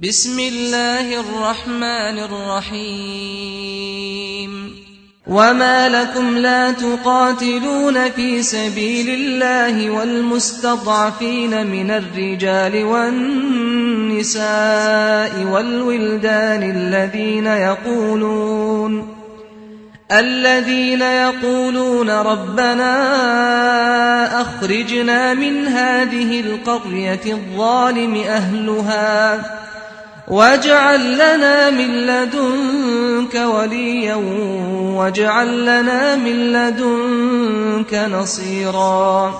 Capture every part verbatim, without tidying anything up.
بسم الله الرحمن الرحيم. وما لكم لا تقاتلون في سبيل الله والمستضعفين من الرجال والنساء والولدان الذين يقولون الذين يقولون ربنا أخرجنا من هذه القرية الظالم أهلها واجعل لنا من لدنك وليا واجعل لنا من لدنك نصيرا.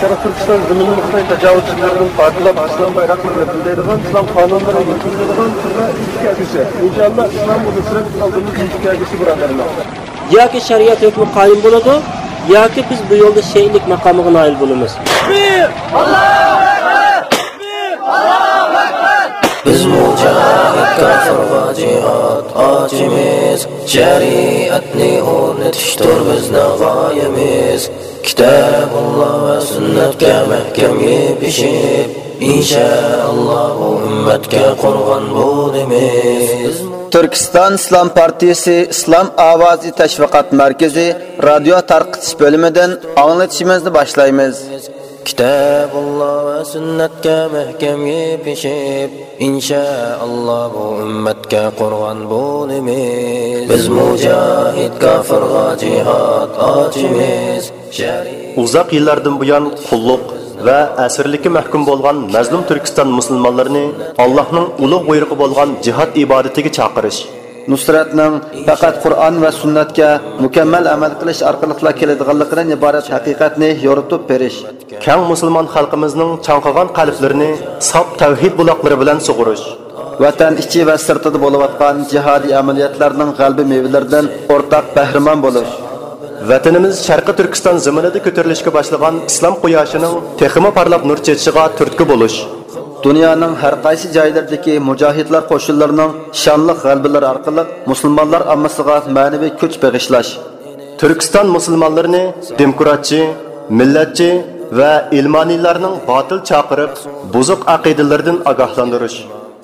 شەرقىي تۈركىستان زېمىنىنى خىتاي تاجاۋۇزچىلىرىدىن پاكلاپ، ئىسلام بايراقلىرىنى بىلدۈرىدىغان، ئىسلام قانۇنلىرىنى يېتىلدۈرىدىغان تۈرمە ئىنتىكاگۈسى. ئىنشائاللا، ئىسلام ئۇلۇسىنى ئالدىمىز ئىنتىكاگۈسى، بۇرادەرلەر. ياكى شەرىئەت ھۆكمى قايىم بولىدۇ، ياكى بىز بۇ يولدا شېھىتلىك ماقامىغا نائىل بولىمىز. بىز مۇجاھىد كاپىرغا جىھاد ئاچىمىز، شەرىئەتنى ئورنىتىشتۇر بىزنىڭ غايىمىز. كىتابۇللا ۋە سۈننەتكە مەھكەم يېپىشىپ، ئىنشائاللا بۇ ئۈممەتكە قورغان بولىمىز. تۈركىستان ئىسلام پارتىيىسى ئىسلام ئاۋازى تەشۋىقات مەركىزى رادىيو تارقىتىش بۆلۈمىدىن ئاڭلىتىشىمىزنى باشلايمىز. كىتابۇللا ۋە سۈننەتكە مەھكەم يېپىشىپ، ئىنشائاللا بۇ ئۈممەتكە قورغان بولىمىز. بىز مۇجاھىد كاپىرغا جىھاد ئاچىمىز. ئۇزاق يىللاردىن بۇيان قۇللۇق ۋە ئەسىرلىككە مەھكۇم بولغان مەزلۇم تۈركىستان مۇسۇلمانلىرىنى ئاللاھنىڭ ئۇلۇغ بۇيرۇقى بولغان جىھاد ئىبادىتىگە چاقىرىش، نۇسرەتنىڭ پەقەت قۇرئان ۋە سۈننەتكە مۇكەممەل ئەمەل قىلىش ئارقىلىقلا كېلىدىغانلىقىدىن ئىبارەت ھەقىقەتنى يورۇتۇپ بېرىش، كەڭ مۇسۇلمان خەلقىمىزنىڭ چاڭقىغان قەلبلىرىنى ساپ تەۋھىد بۇلاقلىرى بىلەن سۇغۇرۇش، ۋەتەن ئىچى ۋە سىرتىدا بولۇۋاتقان جىھادىي ئەمەلىيەتلەرنىڭ غەلىبە مېۋىلىرىدىن ئورتاق بەھرىمەن بولۇش، ۋەتىنىمىز شەرقىي تۈركىستان زېمىنىدا كۆتۈرۈلۈشكە باشلىغان ئىسلام قۇياشىنىڭ تېخىمۇ پارلاپ نۇر چېچىشىغا تۈرتكە بولۇش، دۇنيانىڭ ھەر قايسى جايلىرىدىكى مۇجاھىدلار قوشۇنلىرىنىڭ شانلىق غەلىبىلىرى ئارقىلىق مۇسۇلمانلار ئاممىسىغا مەنىۋى كۈچ بېغىشلاش، تۈركىستان مۇسۇلمانلىرىنى دېموكراتچى، مىللەتچى ۋە ئىلمانىيلارنىڭ باتىل چاقىرىپ، بۇزۇق ئەقىدىلىرىدىن ئاگاھلاندۇرۇش،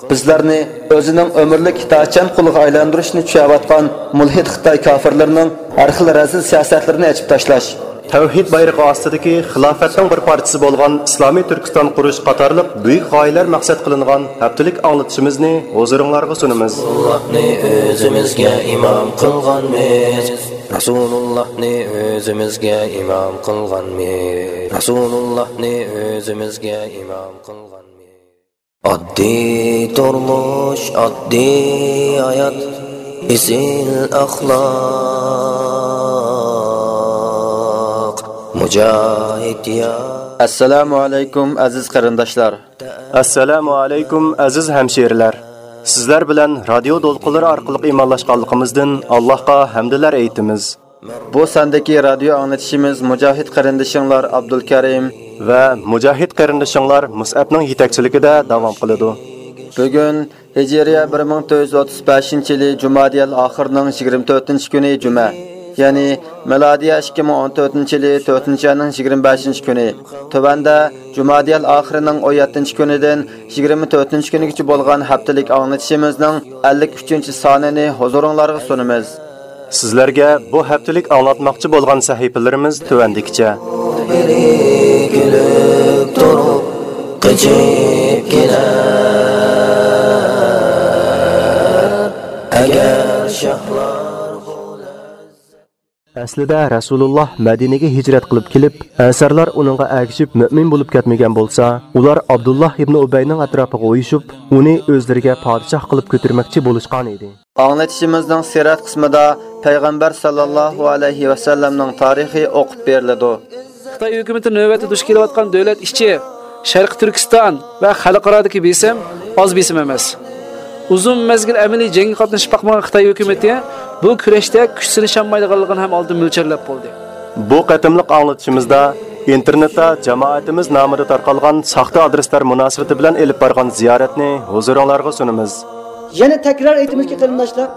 بىزلەرنى ئۆزىنىڭ ئۆمۈرلۈك ئىتائەتچان قۇلىغا ئايلاندۇرۇشنى چۈشەۋاتقان مۇلھىد خىتاي كاپىرلىرىنىڭ ھەر خىل رەزىل سىياسەتلىرىنى ئېچىپ تاشلاش، تەۋھىد بايرىقى ئاستىدىكى خىلاپەتنىڭ بىر پارچىسى بولغان ئىسلامىي تۈركىستان قۇرۇش قاتارلىق بۈيۈك غايىلەر مەقسەت قىلىنغان ھەپتىلىك ئاڭلىتىشىمىزنى ھۇزۇرۇڭلارغا سۇنىمىز. رەسۇلۇللاھنى ئۆزىمىزگە ئىمام قىلغانمىز. رەسۇلۇللاھنى ئۆزىمىزگە ئىمام قىلغانمىز. رەسۇلۇللاھنى ئۆزىمىزگە ئىمام قىلغانمىز. ئاددىي تۇرمۇش، ئاددىي ھايات، ئېسىل ئەخلاق، مۇجاھىد يار. ئەسسالامۇ ئەلەيكۇم، ئەزىز قېرىنداشلار. ئەسسالامۇ ئەلەيكۇم، ئەزىز ھەمشىرىلەر. سىزلەر بىلەن رادىيو دولقۇنلىرى ئارقىلىق ئىمانلاشقانلىقىمىزدىن ئاللاھقا ھەمدىلەر ئېيتىمىز. بۇ ساندىكى رادىيو ئاڭلىتىشىمىز مۇجاھىد قېرىندىشىڭلار ئابدۇلكەرىم ۋە مۇجاھىد قېرىندىشىڭلار مۇسئەبنىڭ يېتەكچىلىكىدە داۋام قىلىدۇ. بۈگۈن ھىجرىيە بىر مىڭ تۆت يۈز ئوتتۇز بەشىنچى يىلى جۇمادىيەل ئاخىرنىڭ يىگىرمە تۆتىنچى كۈنى جۈمە، يەنى مىلادىيە ئىككى مىڭ ئون تۆتىنچى يىلى تۆتىنچى ئاينىڭ يىگىرمە بەشىنچى كۈنى. تۆۋەندە جۇمادىيەل ئاخىرىنىڭ ئون يەتتىنچى كۈنىدىن يىگىرمە تۆتىنچى كۈنىگىچە بولغان ھەپتىلىك ئاڭلىتىشىمىزنىڭ ئەللىك ئۈچىنچى سانىنى ھۇزۇرۇڭلارغا سۇنىمىز. سىزلەرگە بۇ ھەپتىلىك ئاڭلاتماقچى بولغان سەھىپىلىرىمىز تۆۋەندىكىچە. بىرى كۈلۈپ تۇرۇپ، قېچىپ كېلەر. ئەگەر شاھلار ئەسلىدە رەسۇلۇللاھ مەدىنىگە ھىجرەت قىلىپ كېلىپ، ئەنسارلار ئۇنىڭغا ئەگىشىپ مۆمىن بولۇپ كەتمىگەن بولسا، ئۇلار ئابدۇللاھ ئىبنى ئۇبەينىڭ ئەتراپىغا ئۇيۇشۇپ، ئۇنى ئۆزلىرىگە پادىشاھ قىلىپ كۆتۈرمەكچى بولۇشقان ئىدى. ئاڭلىتىشىمىزنىڭ سىرەت قىسمىدا پەيغەمبەر ساللاللاھۇ ئەلەيھى ۋەسەللەمنىڭ تارىخى ئوقۇپ بېرىلىدۇ. خىتاي ھۆكۈمىتى نۆۋەتتە دۇچ كېلىۋاتقان دۆلەت ئىچى، شەرقىي تۈركىستان ۋە خەلقئارادىكى بېسىم ئاز بېسىم ئەمەس. ئۇزۇن مەزگىل ئەمەلىي جەڭگە قاتنىشىپ باقمىغان خىتاي ھۆكۈمىتى بۇ كۈرەشتە كۈچ سىنىشالمايدىغانلىقىنى ھەم ئالدىن مۆلچەرلەپ بولدى. بۇ قېتىملىق ئاڭلىتىشىمىزدا ئىنتېرنېتتا جامائىتىمىز نامىدا تارقالغان ساختا ئادرېسلار مۇناسىۋىتى بىلەن ئېلىپ بارغان زىيارەتنى ھۇزۇرۇڭلارغا سۇنىمىز. يەنە تەكرار ئېيتىمىزكى، قېرىنداشلار،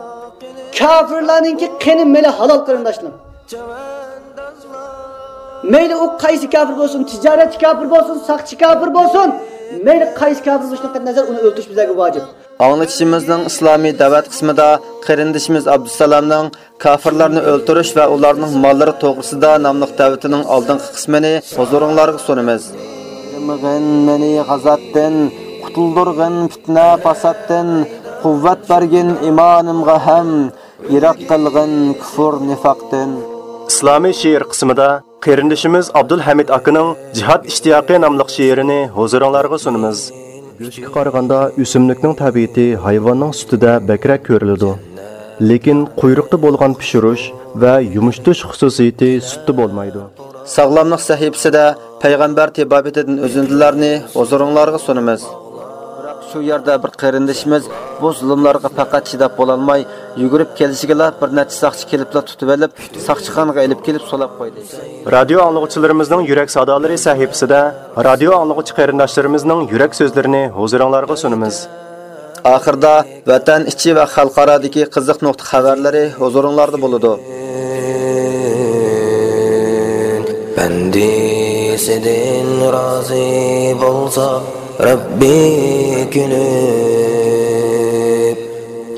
كاپىرلارنىڭكى قېنى مەيلى ھالال، قېرىنداشلىرىم. مەيلى ئۇ قايسى كاپىر بولسۇن، تىجارەتچى كاپىر بولسۇن، ساقچى كاپىر بولسۇن، مەيلى قايسى كاپىر بولۇشىدىن قەتئىينەزەر، ئۇنى ئۆلتۈرۈش بىزلەرگە ۋاجىپ. ئاڭلىتىشىمىزنىڭ ئىسلامىي دەۋەت قىسمىدا قېرىندىشىمىز ئابدۇسالامنىڭ كاپىرلارنى ئۆلتۈرۈش ۋە ئۇلارنىڭ ماللىرى توغرىسىدا ناملىق دەۋىتىنىڭ ئالدىنقى قىسمىنى ھۇزۇرۇڭلارغا سۇنىمىز. ئايرىمىغىن مېنى غازاتتىن، قۇتۇلدۇرغىن پىتنە پاساتتىن، قۇۋۋەت بەرگىن ئىمانىمغا ھەم يىراق قىلغىن كۇفۇر نىفاقتىن. ئىسلامىي شېئىر قىسمىدا قېرىندىشىمىز ئابدۇلھەمىد ئاكىنىڭ جىھاد ئىشتىياقى ناملىق شېئىرىنى ھۇزۇرۇڭلارغا سۇنىمىز. گۈلۈشكە قارىغاندا ئۆسۈملۈكنىڭ تەبىئىتى ھايۋاننىڭ سۈتىدە بەكرەك كۆرۈلىدۇ. لېكىن قۇيرۇقتا بولغان پىشۇرۇش ۋە يۇمشىتىش خۇسۇسىيىتى سۈتتە بولمايدۇ. ساغلاملىق سەھىپىسىدە پەيغەمبەر تېبابىتىدىن ئۈزۈندىلەرنى ھۇزۇرۇڭلارغا سۇنىمىز. بىراق شۇ يەردە بىر قېرىندىشىمىز بۇ زۇلۇملارغا پەقەت چىداپ بولالماي، يۈگۈرۈپ كېلىشىگىلا بىر نەچچە ساقچى كېلىپلا تۇتۇۋېلىپ، ساقچىخانىغا ئېلىپ كېلىپ سولاپ قويدى. رادىيو ئاڭلىغۇچىلىرىمىزنىڭ يۈرەك سادالىرى سەھىپىسىدە رادىيو ئاڭلىغۇچى قېرىنداشلىرىمىزنىڭ يۈرەك سۆزلىرىنى ھۇزۇرۇڭلارغا سۇنىمىز. ئاخىرىدا ۋەتەن ئىچى ۋە خەلقئارادىكى قىزىق نۇقتا خەۋەرلىرى ھۇزۇرۇڭلاردا بولىدۇ. بەندىسىدىن رازى بولسا رەببى كۈلۈپ،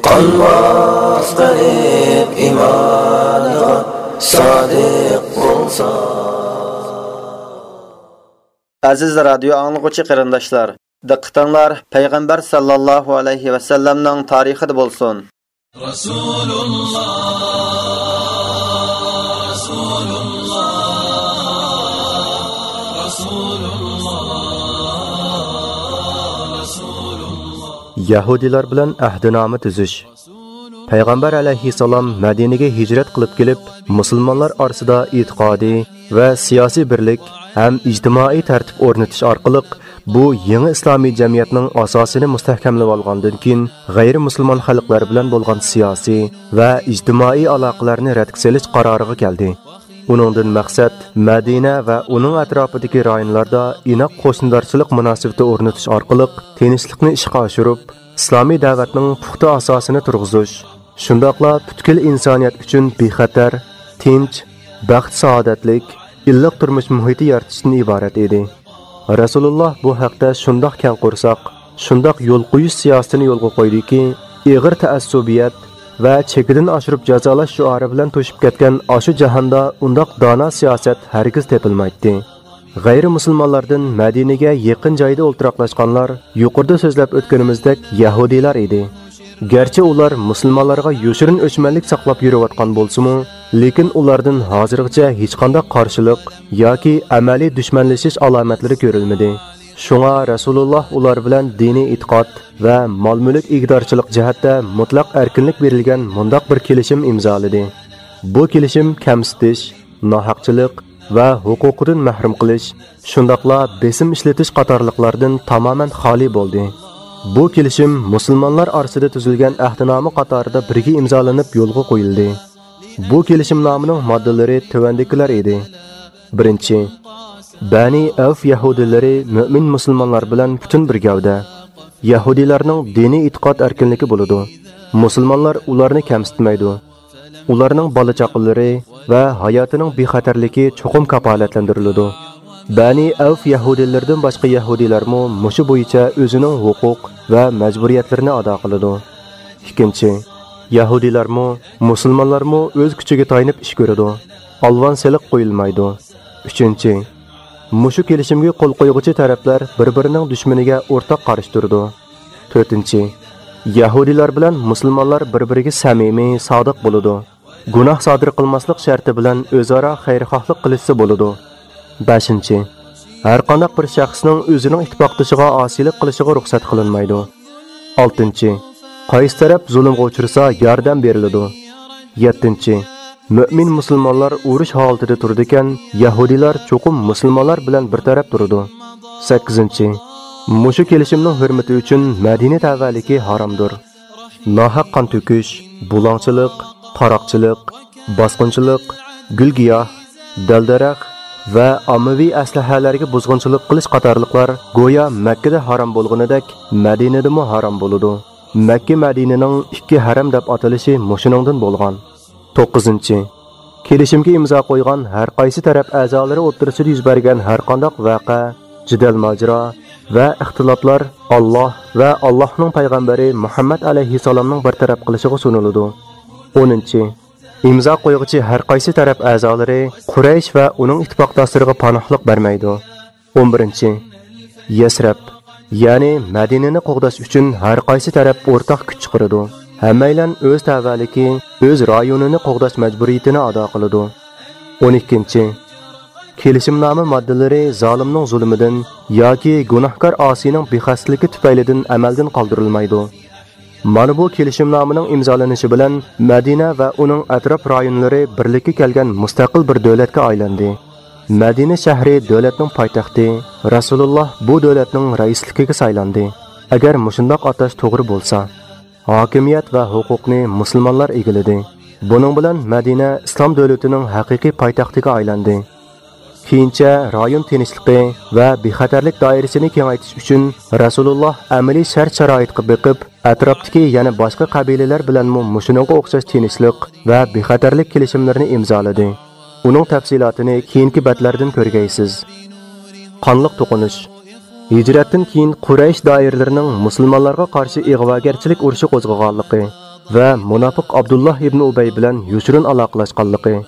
قانماس قەلب ئىمانىغا سادىق بولسا. ئەزىز رادىيو ئاڭلىغۇچى قېرىنداشلار، دىققىتىڭلار پەيغەمبەر ساللاللاھۇ ئەلەيھى ۋەسەللەمنىڭ تارىخىدا بولسۇن. رەسۇلۇللا، رەسۇلۇللا، رەسۇلۇللا، رەسۇلۇللا. يەھۇدىيلار بىلەن ئەھدىنامە تۈزۈش. پەيغەمبەر ئەلەيھىسسالام مەدىنىگە ھىجرەت قىلىپ كېلىپ، مۇسۇلمانلار ئارىسىدا ئېتىقادىي ۋە سىياسىي بىرلىك ھەم ئىجتىمائىي تەرتىپ ئورنىتىش ئارقىلىق، بۇ يېڭى ئىسلامىي جەمئىيەتنىڭ ئاساسىنى مۇستەھكەملىۋالغاندىن كېيىن، غەيرىي مۇسۇلمان خەلقلەر بىلەن بولغان سىياسىي ۋە ئىجتىمائىي ئالاقىلەرنى رەتكە سېلىش قارارىغا كەلدى. ئۇنىڭدىن مەقسەت مەدىنە ۋە ئۇنىڭ ئەتراپىدىكى رايونلاردا ئىناق قوشنىدارچىلىق مۇناسىۋىتى ئورنىتىش ئارقىلىق تىنچلىقنى ئىشقا ئاشۇرۇپ، ئىسلامىي دەۋەتنىڭ پۇختا ئاساسىنى تۇرغۇزۇش، شۇنداقلا پۈتكۈل ئىنسانىيەت ئۈچۈن بىخەتەر، تىنچ، بەخت-سائادەتلىك، ئىللىق تۇرمۇش مۇھىتى يارىتىشتىن ئىبارەت ئىدى. رەسۇلۇللا بۇ ھەقتە شۇنداق كەڭ قورساق، شۇنداق يول قويۇش سىياسىتىنى يولغا قويدىكى، ئېغىر تەئەسسۇبىيەت ۋە چېكىدىن ئاشۇرۇپ جازالاش شوئارى بىلەن توشۇپ كەتكەن ئاشۇ جاھاندا ئۇنداق دانا سىياسەت ھەرگىز تېپىلمايتتى. غەيرىي مۇسۇلمانلاردىن مەدىنىگە يېقىن جايدا ئولتۇراقلاشقانلار يۇقىرىدا سۆزلەپ ئۆتكىنىمىزدەك يەھۇدىيلار ئىدى. گەرچە ئۇلار مۇسۇلمانلارغا يوشۇرۇن ئۆچمەنلىك ساقلاپ يۈرۈۋاتقان بولسىمۇ، لېكىن ئۇلاردىن ھازىرغىچە ھېچقانداق قارشىلىق ياكى ئەمەلىي دۈشمەنلىشىش ئالامەتلىرى كۆرۈلمىدى. شۇڭا رەسۇلۇللا ئۇلار بىلەن دىنىي ئېتىقاد ۋە مال-مۈلۈك ئىگىدارچىلىق جەھەتتە مۇتلەق ئەركىنلىك بېرىلگەن مۇنداق بىر كېلىشىم ئىمزالىدى. بۇ كېلىشىم كەمسىتىش، ناھەقچىلىق ۋە ھوقۇقىدىن مەھرۇم قىلىش، شۇنداقلا بېسىم ئىشلىتىش قاتارلىقلاردىن تامامەن خالىي بولدى. بۇ كېلىشىم مۇسۇلمانلار ئارىسىدا تۈزۈلگەن ئەھدىنامە قاتارىدا بىرگە ئىمزالىنىپ يولغا قويۇلدى. بۇ كېلىشىمنامىنىڭ ماددىلىرى تۆۋەندىكىلەر ئىدى. بىرىنچى، بەنى ئەۋف يەھۇدىيلىرى مۆمىن مۇسۇلمانلار بىلەن پۈتۈن بىر گەۋدە. يەھۇدىيلارنىڭ دىنىي ئېتىقاد ئەركىنلىكى بولىدۇ. مۇسۇلمانلار ئۇلارنى كەمسىتمەيدۇ. ئۇلارنىڭ بالا-چاقىلىرى ۋە ھاياتىنىڭ بىخەتەرلىكى چوقۇم كاپالەتلەندۈرۈلىدۇ. بەنى ئەۋف يەھۇدىيلىرىدىن باشقا يەھۇدىيلارمۇ مۇشۇ بويىچە ئۆزىنىڭ ھوقۇق ۋە مەجبۇرىيەتلىرىنى ئادا قىلىدۇ. ئىككىنچى، يەھۇدىيلارمۇ، مۇسۇلمانلارمۇ ئۆز كۈچىگە تايىنىپ ئىش كۆرىدۇ. ئالۋان سېلىق قويۇلمايدۇ. ئۈچىنچى، مۇشۇ كېلىشىمگە قول قويغۇچى تەرەپلەر بىر-بىرىنىڭ دۈشمىنىگە ئورتاق قارشى تۇرىدۇ. تۆتىنچى، يەھۇدىيلار بىلەن مۇسۇلمانلار بىر-بىرىگە سەمىمىي، سادىق بولىدۇ. گۇناھ سادىر قىلماسلىق شەرتى بىلەن ئۆزئارا خەيرخاھلىق قىلىشسا بولىدۇ. بەشىنچى، ھەرقانداق بىر شەخسنىڭ ئۆزىنىڭ ئىتتىپاقدىشىغا ئاسىيلىق قىلىشىغا رۇخسەت قىلىنمايدۇ. ئالتىنچى، قايسى تەرەپ زۇلۇمغا ئۇچرىسا ياردەم بېرىلىدۇ. يەتتىنچى، مۆمىن مۇسۇلمانلار ئۇرۇش ھالىتىدە تۇرىدىكەن، يەھۇدىيلار چوقۇم مۇسۇلمانلار بىلەن بىر تەرەپ تۇرىدۇ. سەككىزىنچى، مۇشۇ كېلىشىمنىڭ ھۆرمىتى ئۈچۈن مەدىنە تەۋەلىكى ھارامدۇر. ناھەق قان تۆكۈش، بۇلاڭچىلىق، تاراقچىلىق، باسقۇنچىلىق، گۈل-گىياھ، دەل-دەرەخ ۋە ئاممىۋى ئەسلىھەلەرگە بۇزغۇنچىلىق قىلىش قاتارلىقلار گويا مەككىدە ھارام بولغىنىدەك مەدىنىدىمۇ ھارام بولىدۇ. مەككە مەدىنىنىڭ ئىككى ھەرەم دەپ ئاتىلىشى مۇشۇنىڭدىن بولغان. توققۇزىنچى، كېلىشىمگە ئىمزا قويغان ھەر قايسى تەرەپ ئەزالىرى ئوتتۇرىسىدا يۈز بەرگەن ھەرقانداق ۋەقە، جېدەل-ماجىرا ۋە ئىختىلاپلار ئاللاھ ۋە ئاللاھنىڭ پەيغەمبىرى مۇھەممەد ئەلەيھىسسالامنىڭ بىر تەرەپ قىلىشىغا سۇنۇلىدۇ. ئونىنچى، ئىمزا قويغۇچى ھەر قايسى تەرەپ ئەزالىرى قۇرەيش ۋە ئۇنىڭ ئىتتىپاقداشلىرىغا پاناھلىق بەرمەيدۇ. ئون بىرىنچى، يەسرەب، يەنى مەدىنىنى قوغداش ئۈچۈن ھەر قايسى تەرەپ ئورتاق كۈچ چىقىرىدۇ. ھەممەيلەن ئۆز تەۋەلىكى، ئۆز رايونىنى قوغداش مەجبۇرىيىتىنى ئادا قىلىدۇ. ئون ئىككىنچى، كېلىشىمنامە ماددىلىرى زالىمنىڭ زۇلمىدىن ياكى گۇناھكار ئاسىينىڭ بىخەستىلىكى تۈپەيلىدىن ئەمەلدىن قالدۇرۇلمايدۇ. مانا بۇ كېلىشىمنامىنىڭ ئىمزالىنىشى بىلەن مەدىنە ۋە ئۇنىڭ ئەتراپ رايونلىرى بىرلىككە كەلگەن مۇستەقىل بىر دۆلەتكە ئايلاندى. مەدىنە شەھىرى دۆلەتنىڭ پايتەختى، رەسۇلۇللاھ بۇ دۆلەتنىڭ رەئىسلىكىگە سايلاندى. ئەگەر مۇشۇنداق ئاتاش توغرا بولسا، ھاكىمىيەت ۋە ھوقۇقنى مۇسۇلمانلار ئىگىلىدى. بۇنىڭ بىلەن مەدىنە ئىسلام دۆلىتىنىڭ ھەقىقىي پايتەختىگە ئايلاندى. كېيىنچە رايون تىنچلىقى ۋە بىخەتەرلىك دائىرىسىنى كېڭەيتىش ئۈچۈن رەسۇلۇللاھ ئەمەلىي شەرت-شارائىتقا بېقىپ، ئەتراپتىكى يەنە باشقا قەبىلىلەر بىلەنمۇ مۇشۇنىڭغا ئوخشاش تىنچلىق ۋە بىخەتەرلىك كېلىشىملىرىنى ئىمزالىدى. ئۇنىڭ تەپسىلاتىنى كېيىنكى بەتلەردىن كۆرگەيسىز. قانلىق توقۇنۇش. ھىجرەتتىن كېيىن قۇرەيش دائىرىلىرىنىڭ مۇسۇلمانلارغا قارشى ئىغۋاگەرچىلىك ئۇرۇشى قوزغىغانلىقى ۋە مۇناپىق ئابدۇللاھ ئىبنى ئۇبەي بىلەن يوشۇرۇن ئالاقىلاشقانلىقى.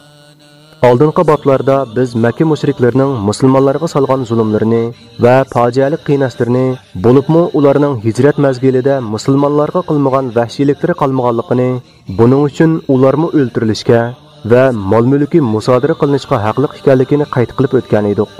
ئالدىنقى بابلاردا بىز مەككە مۇشرىكلىرىنىڭ مۇسۇلمانلارغا سالغان زۇلۇملىرىنى ۋە پاجىئەلىك قىيناشلىرىنى، بولۇپمۇ ئۇلارنىڭ ھىجرەت مەزگىلىدە مۇسۇلمانلارغا قىلمىغان ۋەھشىيلىكلىرى قالمىغانلىقىنى، بۇنىڭ ئۈچۈن ئۇلارمۇ ئۆلتۈرۈلۈشكە ۋە مال-مۈلكى مۇسادىرە قىلىنىشقا ھەقلىق ئىكەنلىكىنى قەيت قىلىپ ئۆتكەن ئىدۇق.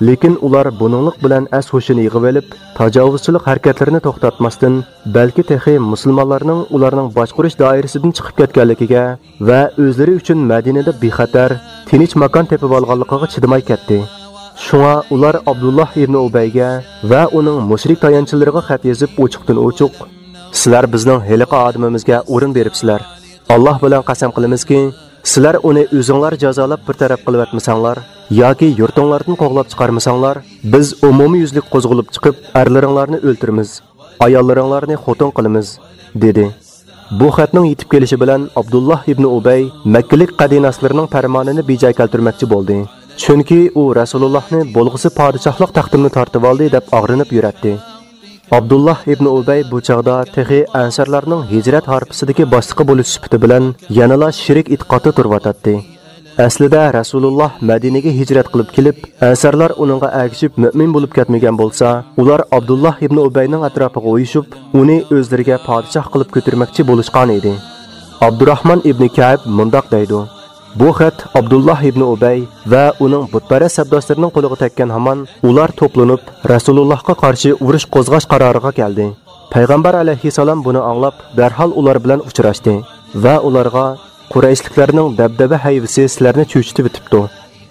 لېكىن ئۇلار بۇنىڭلىق بىلەن ئەس-ھوشىنى يىغىۋېلىپ، تاجاۋۇزچىلىق ھەرىكەتلىرىنى توختاتماستىن، بەلكى تېخى مۇسۇلمانلارنىڭ ئۇلارنىڭ باشقۇرۇش دائىرىسىدىن چىقىپ كەتكەنلىكىگە ۋە ئۆزلىرى ئۈچۈن مەدىنىدە بىخەتەر، تىنچ ماكان تېپىۋالغانلىقىغا چىدىماي كەتتى. شۇڭا ئۇلار ئابدۇللاھ ئىبنى ئۇبەيگە ۋە ئۇنىڭ مۇشرىك تايانچلىرىغا خەت يېزىپ، ئوچۇقتىن ئوچۇق، «سىلەر بىزنىڭ ھېلىقى ئادىمىمىزگە ئورۇن بېرىپسىلەر. ئاللاھ بىلەن قەسەم قىلىمىزكى، سىلەر ئۇنى ئۆزۈڭلار جازالاپ بىر تەرەپ قىلىۋەتمىسەڭلار ياكى يۇرتۇڭلاردىن قوغلاپ چىقارمىساڭلار، بىز ئومۇميۈزلۈك قوزغىلىپ چىقىپ، ئەرلىرىڭلارنى ئۆلتۈرىمىز، ئاياللىرىڭلارنى خوتۇن قىلىمىز» دېدى. بۇ خەتنىڭ يېتىپ كېلىشى بىلەن ئابدۇللاھ ئىبنى ئۇبەي مەككىلىك قەدىناسلىرىنىڭ پەرمانىنى بىجايى كەلتۈرمەكچى بولدى. چۈنكى ئۇ رەسۇلۇللاھنى بولغۇسى پادىشاھلىق تەختىمنى تارتىۋالدى دەپ ئاغرىنىپ يۈرەتتى. ئابدۇللاھ ئىبنى ئۇبەي بۇ چاغدا تېخى ئەنسارلارنىڭ ھىجرەت ھارپىسىدىكى باشلىقى بولۇش سۈپىتى بىلەن يەنىلا شېرىك ئېتىقادتا تۇرۇۋاتاتتى. ئەسلىدە رەسۇلۇللاھ مەدىنىگە ھىجرەت قىلىپ كېلىپ، ئەنسارلار ئۇنىڭغا ئەگىشىپ مۆمىن بولۇپ كەتمىگەن بولسا، ئۇلار ئابدۇللاھ ئىبنى ئۇبەينىڭ ئەتراپىغا ئۇيۇشۇپ، ئۇنى ئۆزلىرىگە پادىشاھ قىلىپ كۆتۈرمەكچى بولۇشقان ئىدى. ئابدۇراھمان ئىبنى كەئب مۇنداق دەيدۇ: «بۇ خەت ئابدۇللاھ ئىبنى ئۇبەي ۋە ئۇنىڭ بۇتپەرەس سەپداشلىرىنىڭ قولىغا تەگكەن ھامان، ئۇلار توپلىنىپ، رەسۇلۇللاھقا قارشى ئۇرۇش قوزغاش قارارىغا كەلدى. پەيغەمبەر ئەلەيھىسسالام بۇنى ئاڭلاپ، دەرھال ئۇلار بىلەن ئۇچراشتى ۋە ئۇلارغا، قۇرەيشلىكلەرنىڭ دەبدەبە ھەيۋىسى سىلەرنى چۆچۈتۈۋېتىپتۇ.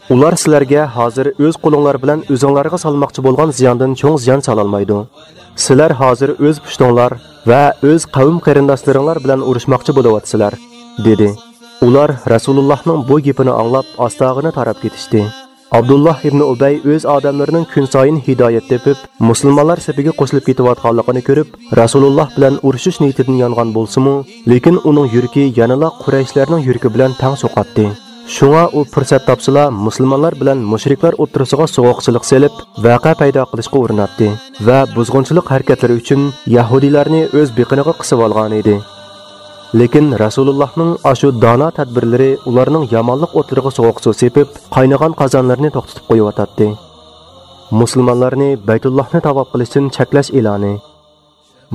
ئۇلار سىلەرگە ھازىر ئۆز قولۇڭلار بىلەن ئۆزۈڭلارغا سالماقچى بولغان زىياندىن چوڭ زىيان سالالمايدۇ. سىلەر ھازىر ئۆز پۇشتۇڭلار ۋە ئۆز قەۋم قېرىنداشلىرىڭلار بىلەن ئۇرۇشماقچى بولۇۋاتىسىلەر» دېدى. ئۇلار رەسۇلۇللاھنىڭ بۇ گېپىنى ئاڭلاپ، ئاستاغىنا تاراپ كېتىشتى. ئابدۇللاھ ئىبنى ئۇبەي ئۆز ئادەملىرىنىڭ كۈنسايىن ھىدايەت تېپىپ، مۇسۇلمانلار سېپىگە قوشۇلۇپ كېتىۋاتقانلىقىنى كۆرۈپ، رەسۇلۇللاھ بىلەن ئۇرۇشۇش نىيىتىدىن يانغان بولسىمۇ، لېكىن ئۇنىڭ يۈرىكى يەنىلا قۇرەيشلەرنىڭ يۈرىكى بىلەن تەڭ سوقاتتى. شۇڭا ئۇ پۇرسەت تاپسىلا، مۇسۇلمانلار بىلەن مۇشرىكلار ئوتتۇرىسىغا سوغۇقچىلىق سېلىپ، ۋەقە پەيدا قىلىشقا ئۇرۇناتتى ۋە بۇزغۇنچىلىق ھەرىكەتلىرى ئۈچۈن يەھۇدىيلارنى ئۆز بېقىنىغا قىسىۋالغانىدى. لېكىن رەسۇلۇللاھنىڭ ئاشۇ دانا تەدبىرلىرى ئۇلارنىڭ يامانلىق ئوتلىرىغا سوغۇق سۇ سېپىپ، قاينىغان قازانلىرىنى توختىتىپ قويۇۋاتاتتى. مۇسۇلمانلارنى بەيتۇللاھنى تاۋاپ قىلىشتىن چەكلەش ئېلانى.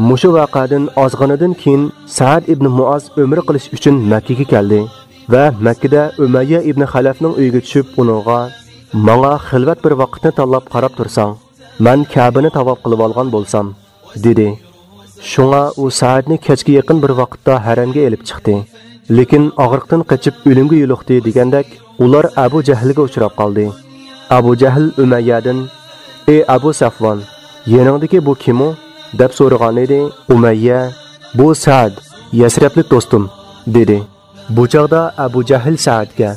مۇشۇ ۋەقەدىن ئازغىنىدىن كېيىن سەئەد ئىبنى مۇئاز ئۆمرە قىلىش ئۈچۈن مەككىگە كەلدى ۋە مەككىدە ئۈمەييە ئىبنى خەلەفنىڭ ئۆيىگە چۈشۈپ، ئۇنىڭغا، «ماڭا خىلۋەت بىر ۋاقىتنى تاللاپ قاراپ تۇرساڭ، مەن كەبىنى تاۋاپ قىلىۋالغان بولسام» دېدى. شۇڭا ئۇ سەئەدنى كەچكە يېقىن بىر ۋاقىتتا ھەرەمگە ئېلىپ چىقتى. لېكىن ئاغرىقتىن قېچىپ ئۆلۈمگە يولۇقتى دېگەندەك، ئۇلار ئەبۇ جەھىلگە ئۇچراپ قالدى. ئەبۇ جەھىل ئۈمەييەدىن، «ئى ئەبۇ سەفۋان، يېنىڭدىكى بۇ كىم ئۇ؟» دەپ سورىغانىدى. ئۈمەييە، «بۇ سەئەد، يەسرەبلىك دوستۇم» دېدى. بۇ چاغدا ئەبۇ جەھىل سەئەدكە،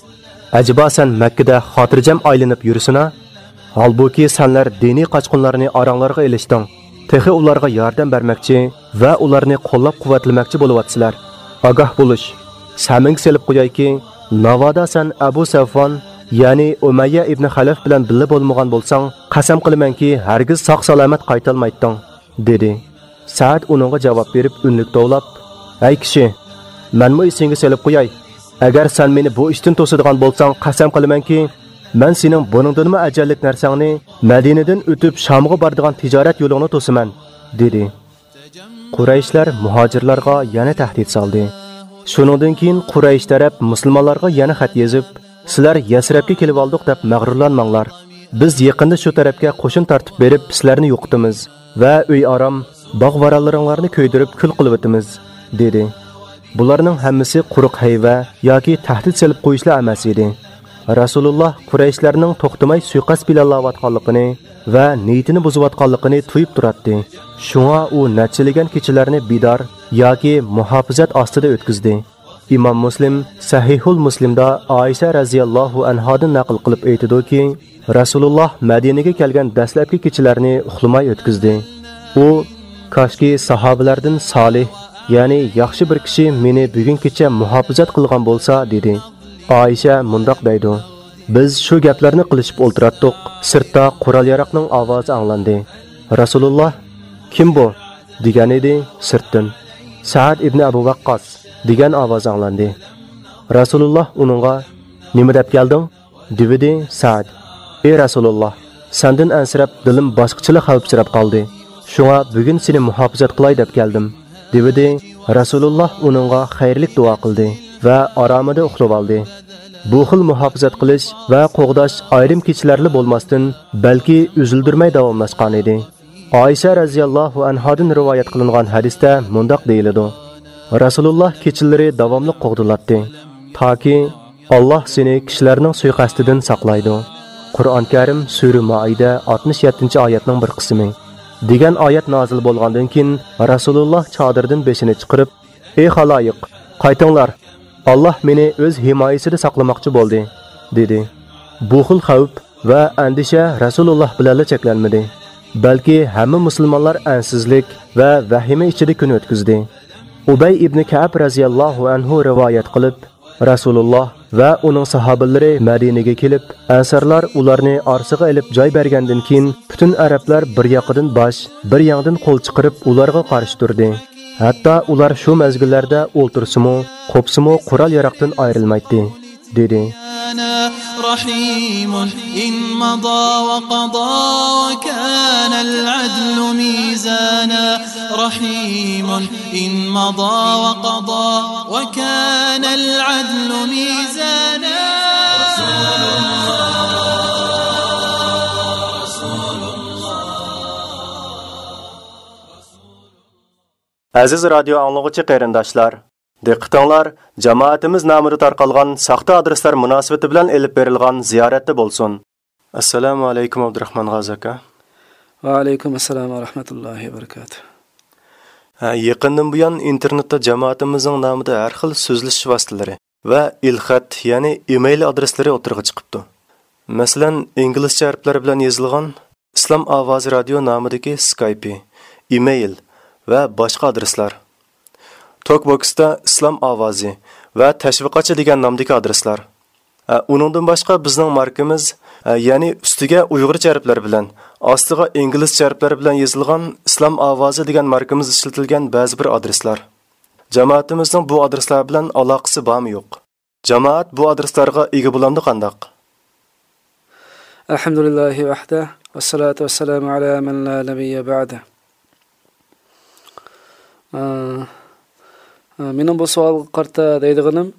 «ئەجەبا سەن مەككىدە خاتىرجەم ئايلىنىپ يۈرىسىنا؟ ھالبۇكى سەنلەر دىنىي قاچقۇنلارنى ئاراڭلارغا ئېلىشتىڭ. تېخى ئۇلارغا ياردەم بەرمەكچى ۋە ئۇلارنى قوللاپ-قۇۋۋەتلىمەكچى بولۇۋاتىسىلەر. ئاگاھ بولۇش! سەمىڭگە سېلىپ قويايكى، ناۋادا سەن ئەبۇ سەفۋان، يەنى ئۇمەييە ئىبنى خەلەف بىلەن بىللە بولمىغان بولساڭ، قەسەم قىلىمەنكى، ھەرگىز ساق-سالامەت قايتالمايتتىڭ، دېدى. سەئد ئۇنىڭغا جاۋاب بېرىپ ئۈنلۈك توۋلاپ، ھەي كىشى، مەنمۇ ئېسىڭگە سېلىپ قوياي، ئەگەر سەن مېنى بۇ ئىشتىن توسىدىغان بولساڭ، قەسەم قىلىمەنكى، مەن سېنىڭ بۇنىڭدىنمۇ ئەجەللىك نەرسەڭنى، مەدىنىدىن ئۆتۈپ شامغا بارىدىغان تىجارەت يولۇڭنى توسىمەن، دېدى. قۇرەيشلەر مۇھاجىرلارغا يەنە تەھدىت سالدى. شۇنىڭدىن كېيىن قۇرەيش تەرەپ مۇسۇلمانلارغا يەنە خەت يېزىپ، سىلەر يەسرەبكە كېلىۋالدۇق دەپ مەغرۇرلانماڭلار. بىز يېقىندا شۇ تەرەپكە قوشۇن تارتىپ بېرىپ سىلەرنى يوقىتىمىز ۋە ئۆي ئارام، باغ-ۋارانلىرىڭلارنى كۆيدۈرۈپ كۈل قىلىۋېتىمىز، دېدى. بۇلارنىڭ ھەممىسى قۇرۇق ھەيۋە ياكى تەھدىت سېلىپ قويۇشلا ئەمەس ئىدى. رەسۇلۇللا قۇرەيشلەرنىڭ توختىماي سۇيىقەست پىلانلاۋاتقانلىقىنى ۋە نىيىتىنى بۇزۇۋاتقانلىقىنى تۇيۇپ تۇراتتى. شۇڭا ئۇ نەچچىلىگەن كېچىلەرنى بىدار ياكى مۇھاپىزەت ئاستىدا ئۆتكۈزدى. ئىمام مۇسلىم سەھىھۇل مۇسلىمدا ئائىشە رەزىياللاھۇ ئەنھادىن نەقىل قىلىپ ئېيتىدۇكى، رەسۇلۇللا مەدىنىگە كەلگەن دەسلەپكى كېچىلەرنى ئۇخلىماي ئۆتكۈزدى. ئۇ، كاشكى ساھابىلەردىن سالىھ، يەنى ياخشى بىر كىشى مېنى بۈگۈن كېچە مۇھاپىزەت قىلغان بولسا، دېدى. ئائىشە مۇنداق دەيدۇ، بىز شۇ گەپلەرنى قىلىشىپ ئولتۇراتتۇق، سىرتتا قورال-ياراقنىڭ ئاۋازى ئاڭلاندى. رەسۇلۇللا، كىم بۇ؟ دېگەنىدى سىرتتىن. سەئەد ئىبنى ئەبۇ ۋەققاس، دېگەن ئاۋاز ئاڭلاندى. رەسۇلۇللا ئۇنىڭغا، نېمە دەپ كەلدىڭ؟ دېۋىدى سەئەد، ئى رەسۇلۇللا، سەندىن ئەنسىرەپ دىلىم باشقىچىلا خەۋپسىرەپ قالدى. شۇڭا بۈگۈن سېنى مۇھاپىزەت قىلاي دەپ كەلدىم، دېۋىدى. رەسۇلۇللا ئۇنىڭغا خەيرلىك دۇئا قىلدى ۋە ئارامىدا ئۇخلىۋالدى. بۇ خىل مۇھاپىزەت قىلىش ۋە قوغداش ئايرىم كېچىلەرلا بولماستىن، بەلكى ئۈزۈلدۈرمەي داۋاملاشقانىدى. ئائىشە رەزىياللاھۇ ئەنھادىن رىۋايەت قىلىنغان ھەدىستە مۇنداق دېيىلىدۇ، رەسۇلۇللا كېچىلىرى داۋاملىق قوغدىلاتتى، تاكى، ئاللاھ سېنى كىشىلەرنىڭ سۇيىقەستىدىن ساقلايدۇ. قۇرئان كەرىم، سۈرە مائىدە، ئاتمىش يەتتىنچى ئايەتنىڭ بىر قىسمى، دېگەن ئايەت نازىل بولغاندىن كېيىن، رەسۇلۇللا چادىرىدىن بېشىنى چىقىرىپ، ئى خالايىق، قايتىڭلار، ئاللاھ مېنى ئۆز ھىمايىسىدە ساقلىماقچى بولدى، دېدى. بۇ خىل خەۋپ ۋە ئەندىشە رەسۇلۇللا بىلەنلا چەكلەنمىدى، بەلكى ھەممە مۇسۇلمانلار ئەنسىزلىك ۋە ۋەھىمە ئىچىدە كۈن ئۆتكۈزدى. ئۇبەي ئىبنى كەئب رەزىياللاھۇ ئەنھۇ رىۋايەت قىلىپ، رەسۇلۇللا ۋە ئۇنىڭ ساھابىلىرى مەدىنىگە كېلىپ، ئەنسارلار ئۇلارنى ئارىسىغا ئېلىپ جاي بەرگەندىن كېيىن، پۈتۈن ئەرەبلەر بىر ياقىدىن باش، بىر ياڭدىن قول چىقىرىپ ئۇلارغا قارشى تۇردى. ھەتتا ئۇلار شۇ مەزگىللەردە ئولتۇرسىمۇ، قوپسىمۇ قورال-ياراقتىن ئايرىلمايتتى، دېدى. رحيم إن مضى وقضى وكان العدل ميزانا. رحيم إن مضى وقضى وكان العدل ميزانا. ئەزىز رادىيو ئاڭلىغۇچى قېرىنداشلار، دىققىتىڭلار جامائىتىمىز نامىدا تارقالغان ساختا ئادرېسلار مۇناسىۋىتى بىلەن ئېلىپ بېرىلغان زىيارەتتە بولسۇن. ئەسسالامۇ ئەلەيكۇم، ئابدۇراخمان غازى ئاكا. ۋەئەلەيكۇم ئەسسالام ۋە رەھمەتۇللاھى ۋە بەرىكاتۇھ. ھە، يېقىندىن بۇيان ئىنتېرنېتتا جامائىتىمىزنىڭ نامىدا ھەر خىل سۆزلىشىش ۋاسىتىلىرى ۋە ئېلخەت، يەنى ئىمېيل ئادرېسلىرى ئوتتۇرىغا چىقىپتۇ. مەسىلەن، ئىنگلىزچە ھەرپلەر بىلەن يېزىلغان ئىسلام ئاۋازى رادىيو نامىدىكى سكايپى، ئىمېيل ۋە باشقا ئادرېسلار. توكبوكستا ئىسلام ئاۋازى ۋە تەشۋىقاتچى دېگەن نامدىكى ئادرېسلار. ئە، ئۇنىڭدىن باشقا بىزنىڭ ماركىمىز، ئە، يەنى ئۈستىگە ئۇيغۇرچە ھەرپلەر بىلەن، ئاستىغا ئىنگلىزچە ھەرپلەر بىلەن يېزىلغان ئىسلام ئاۋازى دېگەن ماركىمىز ئىشلىتىلگەن بەزى بىر ئادرېسلار. جامائىتىمىزنىڭ بۇ ئادرېسلار بىلەن ئالاقىسى بارمۇ يوق؟ جامائەت بۇ ئادرېسلارغا ئىگە بولامدۇ قانداق؟ الحمد لله وحده والصلاة والسلام على من لا نبي بعده. ئە، ئە، مېنىڭ بۇ سوئالغا قارىتا دەيدىغىنىم،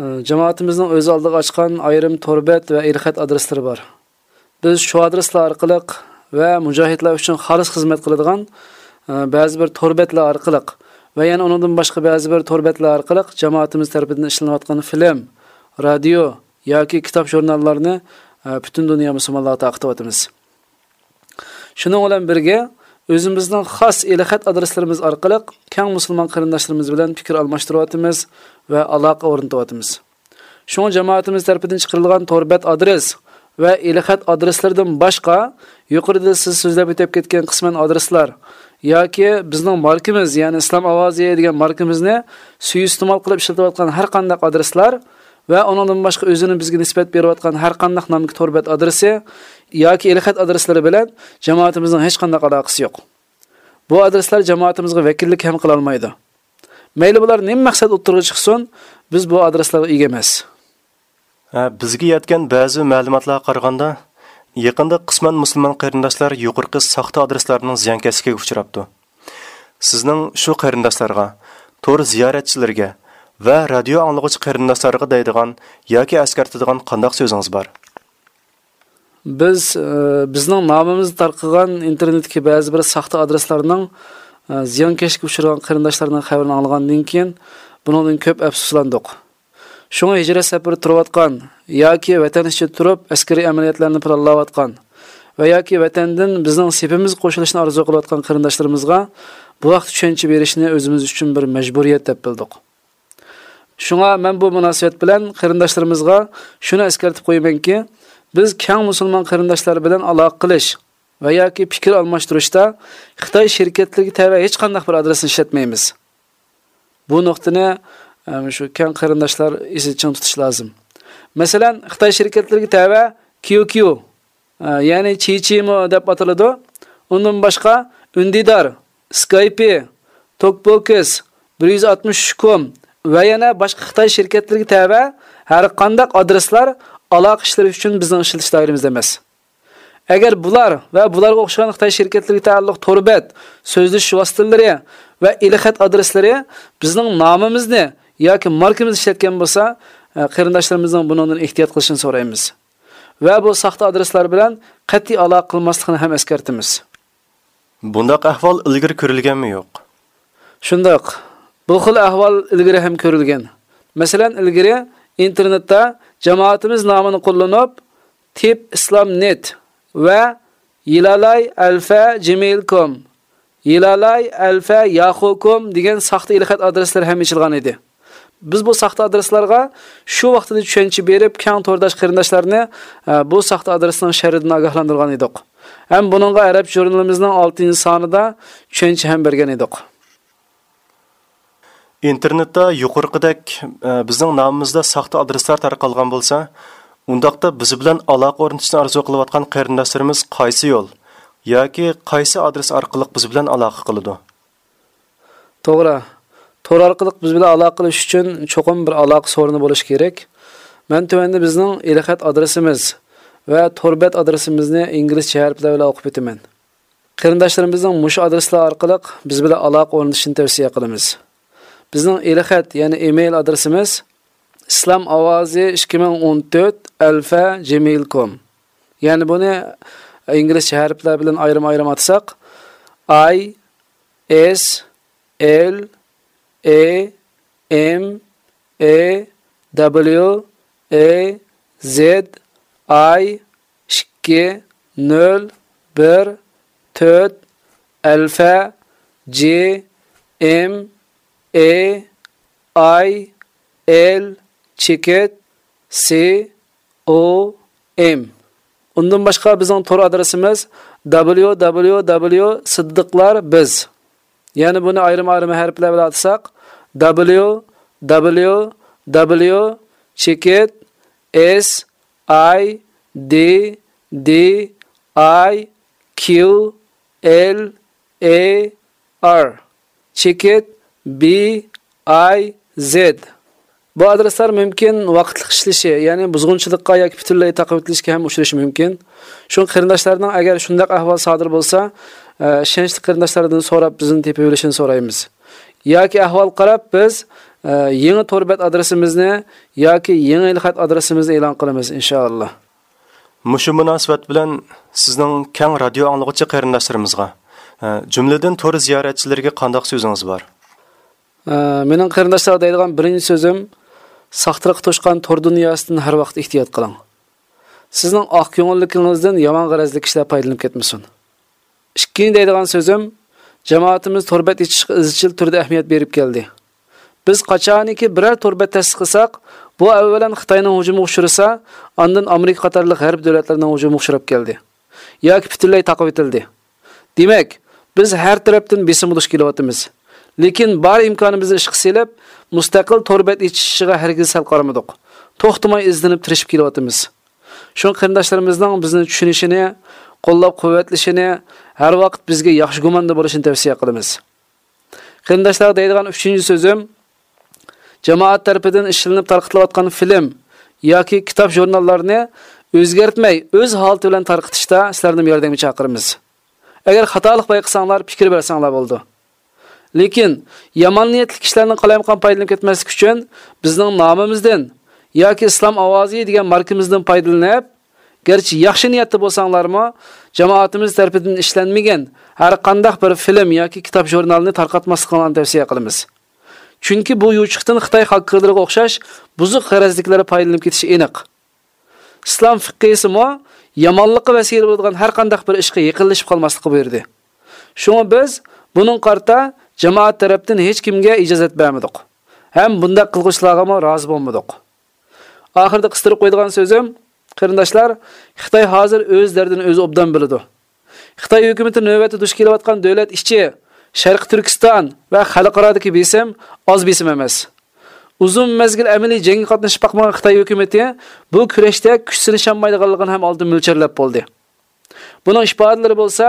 ئە، جامائىتىمىزنىڭ ئۆز ئالدىغا ئاچقان ئايرىم تور بەت ۋە ئېلخەت ئادرېسلىرى بار. بىز شۇ ئادرېسلار ئارقىلىق ۋە مۇجاھىدلار ئۈچۈن خالىس خىزمەت قىلىدىغان، ئە، بەزى بىر تور بەتلەر ئارقىلىق ۋە يەنە ئۇنىڭدىن باشقا بەزى بىر تور بەتلەر ئارقىلىق جامائىتىمىز تەرىپىدىن ئىشلىنىۋاتقان فىلىم، رادىيو ياكى كىتاب ژۇرناللارنى، ئە، پۈتۈن دۇنيا مۇسۇلمانلارغا تارقىتىۋاتىمىز. شۇنىڭ بىلەن بىرگە، ئۆزىمىزنىڭ خاس ئېلخەت ئادرېسلىرىمىز ئارقىلىق كەڭ مۇسۇلمان قېرىنداشلىرىمىز بىلەن پىكىر ئالماشتۇرۇۋاتىمىز ۋە ئالاقە ئورنىتىۋاتىمىز. شۇڭا جامائىتىمىز تەرىپىدىن چىقىرىلغان تور بەت ئادرېس ۋە ئېلخەت ئادرېسلىرىدىن باشقا، يۇقىرىدا سىز سۆزلەپ ئۆتۈپ كەتكەن قىسمەن ئادرېسلار ياكى بىزنىڭ ماركىمىز، يەنى ئىسلام ئاۋازى دېگەن ماركىمىزنى سۇيىئىستېمال قىلىپ ئىشلىتىۋاتقان ھەر قانداق ئادرېسلار ۋە ئۇنىڭدىن باشقا ئۆزىنى بىزگە نىسبەت بېرىۋاتقان ھەر قانداق نامدىكى تور بەت ئادرېسى ياكى ئېلخەت ئادرېسلىرى بىلەن جامائىتىمىزنىڭ ھېچقانداق ئالاقىسى يوق. بۇ ئادرېسلار جامائىتىمىزغا ۋەكىللىك ھەم قىلالمايدۇ. مەيلى بۇلار نېمە مەقسەت ئوتتۇرىغا چىقسۇن، بىز بۇ ئادرېسلارغا ئىگە ئەمەس. ھە، بىزگە يەتكەن بەزى مەلۇماتلارغا قارىغاندا، يېقىندا قىسمەن مۇسۇلمان قېرىنداشلار يۇقىرىقى ساختا ئادرېسلارنىڭ زىيانكەشلىكىگە ئۇچراپتۇ. سىزنىڭ شۇ قېرىنداشلارغا، تور زىيارەتچىلىرىگە ۋە رادىيو ئاڭلىغۇچى قېرىنداشلارغا دەيدىغان ياكى ئەسكەرتىدىغان قانداق سۆزىڭىز بار؟ بىز، ئى، بىزنىڭ نامىمىزدا تارقىغان ئىنتېرنېتتىكى بەزى بىر ساختا ئادرېسلارنىڭ، ئى، زىيانكەشلىككە ئۇچرىغان قېرىنداشلارنىڭ خەۋىرىنى ئاڭلىغاندىن كېيىن، بۇنىڭدىن كۆپ ئەپسۇسلاندۇق. شۇڭا ھىجرەت سەپىرىدە تۇرۇۋاتقان ياكى ۋەتەن ئىچىدە تۇرۇپ ئەسكىرىي ئەمەلىيەتلەرنى پىلانلاۋاتقان ۋە ياكى ۋەتەندىن بىزنىڭ سېپىمىزگە قوشۇلۇشنى ئارزۇ قىلىۋاتقان قېرىنداشلىرىمىزغا بۇ ھەقتە چۈشەنچە بېرىشنى ئۆزىمىز ئۈچۈن بىر مەجبۇرىيەت دەپ بىلدۇق. شۇڭا مەن بۇ مۇناسىۋەت بىلەن قېرىنداشلىرىمىزغا شۇنى ئەسكەرتىپ قويىمەنكى، بىز كەڭ مۇسۇلمان قېرىنداشلار بىلەن ئالاقە قىلىش ۋە ياكى پىكىر ئالماشتۇرۇشتا خىتاي شىركەتلىرىگە تەۋە ھېچقانداق بىر ئادرېسنى ئىشلەتمەيمىز. بۇ نۇقتىنى، ئە، شۇ كەڭ قېرىنداشلار ئېسىدە چىڭ تۇتۇشى لازىم. مەسىلەن، خىتاي شىركەتلىرىگە تەۋە كيۇ كيۇ، ئە، يەنى چىچىمو دەپ ئاتىلىدۇ. ئۇندىن باشقا ئۈندىدار، سكايپى، توكبوكس، بىر يۈز ئاتمىش ئۈچ كوم ۋە يەنە باشقا خىتاي شىركەتلىرىگە تەۋە ھەر قانداق ئادرېسلار ئالاقە ئىشلىرى ئۈچۈن بىزنىڭ ئىشلىتىش دائىرىمىزدە ئەمەس. ئەگەر بۇلار ۋە بۇلارغا ئوخشىغان خىتاي شىركەتلىرىگە تەئەللۇق تور بەت، سۆزلىشىش ۋاسىتىلىرى ۋە ئېلخەت ئادرېسلىرى بىزنىڭ نامىمىزنى ياكى ماركىمىزنى ئىشلەتكەن بولسا، ئە، قېرىنداشلىرىمىزنىڭ بۇنىڭدىن ئېھتىيات قىلىشىنى سورايمىز ۋە بۇ ساختا ئادرېسلار بىلەن قەتئىي ئالاقە قىلماسلىقىنى ھەم ئەسكەرتىمىز. بۇنداق ئەھۋال ئىلگىرى كۆرۈلگەنمۇ يوق؟ شۇنداق. بۇ خىل ئەھۋال ئىلگىرى ھەم كۆرۈلگەن. مەسىلەن، ئىلگىرى ئىنتېرنېتتا جامائىتىمىز نامىنى قوللىنىپ، تىپ ئىسلام نېت ۋە يىلالاي ئەلفە جىمېيل كوم، يىلالاي ئەلفە ياخۇ كوم دېگەن ساختا ئېلخەت ئادرېسلىرى ھەم ئېچىلغان ئىدى. بىز بۇ ساختا ئادرېسلارغا شۇ ۋاقتىدا چۈشەنچە بېرىپ، كەڭ تورداش قېرىنداشلارنى، ئە، بۇ ساختا ئادرېسنىڭ شەررىدىن ئاگاھلاندۇرغان ئىدۇق. ھەم بۇنىڭغا ئەرەب ژۇرنىلىمىزنىڭ ئالتىنچى سانىدا چۈشەنچە ھەم بەرگەن ئىدۇق. ئىنتېرنېتتا يۇقىرىقىدەك، ئە، بىزنىڭ نامىمىزدا ساختا ئادرېسلار تارقالغان بولسا، ئۇنداقتا بىز بىلەن ئالاقە ئورنىتىشنى ئارزۇ قىلىۋاتقان قېرىنداشلىرىمىز قايسى يول ياكى قايسى ئادرېس ئارقىلىق بىز بىلەن ئالاقە قىلىدۇ؟ توغرا. تور ئارقىلىق بىز بىلەن ئالاقە قىلىش ئۈچۈن چوقۇم بىر ئالاقە سورۇنى بولۇشى كېرەك. مەن تۆۋەندە بىزنىڭ ئېلخەت ئادرېسىمىز ۋە تور بەت ئادرېسىمىزنى ئىنگلىزچە ھەرپلەر بىلەن ئوقۇپ ئۆتىمەن. قېرىنداشلىرىمىزنىڭ مۇشۇ ئادرېسلار ئارقىلىق بىز بىلەن ئالاقە ئورنىتىشىنى تەۋسىيە قىلىمىز. بىزنىڭ ئېلخەت، يەنى ئىمېيل ئادرېسىمىز ئىسلام ئاۋازى ئىككى مىڭ ئون تۆت ئەلفە جىمېيل كوم. يەنى بۇنى ئىنگلىزچە ھەرپلەر بىلەن ئايرىم-ئايرىم ئاتىساق، I S L A M A W A Z I ئىككى نۆل بىر تۆت ئەلفە جى ئېم ئې ئاي ئېل چېكىت سى ئو ئېم. ئۇندىن باشقا بىزنىڭ تور ئادرېسىمىز دبليۇ دبليۇ دبليۇ سىددىقلار بىز. يەنى بۇنى ئايرىم-ئايرىم ھەرپلەر بىلەن ئاتىساق، دبليۇ دبليۇ دبليۇ چېكىت ئېس ئاي دى دى ئاي كيۇ ئېل ئې ئار چېكىت بى ئاي زېد. بۇ ئادرېسلار مۇمكىن ۋاقىتلىق ئىشلىشى، يەنى بۇزغۇنچىلىققا ياكى پۈتۈنلەي تاقىۋېتىلىشكە ھەم ئۇچرىشى مۇمكىن. شۇڭا قېرىنداشلارنىڭ ئەگەر شۇنداق ئەھۋال سادىر بولسا، ئە، ئىشەنچلىك قېرىنداشلاردىن سوراپ بىزنى تېپىۋېلىشىنى سورايمىز. ياكى ئەھۋال قاراپ بىز، ئە، يېڭى تور بەت ئادرېسىمىزنى ياكى يېڭى ئېلخەت ئادرېسىمىزنى ئېلان قىلىمىز، ئىنشائاللا. مۇشۇ مۇناسىۋەت بىلەن سىزنىڭ كەڭ رادىيو ئاڭلىغۇچى قېرىنداشلىرىمىزغا، ئە، جۈملىدىن تور زىيارەتچىلىرىگە قانداق سۆزىڭىز بار؟ ئە، مېنىڭ قېرىنداشلارغا دەيدىغان بىرىنچى سۆزۈم، ساختىلىققا توشقان تور دۇنياسىدىن ھەر ۋاقىت ئېھتىيات قىلىڭ. سىزنىڭ ئاق كۆڭۈللۈكىڭىزدىن يامان غەرەزلىك كىشىلەر پايدىلىنىپ كەتمىسۇن. ئىككىنچى دەيدىغان سۆزۈم، جامائىتىمىز تور بەت ئېچىشقا ئىزچىل تۈردە ئەھمىيەت بېرىپ كەلدى. بىز قاچانكى بىرەر تور بەت تەسىس قىلساق، بۇ ئەۋۋەلەن خىتاينىڭ ھۇجۇمىغا ئۇچرىسا، ئاندىن ئامېرىكا قاتارلىق غەرب دۆلەتلىرىنىڭ ھۇجۇمىغا ئۇچراپ كەلدى. ياكى پۈتۈنلەي تاقىۋېتىلدى. دېمەك، بىز ھەر تەرەپتىن بېسىمغا دۇچ كېلىۋاتىمىز. لېكىن بار ئىمكانىمىزنى ئىشقا سېلىپ، مۇستەقىل تور بەت ئېچىشىغا ھەرگىز سەل قارىمىدۇق. توختىماي ئىزدىنىپ تىرىشىپ كېلىۋاتىمىز. شۇڭا قېرىنداشلىرىمىزنىڭ بىزنى چۈشىنىشىنى، قوللاپ-قۇۋۋەتلىشىنى، ھەر ۋاقىت بىزگە ياخشى گۇماندا بولۇشىنى تەۋسىيە قىلىمىز. قېرىنداشلارغا دەيدىغان ئۈچىنچى سۆزۈم، جامائەت تەرىپىدىن ئىشلىنىپ تارقىتىلىۋاتقان فىلىم ياكى كىتاب ژۇرناللارنى ئۆزگەرتمەي، ئۆز ھالىتى بىلەن تارقىتىشتا سىلەرنىمۇ ياردەمگە چاقىرىمىز. ئەگەر خاتالىق بايقىساڭلار، پىكىر بەرسەڭلار بولىدۇ. لېكىن يامان نىيەتلىك كىشىلەرنىڭ قالايمىقان پايدىلىنىپ كەتمەسلىكى ئۈچۈن بىزنىڭ نامىمىزدىن ياكى ئىسلام ئاۋازى دېگەن ماركىمىزدىن پايدىلىنىپ، گەرچە ياخشى نىيەتتە بولساڭلارمۇ، جامائىتىمىز تەرىپىدىن ئىشلەنمىگەن ھەر قانداق بىر فىلىم ياكى كىتاب ژۇرنالنى تارقاتماسلىقىڭلارنى تەۋسىيە قىلىمىز. چۈنكى بۇ يوچۇقتىن خىتاي خاككېرلىرىغا ئوخشاش بۇزۇق غەرەزدىكىلەر پايدىلىنىپ كېتىشى ئېنىق. ئىسلام فىقھىسىمۇ يامانلىققا ۋەسىلە بولىدىغان ھەر قانداق بىر ئىشقا يېقىنلىشىپ قالماسلىققا بۇيرۇدى. شۇڭا بىز بۇنىڭغا قارىتا جامائەت تەرەپتىن ھېچكىمگە ئىجازەت بەرمىدۇق ھەم بۇنداق قىلغۇچىلارغىمۇ رازى بولمىدۇق. ئاخىرىدا قىستۇرۇپ قويىدىغان سۆزۈم، قېرىنداشلار، خىتاي ھازىر ئۆز دەردىنى ئۆزى ئوبدان بىلىدۇ. خىتاي ھۆكۈمىتى نۆۋەتتە دۇچ كېلىۋاتقان دۆلەت ئىچى، شەرقىي تۈركىستان ۋە خەلقئارادىكى بېسىم ئاز بېسىم ئەمەس. ئۇزۇن مەزگىل ئەمەلىي جەڭگە قاتنىشىپ باقمىغان خىتاي ھۆكۈمىتى بۇ كۈرەشتە كۈچ سىنىشالمايدىغانلىقىنى ھەم ئالدىن مۆلچەرلەپ بولدى. بۇنىڭ ئىپادىلىرى بولسا،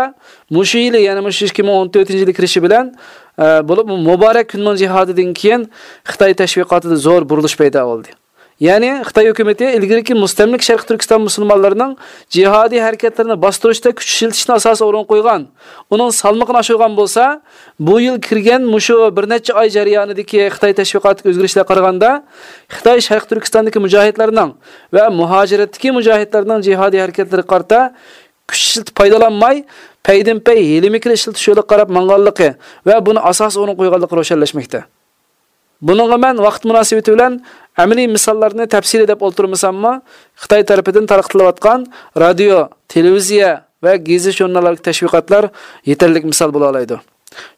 مۇشۇ يىلى، يەنى مۇشۇ ئىككى مىڭ ئون تۆتىنچى يىلى كىرىشى بىلەن، ئە، بولۇپمۇ مۇبارەك كۈننىڭ جىھادىدىن كېيىن خىتاي تەشۋىقاتىدا زور بۇرۇلۇش پەيدا بولدى. يەنى خىتاي ھۆكۈمىتى ئىلگىرىكى مۇستەملىكە شەرقىي تۈركىستان مۇسۇلمانلىرىنىڭ جىھادىي ھەرىكەتلىرىنى باستۇرۇشتا كۈچ ئىشلىتىشنى ئاساسىي ئورۇنغا قويغان، ئۇنىڭ سالمىقىنى ئاشۇرغان بولسا، بۇ يىل كىرگەن مۇشۇ بىر نەچچە ئاي جەريانىدىكى خىتاي تەشۋىقاتىدىكى ئۆزگىرىشلەرگە قارىغاندا، خىتاي شەرقىي تۈركىستاندىكى مۇجاھىدلارنىڭ ۋە مۇھاجىرەتتىكى مۇجاھىدلارنىڭ جىھادىي ھەرىكەتلىرىگە قارىتا كۈچ ئىشلىتىپ پايدىلانماي، پەيدىنپەي ھىيلە-مىكىر ئىشلىتىش يولىغا قاراپ ماڭغانلىقى ۋە بۇنى ئاساسىي ئورۇنغا قويغانلىقى روشەنلەشمەكتە. بۇنىڭغا مەن ۋاقىت مۇناسىۋىتى بىلەن ئەمەلىي مىساللارنى تەپسىلىي دەپ ئولتۇرمىساممۇ، خىتاي تەرىپىدىن تارقىتىلىۋاتقان رادىيو، تېلېۋىزىيە ۋە گېزىت-ژۇرناللاردىكى تەشۋىقاتلار يېتەرلىك مىسال بولالايدۇ.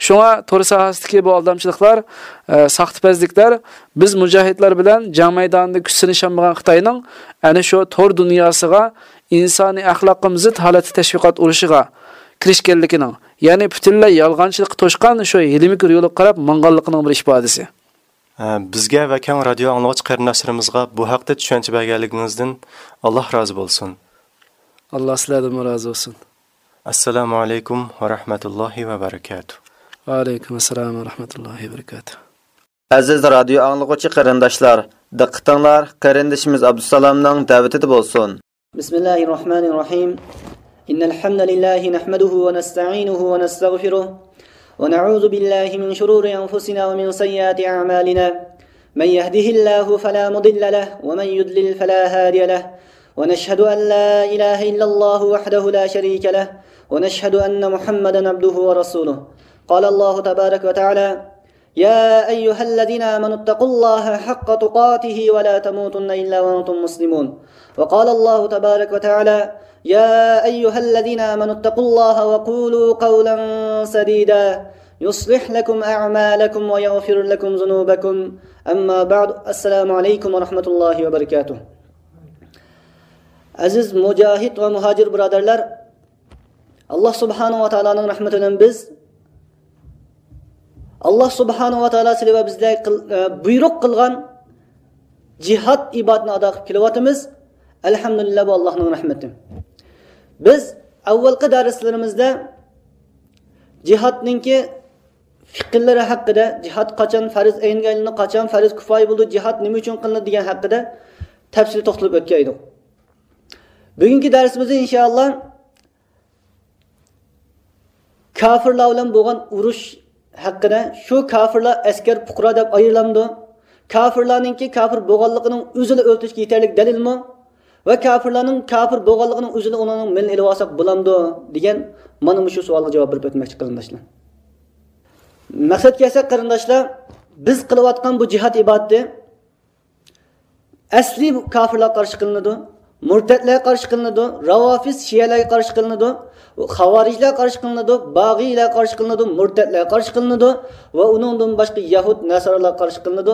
شۇڭا تور ساھەسىدىكى بۇ ئالدامچىلىقلار، ئە، ساختىپەزلىكلەر بىز مۇجاھىدلار بىلەن جەڭ مەيدانىدا كۈچ سىنىشالمىغان خىتاينىڭ ئەنە شۇ تور دۇنياسىغا ئىنسانىي ئەخلاققا زىت ھالەتتە تەشۋىقات ئۇرۇشىغا كىرىشكەنلىكىنىڭ، يەنى پۈتۈنلەي يالغانچىلىققا توشقان شۇ ھىيلە-مىكىر يولىغا قاراپ ماڭغانلىقىنىڭ بىر ئىپادىسى. ھە، بىزگە ۋە كەڭ رادىيو ئاڭلىغۇچى قېرىنداشلىرىمىزغا بۇ ھەقتە چۈشەنچە بەرگەنلىكىڭىزدىن ئاللاھ رازى بولسۇن. ئاللاھ سىلەردىنمۇ رازى بولسۇن. ئەسسالامۇ ئەلەيكۇم ۋە رەھمەتۇللاھى ۋە بەرىكاتۇھ. ۋە ئەلەيكۇم ئەسسالام ۋە رەھمەتۇللاھى ۋە بەرىكاتۇھ. ئەزىز رادىيو ئاڭلىغۇچى قېرىنداشلار، دىققىتىڭلار قېرىندىشىمىز ئابدۇسالامنىڭ دەۋىتىدە بولسۇن. بسم الله الرحمن الرحيم. إن الحمد لله نحمده ونستعينه ونستغفره، ونعوذ بالله من شرور أنفسنا ومن سيئات أعمالنا. من يهده الله فلا مضل له، ومن يضلل فلا هادي له. ونشهد أن لا إله إلا الله وحده لا شريك له، ونشهد أن محمدا عبده ورسوله. قال الله تبارك وتعالى: يا أيها الذين آمنوا اتقوا الله حق تقاته ولا تموتن إلا وأنتم مسلمون. وقال الله تبارك وتعالى: يا أيها الذين آمنوا اتقوا الله وقولوا قولا سديدا يصلح لكم أعمالكم ويغفر لكم ذنوبكم. أما بعد، السلام عليكم ورحمة الله وبركاته. ئەزىز مۇجاھىد ۋە مۇھاجىر بۇرادەرلەر، ئاللاھ سۇبھانەھۇ ۋە تائالانىڭ رەھمىتى بىلەن بىز ئاللاھ سۇبھانەھۇ ۋە تائالا سىلى ۋە بىزدە قىل-، ئە، بۇيرۇق قىلغان جىھاد ئىبادىتىنى ئادا قىلىپ كېلىۋاتىمىز. ئەلھەمدۇلىللاھ، بۇ ئاللاھنىڭ رەھمىتى. بىز ئاۋۋالقى دەرسلىرىمىزدە جىھادنىڭكى فىقىلىرى ھەققىدە، جىھاد قاچان پەرز ئەينگە ئايلىنىدۇ، قاچان پەرز كۇپايە بولىدۇ، جىھاد نېمە ئۈچۈن قىلىنىدۇ دېگەن ھەققىدە تەپسىلىي توختىلىپ ئۆتكەن ئىدۇق. بۈگۈنكى دەرسىمىزدە ئىنشائاللاھ كاپىرلار بىلەن بولغان ئۇرۇش ھەققىدە، شۇ كاپىرلار ئەسكەر پۇقرا دەپ ئايرىلامدۇ؟ كاپىرلارنىڭكى كاپىر بولغانلىقىنىڭ ئۆزىلا ئۆلتۈرۈشكە يېتەرلىك دەلىلمۇ؟ ۋە كاپىرلارنىڭ كاپىر بولغانلىقىنىڭ ئۆزىلا ئۇنىڭ مىلىنى ئېلىۋالساق بولامدۇ؟ دېگەن مانا مۇشۇ سوئالغا جاۋاب بېرىپ ئۆتمەكچى قېرىنداشلار. مەقسەتكە كەلسەك قېرىنداشلار، بىز قىلىۋاتقان بۇ جىھاد ئىبادىتى ئەسلى كاپىرلارغا قارشى قىلىنىدۇ. مۇرتەتلەرگە قارشى قىلىنىدۇ، راۋافىز شىئەلەرگە قارشى قىلىنىدۇ، خاۋارىجلەرگە قارشى قىلىنىدۇ، باغىيلەرگە قارشى قىلىنىدۇ، مۇرتەتلەرگە قارشى قىلىنىدۇ ۋە ئۇنىڭدىن باشقا يەھۇد نەسارالارغا قارشى قىلىنىدۇ.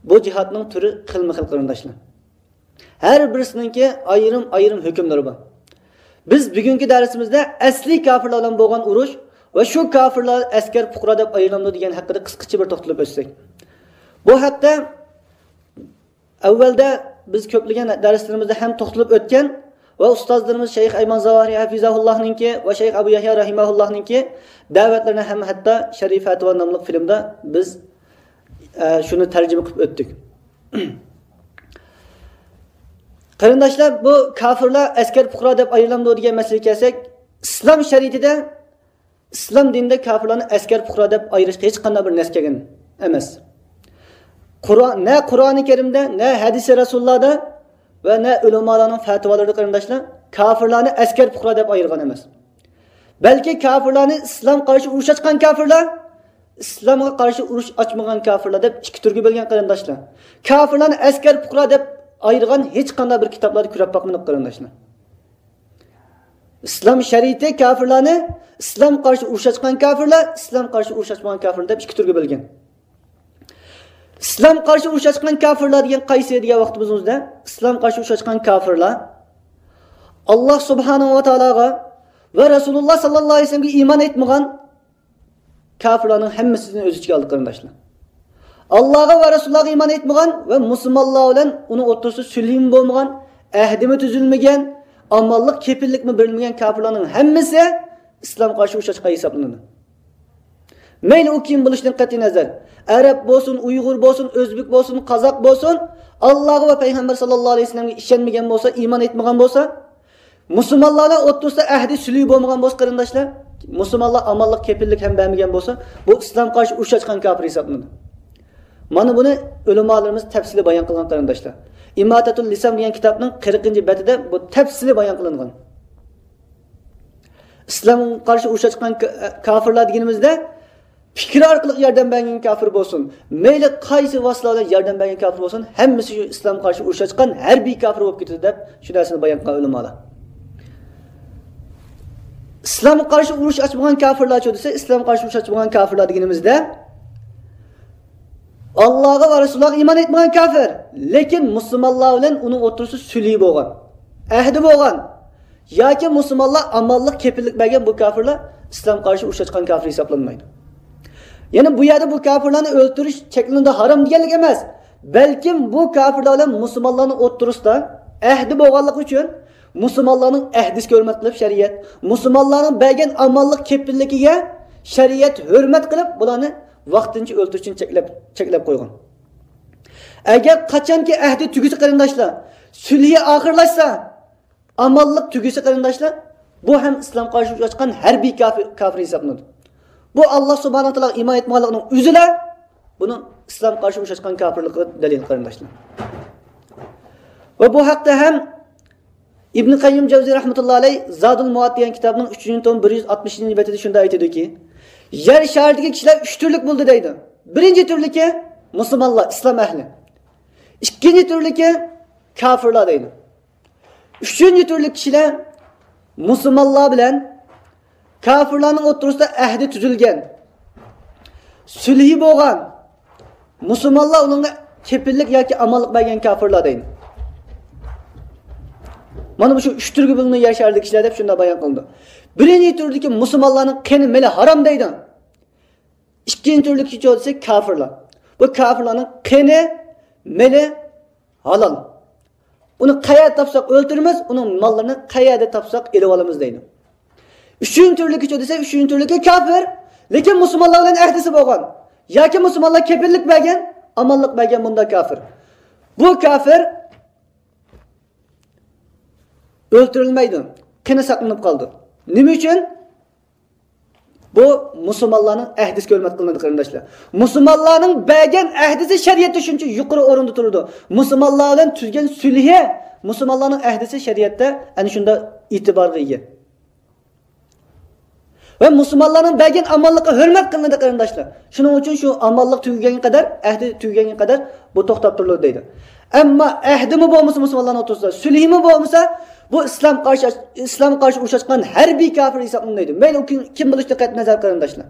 بۇ جىھادنىڭ تۈرى خىلمۇ خىل، قېرىنداشلار. ھەر بىرسىنىڭكى ئايرىم-ئايرىم ھۆكۈملىرى بار. بىز بۈگۈنكى دەرسىمىزدە ئەسلىي كاپىرلار بىلەن بولغان ئۇرۇش ۋە شۇ كاپىرلار ئەسكەر پۇقرا دەپ ئايرىلامدۇ دېگەن ھەققىدە قىسقىچە بىر توختىلىپ ئۆتسەك. بۇ ھەقتە ئەۋۋەلدە بىز كۆپلىگەن دەرسلىرىمىزدە ھەم توختىلىپ ئۆتكەن ۋە ئۇستازلىرىمىز شەيخ ئەيمەن زاۋاھىرى ھەفىزاھۇللاھنىڭكى ۋە شەيخ ئەبۇ يەھيا رەھىمەھۇللاھنىڭكى دەۋەتلىرىنى ھەم ھەتتا شەرىف فەتىۋا ناملىق فىلىمدا بىز، ئە، شۇنى تەرجىمە قىلىپ ئۆتتۇق. قېرىنداشلار، بۇ كاپىرلار ئەسكەر پۇقرا دەپ ئايرىلامدۇ دېگەن مەسىلىگە كەلسەك، ئىسلام شەرىئىتىدە، ئىسلام دىنىدا كاپىرلارنى ئەسكەر پۇقرا دەپ ئايرىشقا ھېچقانداق بىر نەس كەلگەن ئەمەس. قۇرئان، نە قۇرئانى كەرىمدە، نە ھەدىسى رەسۇلۇللادا ۋە نە ئۆلىمالارنىڭ فەتىۋالىرىدا، قېرىنداشلار، كاپىرلارنى ئەسكەر پۇقرا دەپ ئايرىغان ئەمەس. بەلكى كاپىرلارنى ئىسلام قارشى ئۇرۇش ئاچقان كاپىرلار، ئىسلامغا قارشى ئۇرۇش ئاچمىغان كاپىرلار دەپ ئىككى تۈرگە بۆلگەن، قېرىنداشلار. كاپىرلارنى ئەسكەر پۇقرا دەپ ئايرىغان ھېچقانداق بىر كىتابلاردا كۆرۈپ باقمىدۇق، قېرىنداشلار. ئىسلام شەرىئىتى كاپىرلارنى ئىسلام قارشى ئۇرۇش ئاچقان كاپىرلار، ئىسلام قارشى ئۇرۇش ئاچمىغان كاپىرلار دەپ ئىككى تۈرگە بۆلگەن. ئىسلام قارشى ئۇرۇش ئاچقان كاپىرلار دېگەن قايسى دېگەن ۋاقتىمىزدا، ئىسلام قارشى ئۇرۇش ئاچقان كاپىرلار ئاللاھ سۇبھانەھۇ ۋە تائالاغا ۋە رەسۇلۇللاھ ساللاللاھۇ ئەلەيھى ۋەسەللەمگە ئىمان ئېيتمىغان كاپىرلارنىڭ ھەممىسىنى ئۆز ئىچىگە ئالدى، قېرىنداشلار. ئاللاھقا ۋە رەسۇللارغا ئىمان ئېيتمىغان ۋە مۇسۇلمانلار بىلەن ئۇنىڭ ئوتتۇرىسىدا سۈلھىمۇ بولمىغان، ئەھدىمۇ تۈزۈلمىگەن، ئامانلىق كېپىللىكمۇ بېرىلمىگەن كاپىرلارنىڭ ھەممىسى ئىسلامغا قارشى ئۇرۇش ئاچقان ھېسابلىنىدۇ. مەيلى ئۇ كىم بولۇشىدىن قەتئىينەزەر، ئەرەب بولسۇن، ئۇيغۇر بولسۇن، ئۆزبېك بولسۇن، قازاق بولسۇن، ئاللاھقا ۋە پەيغەمبەر ساللاللاھۇ ئەلەيھى ۋەسەللەمگە ئىشەنمىگەن بولسا، ئىمان ئېيتمىغان بولسا، مۇسۇلمانلارنىڭ ئوتتۇرىسىدا ئەھدى سۈلھى بولمىغان بولسا، قېرىنداشلار، مۇسۇلمانلار ئامانلىق كېپىللىك ھەم بەرمىگەن بولسا، بۇ ئىسلام قارشى ئۇرۇش ئاچقان كاپىر ھېسابلىنىدۇ. مانا بۇنى ئۆلىمالىرىمىز تەپسىلىي بايان قىلغان، قېرىنداشلار. ئىماتەتۇل لىسام دېگەن كىتابنىڭ قىرىقىنچى بەتىدە بۇ تەپسىلىي بايان قىلىنغان. ئىسلامغا قارشى ئۇرۇش ئاچقان كا-، كاپىرلار دېگىنىمىزدە، پىكرى ئارقىلىق ياردەم بەرگەن كاپىر بولسۇن، مەيلى قايسى ۋاسىتىلەر بىلەن ياردەم بەرگەن كاپىر بولسۇن، ھەممىسى شۇ ئىسلامغا قارشى ئۇرۇش ئاچقان ھەربىي كاپىر بولۇپ كېتىدۇ دەپ شۇ نەرسىنى بايان قىلغان ئۆلىمالار. ئىسلامغا قارشى ئۇرۇش ئاچمىغان كاپىرلارچۇ دېسە، ئىسلامغا قارشى ئۇرۇش ئاچمىغان كاپىرلار دېگىنىمىزدە، ئاللاھقا ۋە رەسۇلىغا ئىمان ئېيتمىغان كاپىر، لېكىن مۇسۇلمانلار بىلەن ئۇنىڭ ئوتتۇرىسىدا سۈلھى بولغان، ئەھدى بولغان، ياكى مۇسۇلمانلار ئامانلىق، كېپىللىك بەرگەن بۇ كاپىرلار ئىسلامغا قارشى ئۇرۇش ئاچقان كاپىر ھېسابلانمايدۇ. يەنى بۇ يەردە بۇ كاپىرلارنى ئۆلتۈرۈش چەكلىنىدۇ، ھارام دېگەنلىك ئەمەس، بەلكىم بۇ كاپىرلار بىلەن مۇسۇلمانلارنىڭ ئوتتۇرىسىدا ئەھدى بولغانلىقى ئۈچۈن مۇسۇلمانلارنىڭ ئەھدىسىگە ھۆرمەت قىلىپ شەرىئەت، مۇسۇلمانلارنىڭ بەرگەن ئامانلىق كېپىللىكىگە شەرىئەت ھۆرمەت قىلىپ، بۇلارنى ۋاقتىنچە ئۆلتۈرۈشتىن چەكلەپ، چەكلەپ قويغان. ئەگەر قاچانكى ئەھدى تۈگىسە، قېرىنداشلار، سۈلھى ئاخىرلاشسا، ئامانلىق تۈگىسە، قېرىنداشلار، بۇ ھەم ئىسلامغا قارشى ئۇرۇش ئاچقان ھەربىي كاپىر، كاپىر ھېسابلىنىدۇ. بۇ ئاللاھ سۇبھانەھۇ ۋە تائالاغا ئىمان ئېيتمىغانلىقنىڭ ئۆزىلا بۇنىڭ ئىسلامغا قارشى ئۇرۇش ئاچقان كاپىرلىقىغا دەلىل، قېرىنداشلار. ۋە بۇ ھەقتە ھەم ئىبن قەييىم جەۋزى رەھمەتۇللاھى ئەلەيھ زادۇل مۇئاد دېگەن كىتابنىڭ ئۈچىنچى توم بىر يۈز ئاتمىشىنچى بېتىدە شۇنداق ئېيتىدۇكى، يەر شارىدىكى كىشىلەر ئۈچ تۈرلۈك بولدى دەيدۇ. بىرىنچى تۈرلۈكى مۇسۇلمانلار، ئىسلام ئەھلى. ئىككىنچى تۈرلۈكى كاپىرلار دەيدۇ. ئۈچىنچى تۈرلۈك كىشىلەر مۇسۇلمانلار بىلەن كاپىرلارنىڭ ئوتتۇرىسىدا ئەھدى تۈزۈلگەن، سۈلھى بولغان، مۇسۇلمانلار ئۇنىڭغا كېپىللىك ياكى ئامانلىق بەرگەن كاپىرلار دەيدۇ. مانا مۇشۇ ئۈچ تۈرگە بۆلۈنىدۇ يەر شارىدىكى كىشىلەر دەپ شۇنداق بايان قىلىنىدۇ. بىرىنچى تۈردىكى مۇسۇلمانلارنىڭ قېنى، مېلى ھارام دەيدۇ. ئىككىنچى تۈرلۈكى چوتىسى كاپىرلار. بۇ كاپىرلارنىڭ قېنى، مېلى ھالال. ئۇنى قەيەردە تاپساق ئۆلتۈرىمىز، ئۇنىڭ ماللىرىنى قەيەردە تاپساق ئېلىۋالىمىز دەيدۇ. ئۈچىنچى تۈرلۈكى چۇ دېسە، ئۈچىنچى تۈرلۈكى كاپىر، لېكىن مۇسۇلمانلار بىلەن ئەھدىسى بولغان ياكى مۇسۇلمانلار كېپىللىك بەرگەن، ئامانلىق بەرگەن بۇنداق كاپىر. بۇ كاپىر ئۆلتۈرۈلمەيدۇ، قېنى ساقلىنىپ قالىدۇ. نېمە ئۈچۈن؟ بۇ مۇسۇلمانلارنىڭ ئەھدىسىگە ھۆرمەت قىلىنىدۇ، قېرىنداشلار. مۇسۇلمانلارنىڭ بەرگەن ئەھدىسى شەرىئەتتە شۇنچە يۇقىرى ئورۇندا تۇرىدۇ. مۇسۇلمانلار بىلەن تۈزگەن سۈلھى، مۇسۇلمانلارنىڭ ئەھدىسى شەرىئەتتە ئەنە شۇنداق ئېتىبارغا ئىگە. ۋە مۇسۇلمانلارنىڭ بەرگەن ئامانلىقىغا ھۆرمەت قىلىنىدۇ، قېرىنداشلار. شۇنىڭ ئۈچۈن شۇ ئامانلىق تۈگىگەنگە قەدەر، ئەھدى تۈگىگەنگە قەدەر بۇ توختاپ تۇرۇلىدۇ دەيدۇ. ئەمما ئەھدىمۇ بولمىسا مۇسۇلمانلارنىڭ ئوتتۇرىسىدا، سۈلھىمۇ بولمىسا، بۇ ئىسلام قارشى، ئىسلامغا قارشى ئۇرۇش ئاچقان ھەربىي كاپىر ھېسابلىنىدۇ. مەيلى ئۇ كىم، كىم بولۇشىدىن قەتئىينەزەر، قېرىنداشلار.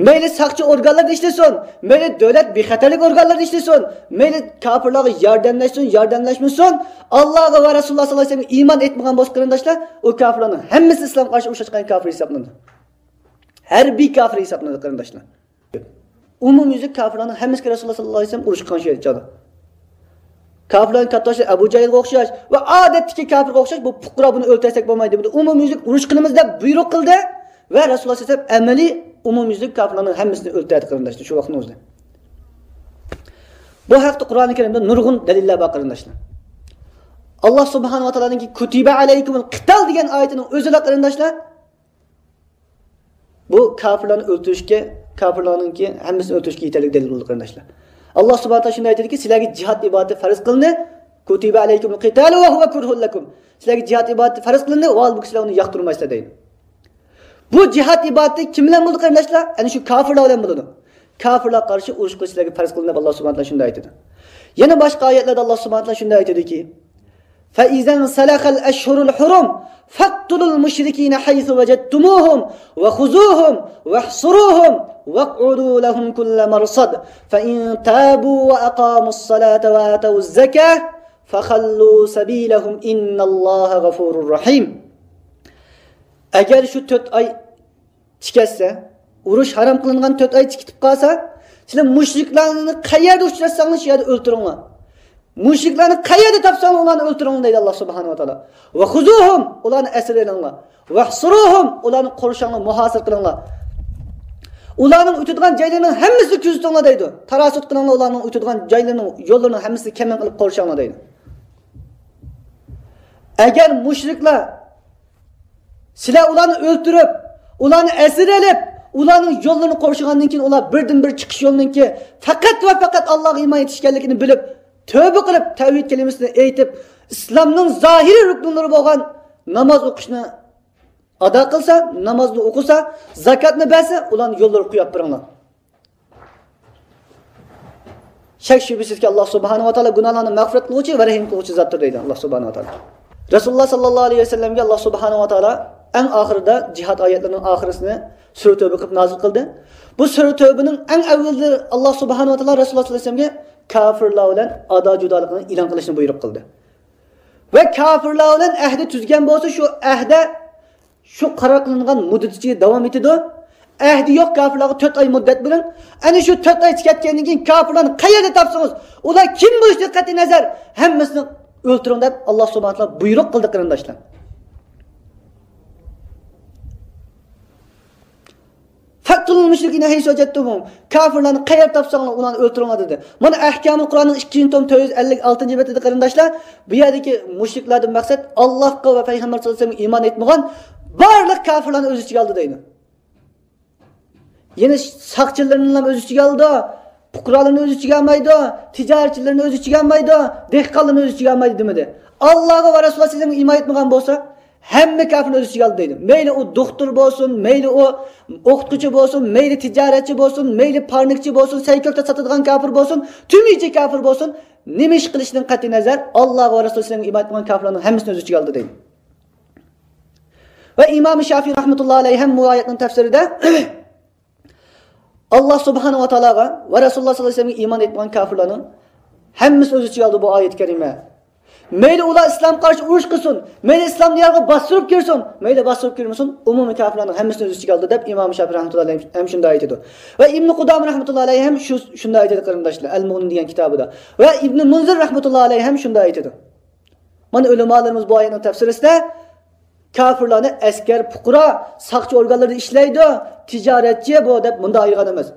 مەيلى ساقچى ئورگانلىرىدا ئىشلىسۇن، مەيلى دۆلەت بىخەتەرلىك ئورگانلىرىدا ئىشلىسۇن، مەيلى كاپىرلارغا ياردەملەشسۇن، ياردەملەشمىسۇن، ئاللاغا ۋە رەسۇلۇللاھ ساللاللاھۇ ئەلەيھى ۋەسەللەمگە ئىمان ئېيتمىغان بولسا، قېرىنداشلار، ئۇ كاپىرلارنىڭ ھەممىسى ئىسلامغا قارشى ئۇرۇش ئاچقان كاپىر ھېسابلىنىدۇ. ھەربىي كاپىر ھېسابلىنىدۇ، قېرىنداشلار. ئومۇميۈزلۈك كاپىرلارنىڭ ھەممىسىگە رەسۇلۇللاھ ساللاللاھۇ ئەلەيھى ۋەسەللەم ئۇرۇش قىلغان شۇ يەردە چاغدا. كاپىرلارنىڭ كاتتىباشلىرى ئەبۇ جەھىلگە ئوخشاش ۋە ئادەتتىكى كاپىرغا ئوخشاش، بۇ پۇقرا، بۇنى ئۆلتۈرسەك بولمايدۇ، بۇنى ئومۇميۈزلۈك ئۇرۇش قىلىمىز دەپ بۇيرۇق قىلدى ۋە رەسۇلۇللاھ ساللاللاھۇ ئەلەيھى ۋەسەللەم ئەمەلىي ئومۇميۈزلۈك كاپىرلارنىڭ ھەممىسىنى ئۆلتۈردى، قېرىنداشلار، شۇ ۋاقىتنىڭ ئۆزىدە. بۇ ھەقتە قۇرئانى كەرىمدە نۇرغۇن دەلىللەر بار، قېرىنداشلار. ئاللاھ سۇبھانەھۇ ۋە تائالانىڭكى كۇتىبە ئەلەيكۇمۇل قىتال دېگەن ئايىتىنىڭ ئۆزىلا، قېرىنداشلار، بۇ كاپىرلارنى ئۆلتۈرۈشكە، كاپىرلارنىڭكى ھەممىسىنى ئۆلتۈرۈشكە يېتەرلىك دەلىل بولدى، قېرىنداشلار. ئاللاھ سۇبھانەھۇ ۋە تائالا شۇنداق ئېيتىدىكى، سىلەرگە جىھاد ئىبادىتى پەرز قىلىندى. كۇتىبە ئەلەيكۇمۇل قىتالۇ ۋە ھۇۋە كۇرھۇن لەكۇم. سىلەرگە جىھاد ئىبادىتى پەرز قىلىندى، ۋە ھالبۇكى سىلەر ئۇنى ياقتۇرمايسىلەر، دەيدۇ. بۇ جىھاد ئىبادىتى كىم بىلەن بولىدۇ، قېرىنداشلار؟ ئەنە شۇ كاپىرلار بىلەن بولىدۇ. كاپىرلارغا قارشى ئۇرۇش قىلىش سىلەرگە پەرز قىلىندى، دەپ ئاللاھ سۇبھانەھۇ ۋە تائالا شۇنداق ئېيتىدۇ. يەنە باشقا ئايەتلەردە ئاللاھ سۇبھانەھۇ ۋە تائالا شۇنداق ئېيتىدۇكى، فإذا انسلخ الأشهر الحرم فاقتلوا المشركين حيث وجدتموهم وخذوهم واحصروهم واقعدوا لهم كل مرصد فإن تابوا وأقاموا الصلاة وآتوا الزكاة فخلوا سبيلهم إن الله غفور رحيم. ئەگەر شۇ تۆت ئاي تىكەتسە، ئۇرۇش ھارام قىلىنغان تۆت ئاي تىكىتىپ قالسا، سىلەر مۇشرىكلارنى قەيەردە ئۇچراتساڭلار، شۇ يەردە ئۆلتۈرۈڭلار. مۇشرىكلارنى قەيەردە تاپساڭلار، ئۇلارنى ئۆلتۈرۈڭلار، دەيدۇ ئاللاھ سۇبھانەھۇ ۋە تائالا. ۋە خۇزۇھۇم، ئۇلارنى ئەسىر ئېلىڭلار. ۋەھسۇرۇھۇم، ئۇلارنى قورشاڭلار، مۇھاسىرە قىلىڭلار. ئۇلارنىڭ ئۆتىدىغان جايلىرىنىڭ ھەممىسىنى كۆزىتىڭلار، دەيدۇ. تاراسۇت قىلىڭلار، ئۇلارنىڭ ئۆتىدىغان جايلىرىنىڭ، يوللىرىنىڭ ھەممىسىنى كەمىن قىلىپ قورشاڭلار، دەيدۇ. ئەگەر مۇشرىكلار سىلەر ئۇلارنى ئۆلتۈرۈپ، ئۇلارنى ئەسىر ئېلىپ، ئۇلارنىڭ يوللىرىنى قورشىغاندىن كېيىن، ئۇلار بىردىنبىر چىقىش يولىنىڭكى پەقەت ۋە پەقەت ئاللاھقا ئىمان ئېيتىش ئىكەنلىكىنى بىلىپ، تەۋبە قىلىپ، تەۋھىد كەلىمىسىنى ئېيتىپ، ئىسلامنىڭ زاھىرىي رۇكنلىرى بولغان ناماز ئوقۇشنى ئادا قىلسا، نامازنى ئوقۇسا، زاكاتنى بەرسە، ئۇلارنى يوللىرىغا قويۇپ بېرىڭلار. شەك شۈبھىسىزكى، ئاللاھ سۇبھانەھۇ ۋە تائالا گۇناھلارنى مەغپىرەت قىلغۇچى ۋە رەھىم قىلغۇچى زاتتۇر، دەيدۇ ئاللاھ سۇبھانەھۇ ۋە تائالا. رەسۇلۇللاھ ساللاللاھۇ ئەلەيھى ۋەسەللەمگە ئاللاھ سۇبھانەھۇ ۋە تائالا ئەڭ ئاخىرىدا، جىھاد ئايەتلىرىنىڭ ئاخىرىسىنى، سۈرە تەۋبە قىلىپ نازىل قىلدى. بۇ سۈرە تەۋبىنىڭ ئەڭ ئەۋۋىلىدە ئاللاھ سۇبھانەھۇ ۋە تائالا رەسۇلۇللاھ ساللاللاھۇ ئەلەيھى ۋەسەللەمگە كاپىرلار بىلەن ئادا جۇدالىقىنى ئېلان قىلىشنى بۇيرۇق قىلدى. ۋە كاپىرلار بىلەن ئەھدى تۈزگەن بولسا، شۇ ئەھدە شۇ قارار قىلىنغان مۇددەت ئىچىدە داۋام ئېتىدۇ. ئەھدى يوق كاپىرلارغا تۆت ئاي مۇددەت بېرىڭ. ئەنە شۇ تۆت ئاي تۈگەتكەندىن كېيىن كاپىرلارنى قەيەردە تاپسىڭىز، ئۇلار كىم بولۇشىدىن قەتئىينەزەر، ھەممىسىنى ئۆلتۈرۈڭ، دەپ ئاللاھ سۇبھانەھۇ ۋە تائالا بۇيرۇق قىلدى، قېرىنداشلار. فاقتلوا المشركين حيث وجدتموهم. كاپىرلارنى قەيەردە تاپساڭلار، ئۇلارنى ئۆلتۈرۈڭلار، دېدى. مانا ئەھكامۇل قۇرئاننىڭ ئىككىنچى توم تۆت يۈز ئەللىك ئالتىنچى بېتىدە، قېرىنداشلار، بۇ يەردىكى مۇشرىكلاردىن مەقسەت ئاللاھقا ۋە پەيغەمبەر ساللاللاھۇ ئەلەيھى ۋەسەللەمگە ئىمان ئېيتمىغان بارلىق كاپىرلارنى ئۆز ئىچىگە ئالدى، دەيدۇ. يەنە ساقچىلىرىنى ھەم ئۆز ئىچىگە ئالىدۇ، پۇقرالارنى ئۆز ئىچىگە ئالمايدۇ، تىجارەتچىلىرىنى ئۆز ئىچىگە ئالمايدۇ، دېھقانلارنى ئۆز ئىچىگە ئالمايدۇ دېمىدى. ئاللاھقا ۋە رەسۇلىغا سىزنىڭ ئىمان ئېيتمىغان بولسا، ھەممە كاپىرنى ئۆز ئىچىگە ئالدى، دەيدۇ. مەيلى ئۇ دوختۇر بولسۇن، مەيلى ئۇ ئوقۇتقۇچى بولسۇن، مەيلى تىجارەتچى بولسۇن، مەيلى پارنىكچى بولسۇن، سەي كۆكتات ساتىدىغان كاپىر بولسۇن، تۈمىچى كاپىر بولسۇن، نېمە ئىش قىلىشىدىن قەتئىينەزەر، ئاللاھقا ۋە رەسۇلىغا سىزنىڭ ئىمان ئېيتمىغان كاپىرلارنىڭ ھەممىسىنى ئۆز ئىچىگە ئالدى، دەيدۇ. ۋە ئىمام شافىي رەھمەتۇللاھى ئەلەيھى ھەم بۇ ئايەتنىڭ تەپسىرىدە، ئاللاھ سۇبھانەھۇ ۋە تائالاغا ۋە رەسۇلۇللاھ ساللاللاھۇ ئەلەيھى ۋەسەللەمگە ئىمان ئېيتمىغان كاپىرلارنىڭ ھەممىسىنى ئۆز ئىچىگە ئالدى بۇ ئايەت كەرىمە. مەيلى ئۇلار ئىسلامغا قارشى ئۇرۇش قىلسۇن، مەيلى ئىسلام دىيارىغا باستۇرۇپ كىرسۇن، مەيلى باستۇرۇپ كىرمىسۇن، ئومۇمىي كاپىرلارنىڭ ھەممىسىنى ئۆز ئىچىگە ئالدى، دەپ ئىمام شافىي رەھمەتۇللاھى ئەلەيھى ھەم شۇنداق ئېيتىدۇ. ۋە ئىبنى قۇدامە رەھمەتۇللاھى ئەلەيھى ھەم شۇ، شۇنداق ئېيتىدۇ، قېرىنداشلار، ئەل مۇغنى دېگەن كىتابىدا. ۋە ئىبنى مۇنزىر رەھمەتۇللاھى ئەلەيھى ھەم شۇنداق ئېيتىدۇ. مانا، ئۆلىمالىرىمىز بۇ ئايەتنىڭ تەپسىرىسىدە كاپىرلارنى ئەسكەر، پۇقرا، ساقچى ئورگانلىرىدا ئىشلەيدۇ، تىجارەتچى بۇ دەپ مۇنداق ئايرىغان ئەمەس.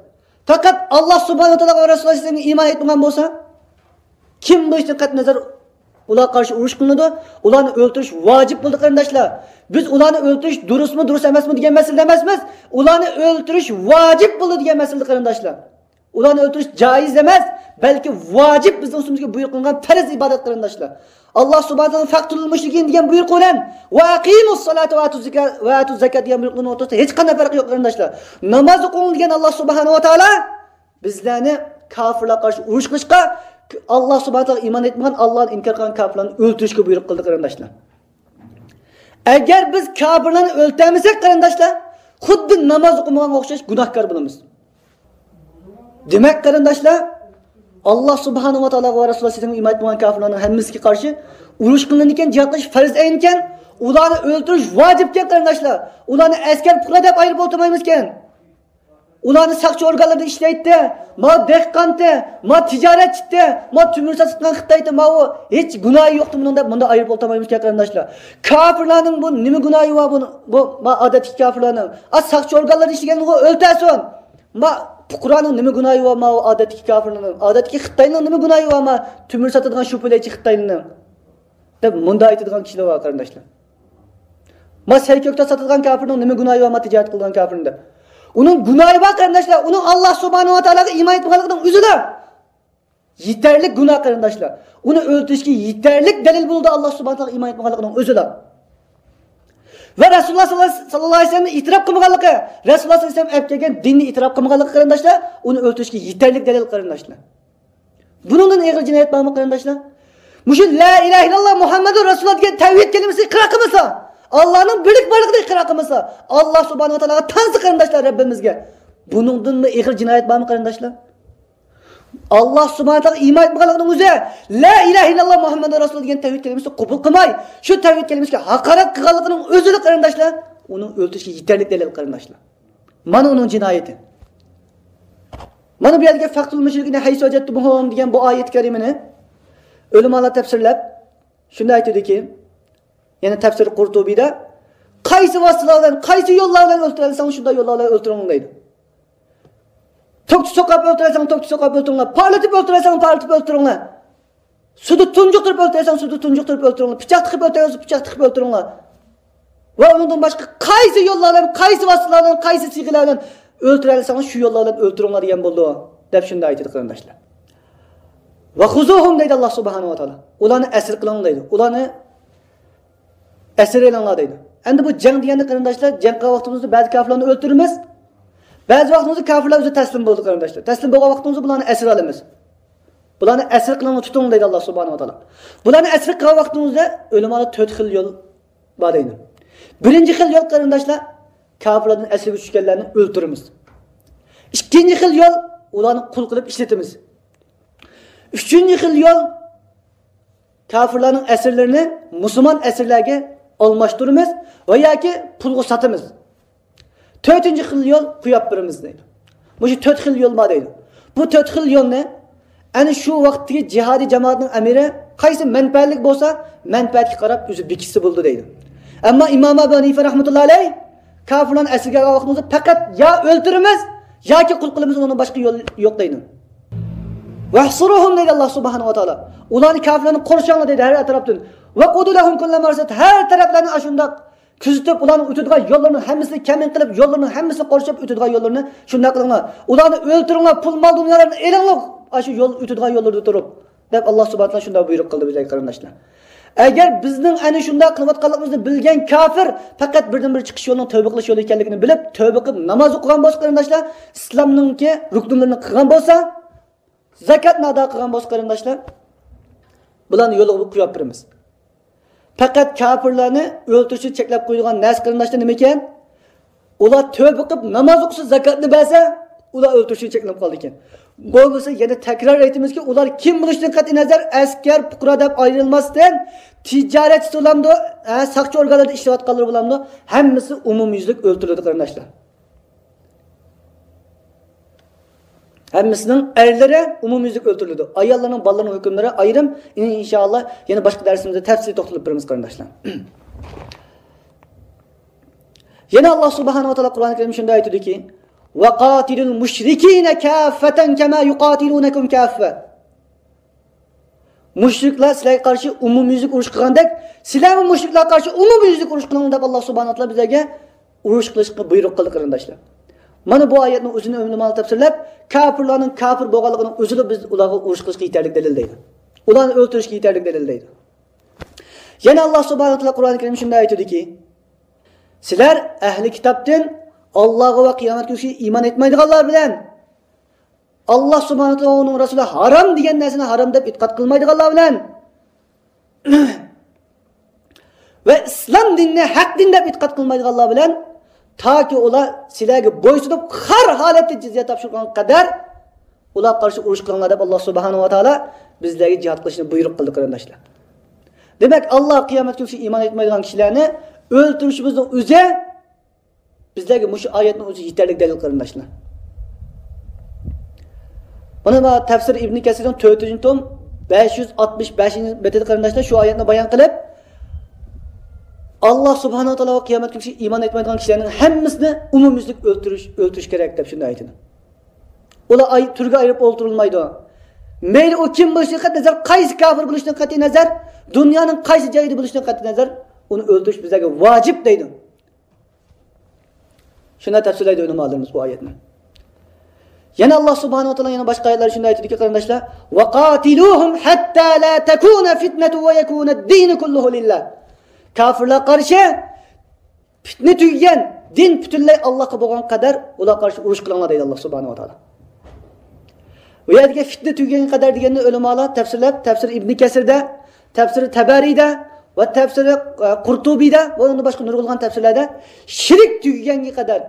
پەقەت ئاللاھ سۇبھانەھۇ ۋە تائالاغا ۋە رەسۇلىغا سىزنىڭ ئىمان ئېيتمىغان بولسا، كىم بولۇشىدىن قەتئىينەزەر، ئۇلارغا قارشى ئۇرۇش قىلىنىدۇ، ئۇلارنى ئۆلتۈرۈش ۋاجىپ بولدى، قېرىنداشلار. بىز ئۇلارنى ئۆلتۈرۈش دۇرۇسمۇ، دۇرۇس ئەمەسمۇ دېگەن مەسىلىدە ئەمەسمىز. ئۇلارنى ئۆلتۈرۈش ۋاجىپ بولدى دېگەن مەسىلىدە، قېرىنداشلار. ئۇلارنى ئۆلتۈرۈش جائىز ئەمەس، بەلكى ۋاجىپ، بىزنىڭ ئۈستىمىزگە بۇيرۇق قىلىنغان پەرز ئىبادەت، قېرىنداشلار. ئاللاھ سۇبھانەھۇ ۋە تائالا فاقتۇلۇل مۇشرىكىن دېگەن بۇيرۇق بىلەن ۋە ئەقىمۇس سالاتا ۋە ئاتۇز زاكا-، ۋە ئاتۇز زاكات دېگەن بۇيرۇقنىڭ ئوتتۇرىسىدا ھېچقانداق پەرق يوق، قېرىنداشلار. ناماز ئوقۇڭ دېگەن ئاللاھ سۇبھانەھۇ ۋە تائالا بىزلەرنى كاپىرلارغا قارشى ئۇرۇش قىلىشقا، ئاللا سۇبھانەھۇ ۋە تائالا ئىمان ئېيتمىغان، ئاللانى ئىنكار قىلغان كاپىرلارنى ئۆلتۈرۈشكە بۇيرۇق قىلدى، قېرىنداشلار. ئەگەر بىز كاپىرلارنى ئۆلتۈرەلمىسەك، قېرىنداشلار، خۇددى ناماز ئوقۇمىغانغا ئوخشاش گۇناھكار بولىمىز. دېمەك، قېرىنداشلار، ئاللا سۇبھانەھۇ ۋە تائالاغا ۋە رەسۇلى ئەلەيھىسسالامغا ئىمان ئېيتمىغان كاپىرلارنىڭ ھەممىسىگە قارشى ئۇرۇش قىلىنىدىكەن، جىھاد قىلىش پەرز ئەينىكەن، ئۇلارنى ئۆلتۈرۈش ۋاجىپكەن، قېرىنداشلار. ئۇلارنى ئەسكەر پۇقرا دەپ ئايرىپ ئولتۇرمايمىزكەن. ئۇلارنى ساقچى ئورگانلىرىدا ئىشلەيتتى، ماۋۇ دېھقانتى، ماۋۇ تىجارەتچىتتى، ماۋۇ تۆمۈر ساتىدىغان خىتايتى، ماۋۇ ھېچ گۇناھى يوقتى بۇنىڭ دەپ مۇنداق ئايرىپ ئولتۇرمايمىزكەن، قېرىنداشلار. كاپىرلارنىڭ بۇ نېمە گۇناھى بار؟ بۇ، بۇ، ما، ئادەتتىكى كاپىرلارنىڭ، ئا، ساقچى ئورگانلىرىدا ئىشلىگەنغۇ ئۆلتۈرسۇن. ما، پۇقرانىڭ نېمە گۇناھى بار؟ ماۋۇ ئادەتتىكى كاپىرلارنىڭ، ئادەتتىكى خىتاينىڭ نېمە گۇناھى بار؟ ما، تۆمۈر ساتىدىغان شۇپىلەيچى خىتاينىڭ. دەپ مۇنداق ئېيتىدىغان كىشىلەر بار، قېرىنداشلار. ما سەي كۆكتات ساتىدىغان كاپىرنىڭ نېمە گۇناھى بار، ما تىجارەت قىلىدىغان كاپىرنىڭ دەپ. ئۇنىڭ گۇناھى بار، قېرىنداشلار. ئۇنىڭ ئاللا سۇبھانەھۇ ۋە تائالاغا ئىمان ئېيتمىغانلىقىنىڭ ئۆزىلا يېتەرلىك گۇناھ، قېرىنداشلار. ئۇنى ئۆلتۈرۈشكە يېتەرلىك دەلىل بولىدۇ، ئاللا سۇبھانەھۇ ۋە تائالاغا ئىمان ئېيتمىغانلىقىنىڭ ئۆزىلا. ۋە رەسۇلۇللا ساللاللاھۇ ئەلەيھى ۋەسەللەمنى ئېتىراپ قىلمىغانلىقى، رەسۇلۇللا ساللاللاھۇ ئەلەيھى ۋەسەللەم ئەپ كەلگەن دىننى ئېتىراپ قىلمىغانلىقى، قېرىنداشلار، ئۇنى ئۆلتۈرۈشكە يېتەرلىك دەلىل، قېرىنداشلار. بۇنىڭدىن ئېغىر جىنايەت بارمۇ، قېرىنداشلار؟ مۇشۇ لا ئىلاھە ئىللاللا مۇھەممەدۇر رەسۇلۇللا دېگەن تەۋھىد كەلىمىسىنى ئىقرار قىلمىسا، ئاللانىڭ بىرلىك بارلىقىنى ئىقرار قىلمىسا، ئاللا سۇبھانەھۇ ۋە تائالاغا تانسا، قېرىنداشلار، رەببىمىزگە، بۇنىڭدىنمۇ ئېغىر جىنايەت بارمۇ، قېرىنداشلار؟ ئاللا سۇبھانەھۇ ۋە تائالاغا ئىمان ئېيتمىغانلىقىنىڭ ئۆزى، لا ئىلاھە ئىللاللا مۇھەممەدۇر رەسۇلۇللا دېگەن تەۋھىد كەلىمىسىنى قوبۇل قىلماي، شۇ تەۋھىد كەلىمىسىگە ھاقارەت قىلغانلىقىنىڭ ئۆزىلا، قېرىنداشلار، ئۇنىڭ ئۆلتۈرۈشكە يېتەرلىك دەلىل، قېرىنداشلار. مانا ئۇنىڭ جىنايىتى. مانا بۇ يەردىكى فەقتۇلۇل مۇشرىكىينە ھەيسۇ ۋەجەدتۇمۇھۇم دېگەن بۇ ئايەت كەرىمىنى ئۆلىمالار تەپسىرلەپ شۇنداق ئېيتىدۇكى، يەنى تەپسىر قۇرتۇبىدا، قايسى ۋاسىتىلەر بىلەن، قايسى يوللار بىلەن ئۆلتۈرەلىسەڭ، شۇنداق يوللار بىلەن ئۆلتۈرۈڭ دەيدۇ. توكچە سوقاپ ئۆلتۈرەلىسەڭ، توكچە سوقاپ ئۆلتۈرۈڭلار. پارلىتىپ ئۆلتۈرەلىسەڭ، پارلىتىپ ئۆلتۈرۈڭلار. سۇدا تۇنجۇقتۇرۇپ ئۆلتۈرەلىسەڭ، سۇدا تۇنجۇقتۇرۇپ ئۆلتۈرۈڭلار. پىچاق تىقىپ ئۆلتۈرەلىسەڭ، پىچاق تىقىپ ئۆلتۈرۈڭلار. ۋە ئۇنىڭدىن باشقا قايسى يوللار بىلەن، قايسى ۋاسىتىلەر بىلەن، قايسى سىيغىلار بىلەن ئۆلتۈرەلىسەڭ، شۇ يوللار بىلەن ئۆلتۈرۈڭلار دېگەن بولىدۇ، دەپ شۇنداق ئېيتىدۇ، قېرىنداشلار. ۋە خۇزۇھۇم دەيدۇ ئاللا سۇبھانەھۇ ۋە تائالا. ئۇلارنى ئەسىر قىلىڭ دەيدۇ. ئۇلارنى ئەسىر ئېلىڭلار دەيدۇ. ئەمدى بۇ جەڭ دېگەندە، قېرىنداشلار، جەڭ قىلغان ۋاقتىمىزدا بەزى كاپىرلارنى ئۆلتۈرىمىز، بەزى ۋاقتىمىزدا كاپىرلار ئۆزى تەسلىم بولىدۇ، قېرىنداشلار. تەسلىم بولغان ۋاقتىمىزدا بۇلارنى ئەسىر ئالىمىز. بۇلارنى ئەسىر قىلىڭلار، تۇتۇڭ دەيدۇ ئاللا سۇبھانەھۇ ۋە تائالا. بۇلارنى ئەسىر قىلغان ۋاقتىمىزدا ئۆلىمالار تۆت خىل يول بار دەيدۇ. بىرىنچى خىل يول، قېرىنداشلار، كاپىرلاردىن ئەسىرگە چۈشكەنلەرنى ئۆلتۈرىمىز. ئىككىنچى خىل يول، ئۇلارنى قۇل قىلىپ ئىشلىتىمىز. ئۈچىنچى خىل يول، كاپىرلارنىڭ ئەسىرلىرىنى مۇسۇلمان ئەسىرلەرگە ئالماشتۇرىمىز ۋە ياكى پۇلغا ساتىمىز. تۆتىنچى خىل يول، قويۇپ بېرىمىز دەيدۇ. مۇشۇ تۆت خىل يول بار دەيدۇ. بۇ تۆت خىل يولنى ئەنە شۇ ۋاقىتتىكى جىھادىي جامائەتنىڭ ئەمىرى قايسى مەنپەئەتلىك بولسا، مەنپەئەتكە قاراپ ئۆزى بېكىتسە بولىدۇ دەيدۇ. ئەمما ئىمام ئەبۇ ھەنىفە رەھمەتۇللا ئەلەيھ كاپىرلارنى ئەسىرگە ئالغان ۋاقتىمىزدا پەقەت يا ئۆلتۈرىمىز ياكى قۇل قىلىمىز، ئۇنىڭدىن باشقا يول يوق دەيدۇ. ۋەھسۇرۇھۇم دەيدۇ ئاللا سۇبھانەھۇ ۋە تائالا. ئۇلارنى، كاپىرلارنى قورشاڭلار دەيدۇ ھەر تەرەپتىن. ۋەقۇدۇ لەھۇم كۇللە مەرسەد، ھەر تەرەپلەرنى ئاشۇنداق كۆزىتىپ، ئۇلارنىڭ ئۆتىدىغان يوللىرىنىڭ ھەممىسىنى كەمىن قىلىپ، يوللىرىنىڭ ھەممىسىنى قورشاپ، ئۆتىدىغان يوللىرىنى شۇنداق قىلىڭلار. ئۇلارنى ئۆلتۈرۈڭلار، پۇل مال دۇنيالارنى ئېلىڭلار، ئاشۇ يول ئۆتىدىغان يوللىرىدا تۇرۇپ، دەپ ئاللا سۇبھانەھۇ ۋە تائالا شۇنداق بۇيرۇق قىلدى بىزگە، قېرىنداشلار. ئەگەر بىزنىڭ ئەنە شۇنداق قىلىۋاتقانلىقىمىزنى بىلگەن كاپىر پەقەت بىردىنبىر چىقىش يولىنىڭ تەۋبە قىلىش يولى ئىكەنلىكىنى بىلىپ، تەۋبە قىلىپ ناماز ئوقۇغان بولسا، قېرىنداشلار، ئىسلامنىڭكى رۇكنلىرىنى قىلغان بولسا، زاكاتنى ئادا قىلغان بولسا، قېرىنداشلار، بۇلارنى يولىغا قويۇپ بېرىمىز. پەقەت كاپىرلارنى ئۆلتۈرۈشنى چەكلەپ قويىدىغان نەرسە، قېرىنداشلار، نېمىكەن؟ ئۇلار تەۋبە قىلىپ ناماز ئوقۇسا، زاكاتنى بەرسە، ئۇلار ئۆلتۈرۈشتىن چەكلىنىپ قالىدىكەن. بولمىسا يەنە تەكرار ئېيتىمىزكى، ئۇلار كىم بولۇشىدىن قەتئىينەزەر، ئەسكەر، پۇقرا دەپ ئايرىلماستىن، تىجارەتچى بولامدۇ، ھە، ساقچى ئورگانلىرىدا ئىشلەۋاتقانلار بولامدۇ، ھەممىسى ئومۇميۈزلۈك ئۆلتۈرۈلىدۇ، قېرىنداشلار. ھەممىسىنىڭ ئەرلىرى ئومۇميۈزلۈك ئۆلتۈرۈلىدۇ. ئاياللارنىڭ، بالىلارنىڭ ھۆكۈملىرى ئايرىم. ئىنشائاللا، يەنە باشقا دەرسىمىزدە تەپسىلىي توختىلىپ بېرىمىز، قېرىنداشلار. يەنە ئاللا سۇبھانەھۇ ۋە تائالا قۇرئان كەرىمدە شۇنداق ئېيتىدۇكى، وقاتلوا المشركين كافة كما يقاتلونكم كافة. مۇشرىكلار سىلەرگە قارشى ئومۇميۈزلۈك ئۇرۇش قىلغاندەك، سىلەرمۇ مۇشرىكلارغا قارشى ئومۇميۈزلۈك ئۇرۇش قىلىڭ دەپ، ئاللا سۇبھانەھۇ ۋە تائالا بىزلەرگە ئۇرۇش قىلىشقا بۇيرۇق قىلدى، قېرىنداشلار. مانا بۇ ئايەتنىڭ ئۆزىنى ئۆلىمالار تەپسىرلەپ، كاپىرلارنىڭ كاپىر بولغانلىقىنىڭ ئۆزىلا بىز ئۇلارغا ئۇرۇش قىلىشقا يېتەرلىك دەلىل دەيدۇ. ئۇلارنى ئۆلتۈرۈشكە يېتەرلىك دەلىل دەيدۇ. يەنە ئاللا سۇبھانەھۇ ۋە تائالا قۇرئان كەرىمدە شۇنداق ئېيتىدۇكى، سىلەر ئەھلى كىتابتىن، ئاللاغا ۋە قىيامەت كۈنىگە ئىمان ئېيتمايدىغانلار بىلەن ئاللا سۇبھانەھۇ ۋە تائالا ۋە ئۇنىڭ رەسۇلى ھارام دېگەن نەرسىنى ھارام دەپ ئېتىقاد قىلمايدىغانلار بىلەن ۋە ئىسلام دىنىنى ھەق دىن دەپ ئېتىقاد قىلمايدىغانلار بىلەن، تاكى ئۇلار سىلەرگە بويسۇنۇپ، خار ھالەتتە جىزيە تاپشۇرغانغا قەدەر ئۇلارغا قارشى ئۇرۇش قىلىڭلار دەپ، ئاللا سۇبھانەھۇ ۋە تائالا بىزلەرگە جىھاد قىلىشنى بۇيرۇق قىلدى، قېرىنداشلار. دېمەك، ئاللا قىيامەت كۈنىگە ئىمان ئېيتمايدىغان كىشىلەرنى ئۆلتۈرۈشىمىزنىڭ ئۆزى بىزلەرگە مۇشۇ ئايەتنىڭ ئۆزى يېتەرلىك دەلىل، قېرىنداشلار. مانا، مانا تەپسىر ئىبنى كەسىرنىڭ تۆتىنچى توم، بەش يۈز ئاتمىش بەشىنچى بېتىدە، قېرىنداشلار، شۇ ئايەتنى بايان قىلىپ، ئاللا سۇبھانەھۇ ۋە تائالا ۋە قىيامەت كۈنىگە ئىمان ئېيتمايدىغان كىشىلەرنىڭ ھەممىسىنى ئومۇميۈزلۈك ئۆلتۈرۈش، ئۆلتۈرۈش كېرەك دەپ شۇنداق ئېيتىدۇ. ئۇلار ئاي-، تۈرگە ئايرىپ ئولتۇرۇلمايدۇ. مەيلى ئۇ كىم بولۇشىدىن قەتئىي نەزەر، قايسى كاپىر بولۇشىدىن قەتئىي نەزەر، دۇنيانىڭ قايسى جايىدا بولۇشىدىن قەتئىي نەزەر، ئۇنى ئۆلتۈرۈش بىزلەرگە ۋاجىپ دەيدۇ. شۇنداق تەپسىرلەيدۇ ئۆلىمالىرىمىز بۇ ئايەتنى. يەنە ئاللا سۇبھانەھۇ ۋە تائالا يەنە باشقا ئايەتلەردە شۇنداق ئېيتىدۇكى، قېرىنداشلار، «ۋەقاتىلۇھۇم ھەتتا لا تەكۇنە فىتنەتۇ ۋە يەكۇنەد دىنۇ كۇللۇھۇ لىللا.» كاپىرلارغا قارشى پىتنە تۈگىگەن، دىن پۈتۈنلەي ئاللاغا بولغان قەدەر ئۇلارغا قارشى ئۇرۇش قىلىڭلار دەيدۇ ئاللا سۇبھانەھۇ ۋە تائالا. بۇ يەردىكى فىتنە تۈگىگەنگە قەدەر دېگەننى ئۆلىمالار تەپسىرلەپ، تەپسىر ئىبنى كەسىردە، تەپسىر تەبەرىدە ۋە تەپسىر، ئە، قۇرتۇبىدە ۋە ئۇندىن باشقا نۇرغۇنلىغان تەپسىرلەردە شىرك تۈگىگەنگە قەدەر،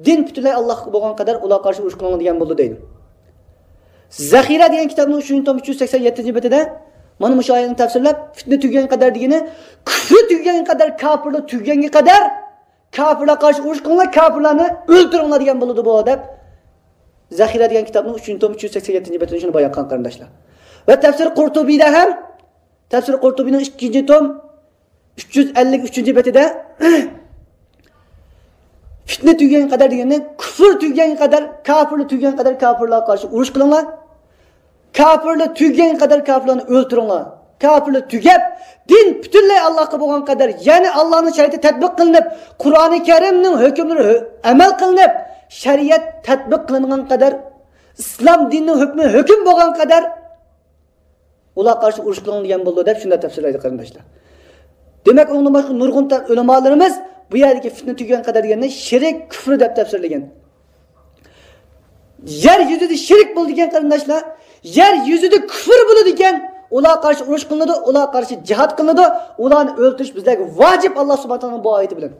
دىن پۈتۈنلەي ئاللاغا بولغان قەدەر ئۇلارغا قارشى ئۇرۇش قىلىڭلار دېگەن بولىدۇ دەيدۇ. زەخىرە دېگەن كىتابنىڭ ئۈچىنچى توم ئۈچ يۈز سەكسەن يەتتىنچى بېتىدە مانا مۇشۇ ئايەتنى تەپسىرلەپ، فىتنە تۈگىگەنگە قەدەر دېگىنى، كۈفرى تۈگىگەنگە قەدەر، كاپىرلىق تۈگىگەنگە قەدەر، كاپىرلارغا قارشى ئۇرۇش قىلىڭلار، كاپىرلارنى ئۆلتۈرۈڭلار دېگەن بولىدۇ بۇ دەپ، زەخىرە دېگەن كىتابنىڭ ئۈچىنچى توم ئۈچ يۈز سەكسەن يەتتىنچى بېتىدە شۇنى بايان قىلغان، قېرىنداشلار. ۋە تەپسىر قۇرتۇبىدە ھەم، تەپسىر قۇرتۇبىنىڭ ئىككىنچى توم ئۈچ يۈز ئەللىك ئۈچىنچى بېتىدە، فىتنە تۈگىگەنگە قەدەر دېگەندە، كۈفر تۈگىگەنگە قەدەر، كاپىرلىق تۈگىگەنگە قەدەر كاپىرلارغا قارشى ئۇرۇش قىلىڭلار. كاپىرلار تۈگىگەنگە قەدەر كاپىرلارنى ئۆلتۈرۈڭلار. كاپىرلار تۈگەپ، دىن پۈتۈنلەي ئاللاغا بولغان قەدەر، يەنى ئاللانىڭ شەرىئىتى تەتبىق قىلىنىپ، قۇرئانى كەرىمنىڭ ھۆكۈملىرى ھۆ-، ئەمەل قىلىنىپ، شەرىئەت تەتبىق قىلىنغان قەدەر، ئىسلام دىنىنىڭ ھۆكمى ھۆكۈم بولغان قەدەر ئۇلارغا قارشى ئۇرۇش قىلىڭ دېگەن بولىدۇ دەپ شۇنداق تەپسىرلەيدۇ، قېرىنداشلار. دېمەك، ئۇنىڭدىن باشقا نۇرغۇن تە-، ئۆلىمالىرىمىز بۇ يەردىكى فىتنە تۈگىگەن قەدەر دېگەننى شىرك، كۈفر دەپ تەپسىرلىگەن. يەر يۈزىدە شىرك بولىدىكەن، قېرىنداشلار، يەر يۈزىدە كۈفر بولىدىكەن، ئۇلارغا قارشى ئۇرۇش قىلىنىدۇ، ئۇلارغا قارشى جىھاد قىلىنىدۇ، ئۇلارنى ئۆلتۈرۈش بىزلەرگە ۋاجىپ، ئاللا سۇبھانەھۇ ۋە تائالانىڭ بۇ ئايىتى بىلەن.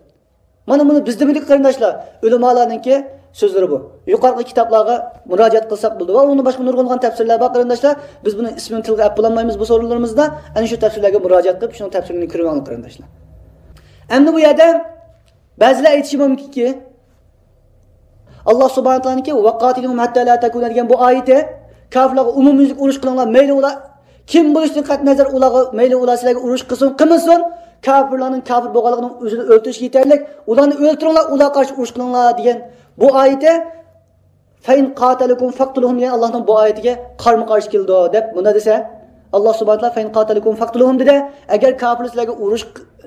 مانا بۇنى بىز دېمىدۇق، قېرىنداشلار، ئۆلىمالارنىڭكى سۆزلىرى بۇ. يۇقىرىقى كىتابلارغا مۇراجىئەت قىلساق بولىدۇ. ۋە ئۇنىڭدىن باشقا نۇرغۇنلىغان تەپسىرلەر بار، قېرىنداشلار. بىز بۇنى ئىسمىنى تىلغا ئەپ بولالمايمىز بۇ سورۇنلىرىمىزدا. ئەنە شۇ تەپسىرلەرگە مۇراجىئەت قىلىپ، شۇنىڭ تەپسىرىنى كۆرۈۋېلىڭلار، قېرىنداشلار. ئەمدى بۇ يەردە بەزىلەر ئېيتىشى مۇمكىنكى، ئاللا سۇبھانەھۇ ۋە تائالانىڭكى «ۋەقاتىلۇھۇم ھەتتا لا تەكۇنە» دېگەن بۇ ئايىتى، كاپىرلارغا ئومۇميۈزلۈك ئۇرۇش قىلىڭلار، مەيلى ئۇلار كىم بولۇشىدىن قەتئىي نەزەر، ئۇلارغا، مەيلى ئۇلار سىلەرگە ئۇرۇش قىلسۇن، قىلمىسۇن، كاپىرلارنىڭ كاپىر بولغانلىقىنىڭ ئۆزىنى ئۆلتۈرۈشكە يېتەرلىك، ئۇلارنى ئۆلتۈرۈڭلار، ئۇلارغا قارشى ئۇرۇش قىلىڭلار دېگەن بۇ ئايىتى، «فەئىن قاتەلەكۇم فەقتۇلۇھۇم» دېگەن ئاللانىڭ بۇ ئايىتىگە قارىمۇ قارشى كېلىدۇ دەپ مۇنداق دېسە، ئاللا سۇبھانەھۇ ۋە تائالا «فەئىن قاتەلەكۇم فەقتۇلۇھۇم» دېدى، ئەگەر كاپىرلار سىلەرگە ئۇرۇش،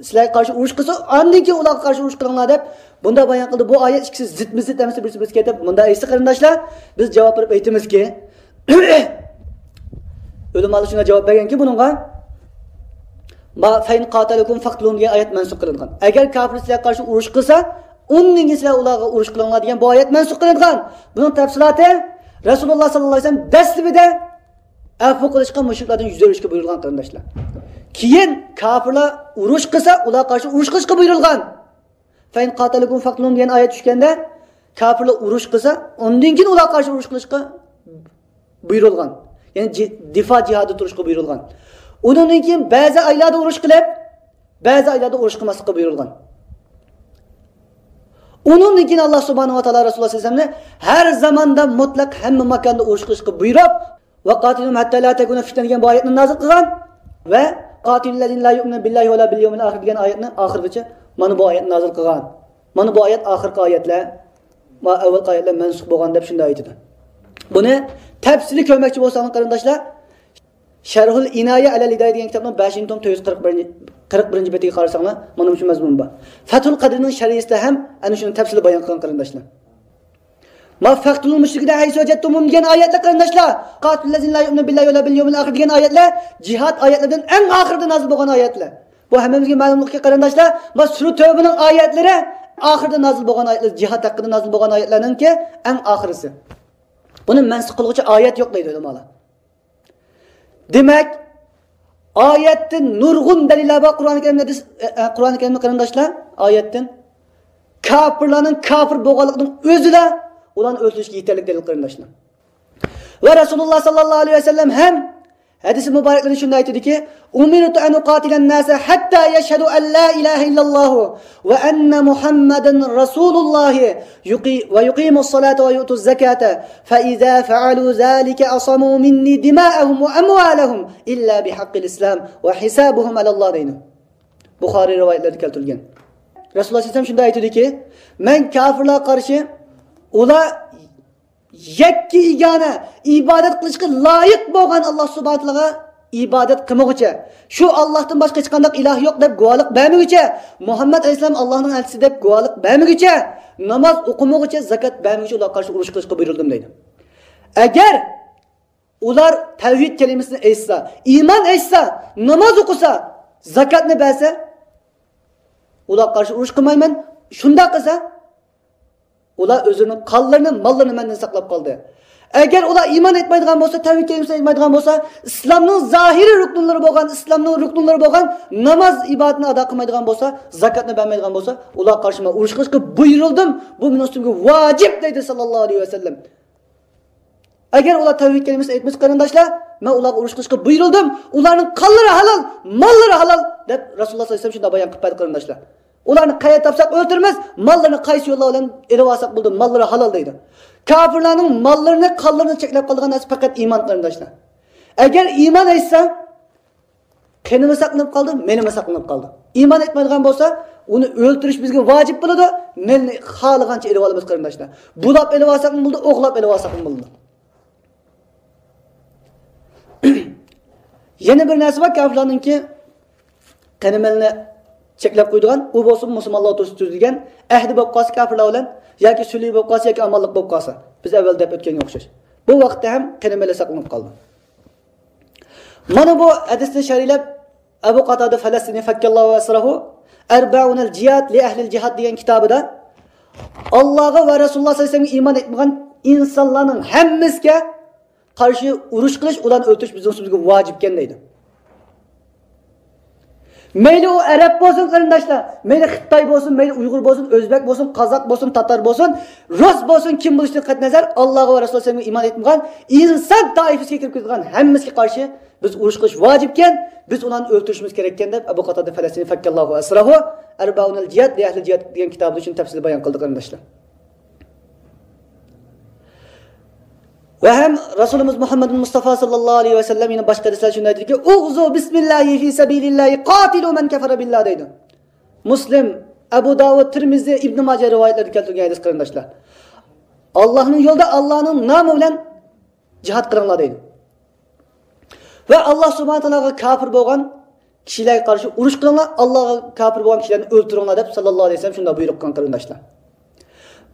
سىلەرگە قارشى ئۇرۇش قىلسا، ئاندىن كېيىن ئۇلارغا قارشى ئۇرۇش قىلىڭلار دەپ بۇنداق بايان قىلدى. بۇ ئايەت ئىككىسى زىتمۇ زىت ئەمەس، بىرسى بىرسىگە كېتىپ، مۇنداق ئېيتسا، قېرىنداشلار، بىز جاۋاب بېرىپ ئېيتىمىزكى، ئۆلىمالار شۇنداق جاۋاب بەرگەنكى بۇنىڭغا، ما، «فەئىن قاتەلەكۇم فەقتۇلۇھۇم» دېگەن ئايەت مەنسۇخ قىلىنغان. ئەگەر كاپىر سىلەرگە قارشى ئۇرۇش قىلسا، ئۇندىن كېيىن سىلەر ئۇلارغا ئۇرۇش قىلىڭلار دېگەن بۇ ئايەت مەنسۇخ قىلىنغان. بۇنىڭ تەپسىلاتى، رەسۇلۇللا ساللاللاھۇ ئەلەيھى ۋەسەللەم دەسلىپىدە ئەپۇ قىلىشقا، مۇشرىكلاردىن يۈز ئۆرۈشكە بۇيرۇلغان، قېرىنداشلار. كېيىن كاپىرلار ئۇرۇش قىلسا، ئۇلارغا قارشى ئۇرۇش قىلىشقا بۇيرۇلغان. «فەئىن قاتەلەكۇم فەقتۇلۇھۇم» دېگەن ئايەت چۈشكەندە، كاپىرلار ئۇرۇش قىلسا، ئۇندىن كېيىن ئۇلارغا قارشى ئۇرۇش قىلىشقا بۇيرۇلغان. يەنى جى-، دىفا جىھادىدا تۇرۇشقا بۇيرۇلغان. ئۇنىڭدىن كېيىن بەزى ئايلاردا ئۇرۇش قىلىپ، بەزى ئايلاردا ئۇرۇش قىلماسلىققا بۇيرۇلغان. ئۇنىڭدىن كېيىن ئاللا سۇبھانەھۇ ۋە تائالا رەسۇلۇللا سەللەللاھۇ ئەلەيھى ۋەسەللەمنى ھەر زاماندا مۇتلەق ھەممە ماكاندا ئۇرۇش قىلىشقا بۇيرۇپ، «ۋەقاتىلۇھۇم ھەتتا لا تەكۇنە فىتنە» دېگەن بۇ ئايەتنى نازىل قىلغان ۋە «قاتىلۇللەزىنە لا يۇئمىنۇنە بىللاھى ۋە لا بىل يەۋمىل ئاخىر» دېگەن ئايەتنى ئاخىرغىچە مانا بۇ ئايەتنى نازىل قىلغان. مانا بۇ ئايەت ئاخىرقى ئايەتلەر، ما ئەۋۋەلقى ئايەتلەر مەنسۇخ بولغان دەپ شۇنداق ئېيتىدۇ. بۇنى تەپسىلىي كۆرمەكچى بولساڭلار، قېرىنداشلار، شەرھۇل ئىنايە ئەلەل ھىدايە دېگەن كىتابنىڭ بەشىنچى توم تۆت يۈز قىرىق بىرىنچى، قىرىق بىرىنچى بېتىگە قارىساڭلار، مانا مۇشۇ مەزمۇن بار. فەتھۇل قەدىرنىڭ شەرھىسىدە ھەم ئەنە شۇنى تەپسىلىي بايان قىلغان، قېرىنداشلار. ما فەقتۇلۇل مۇشرىكىنە ھەيسۇ ۋەجەدتۇمۇھۇم دېگەن ئايەتلەر، قېرىنداشلار، قاتىلۇللەزىنە لا يۇئمىنۇنە بىللاھى ۋە لا بىل يەۋمىل ئاخىر دېگەن ئايەتلەر جىھاد ئايەتلىرىدىن ئەڭ ئاخىرىدا نازىل بولغان ئايەتلەر. بۇ ھەممىمىزگە مەلۇملۇقكى، قېرىنداشلار، ما سۈرە تەۋبىنىڭ ئايەتلىرى ئاخىرىدا نازىل بولغان ئايەتلەر، جىھاد ھەققىدە نازىل بولغان ئايەتلەرنىڭكى ئەڭ ئاخىرىسى. بۇنى مەنسۇخ قىلغۇچى ئايەت يوق دەيدۇ ئۆلىمالار. دېمەك، ئايەتتىن نۇرغۇن دەلىللەر بار. قۇرئان كەرىمدە، ئە، ئە، قۇرئان كەرىمدە قېرىنداشلار، ئايەتتىن كاپىرلارنىڭ كاپىر بولغانلىقىنىڭ ئۆزىلا ئۇلارنى ئۆلتۈرۈشكە يېتەرلىك دەلىل، قېرىنداشلار. ۋە رەسۇلۇللا ساللاللاھۇ ئەلەيھى ۋەسەللەم ھەم ھەدىسى مۇبارەكلىرىدە شۇنداق ئېيتىدۇكى، أمرت أن أقاتل الناس حتى يشهدوا أن لا إله إلا الله وأن محمدا رسول الله يقي-، ويقيموا الصلاة ويؤتوا الزكاة فإذا فعلوا ذلك عصموا مني دماءهم وأموالهم إلا بحق الإسلام وحسابهم على الله دەيدۇ. بۇخارىي رىۋايەتلەردە كەلتۈرۈلگەن. رەسۇلۇللا سەللەللاھۇ ئەلەيھى ۋەسەللەم شۇنداق ئېيتىدۇكى، مەن كاپىرلارغا قارشى ئۇلار يەككە يېگانە ئىبادەت قىلىشقا لايىق بولغان ئاللا سۇبھانەھۇ ۋە تائالاغا ئىبادەت قىلمىغۇچە، شۇ ئاللاھتىن باشقا ھېچقانداق ئىلاھ يوق دەپ گۇۋاھلىق بەرمىگۈچە، مۇھەممەد ئەلەيھىسسالام ئاللاھنىڭ ئەلچىسى دەپ گۇۋاھلىق بەرمىگۈچە، ناماز ئوقۇمىغۇچە، زاكات بەرمىگۈچە ئۇلارغا قارشى ئۇرۇش قىلىشقا بۇيرۇلدۇم دەيدۇ. ئەگەر ئۇلار تەۋھىد كەلىمىسىنى ئېيتسا، ئىمان ئېيتسا، ناماز ئوقۇسا، زاكاتنى بەرسە، ئۇلارغا قارشى ئۇرۇش قىلمايمەن. شۇنداق قىلسا، ئۇلار ئۆزلىرىنىڭ قانلىرىنى، ماللىرىنى مەندىن ساقلاپ قالدى. ئەگەر ئۇلار ئىمان ئېيتمايدىغان بولسا، تەۋھىد كەلىمىسىنى ئېيتمايدىغان بولسا، ئىسلامنىڭ زاھىرىي رۇكنلىرى بولغان، ئىسلامنىڭ رۇكنلىرى بولغان ناماز ئىبادىتىنى ئادا قىلمايدىغان بولسا، زاكاتنى بەرمەيدىغان بولسا، ئۇلارغا قارشى مەن ئۇرۇش قىلىشقا بۇيرۇلدۇم. بۇ مېنىڭ ئۈستۈمگە ۋاجىپ دەيدۇ ساللاللاھۇ ئەلەيھى ۋەسەللەم. ئەگەر ئۇلار تەۋھىد كەلىمىسىنى ئېيتمىسا، قېرىنداشلار، مەن ئۇلارغا ئۇرۇش قىلىشقا بۇيرۇلدۇم. ئۇلارنىڭ قانلىرى ھالال، ماللىرى ھالال، دەپ رەسۇلۇللا ساللاللاھۇ ئەلەيھى ۋەسەللەم شۇنداق بايان قىلىپ بەردى، قېرىنداشلار. ئۇلارنى قەيەردە تاپساق ئۆلتۈرىمىز، ماللىرىنى قايسى يوللار بىلەن ئېلىۋالساق بولىدۇ، ماللىرى ھالال دەيدۇ. كاپىرلارنىڭ ماللىرىنى، قانلىرىنى چەكلەپ قالىدىغان نەرسە پەقەت ئىمان، قېرىنداشلار. ئەگەر ئىمان ئېيتسا، قېنىمۇ ساقلىنىپ قالدى، مېلىمۇ ساقلىنىپ قالدى. ئىمان ئېيتمايدىغان بولسا، ئۇنى ئۆلتۈرۈش بىزگە ۋاجىپ بولىدۇ. مېلىنى خالىغانچە ئېلىۋالىمىز، قېرىنداشلار. بۇلاپ ئېلىۋالساقمۇ بولىدۇ، ئوغرىلاپ ئېلىۋالساقمۇ بولىدۇ. يەنە بىر نەرسە بار، كاپىرلارنىڭكى قېنى مېلىنى چەكلەپ قويىدىغان، ئۇ بولسا مۇسۇلمانلار ئوتتۇرىسىدا تۈزۈلگەن ئەھدى بولۇپ قالسا كاپىرلار بىلەن، ياكى سۈلھى بولۇپ قالسا، ياكى ئامانلىق بولۇپ قالسا، بىز ئەۋۋەل دەپ ئۆتكەنگە ئوخشاش، بۇ ۋاقىتتا ھەم قېنى مېلى ساقلىنىپ قالىدۇ. مانا بۇ ھەدىسنى شەرھلەپ، ئەبۇ قاتادە فەلەستىنى فەككەللاھۇ ئەسرەھۇ، ئەربەئۇنەل جىھاد لى ئەھلىل جىھاد دېگەن كىتابىدا، ئاللاغا ۋە رەسۇلۇللا ساللاللاھۇ ئەلەيھى ۋەسەللەمگە ئىمان ئېيتمىغان ئىنسانلارنىڭ ھەممىسىگە قارشى ئۇرۇش قىلىش، ئۇلارنى ئۆلتۈرۈش بىزنىڭ ئۈستىمىزگە ۋاجىپكەن دەيدۇ. مەيلى ئۇ ئەرەب بولسۇن، قېرىنداشلار، مەيلى خىتاي بولسۇن، مەيلى ئۇيغۇر بولسۇن، ئۆزبەك بولسۇن، قازاق بولسۇن، تاتار بولسۇن، رۇس بولسۇن، كىم بولۇشىدىن قەتئىينەزەر، ئاللاغا ۋە رەسۇلىغا ئىمان ئېيتمىغان ئىنسان تائىپىسىگە كىرىپ كېتىدىغان ھەممىسىگە قارشى بىز ئۇرۇش قىلىش ۋاجىپكەن، بىز ئۇلارنى ئۆلتۈرۈشىمىز كېرەككەن دەپ، ئەبۇ قاتادە فەلەستىنى فەككەللاھۇ ئەسرەھۇ، ئەربەئۇنەل جىھاد لى ئەھلىل جىھاد دېگەن كىتابىدا شۇنى تەپسىلىي بايان قىلدى، قېرىنداشلار. ۋە ھەم رەسۇلىمىز مۇھەممەد مۇستافا ساللاللاھۇ ئەلەيھى ۋەسەللەم يەنە باشقا ھەدىسلەردە شۇنداق ئېيتىدۇكى، ئۇغزۇ بىسمىللاھى فى سەبىلىللاھى قاتىلۇ مەن كەفەرە بىللاھ دەيدۇ. مۇسلىم، ئەبۇ داۋۇد، تىرمىزى، ئىبنى ماجە رىۋايەتلىرىدە كەلتۈرگەن ھەدىس، قېرىنداشلار. ئاللاھنىڭ يولىدا، ئاللاھنىڭ نامى بىلەن جىھاد قىلىڭلار دەيدۇ. ۋە ئاللاھ سۇبھانەھۇ ۋە تائالاغا كاپىر بولغان كىشىلەرگە قارشى ئۇرۇش قىلىڭلار، ئاللاھقا كاپىر بولغان كىشىلەرنى ئۆلتۈرۈڭلار دەپ ساللاللاھۇ ئەلەيھى ۋەسەللەم شۇنداق بۇيرۇق قىلغان، قېرىنداشلار.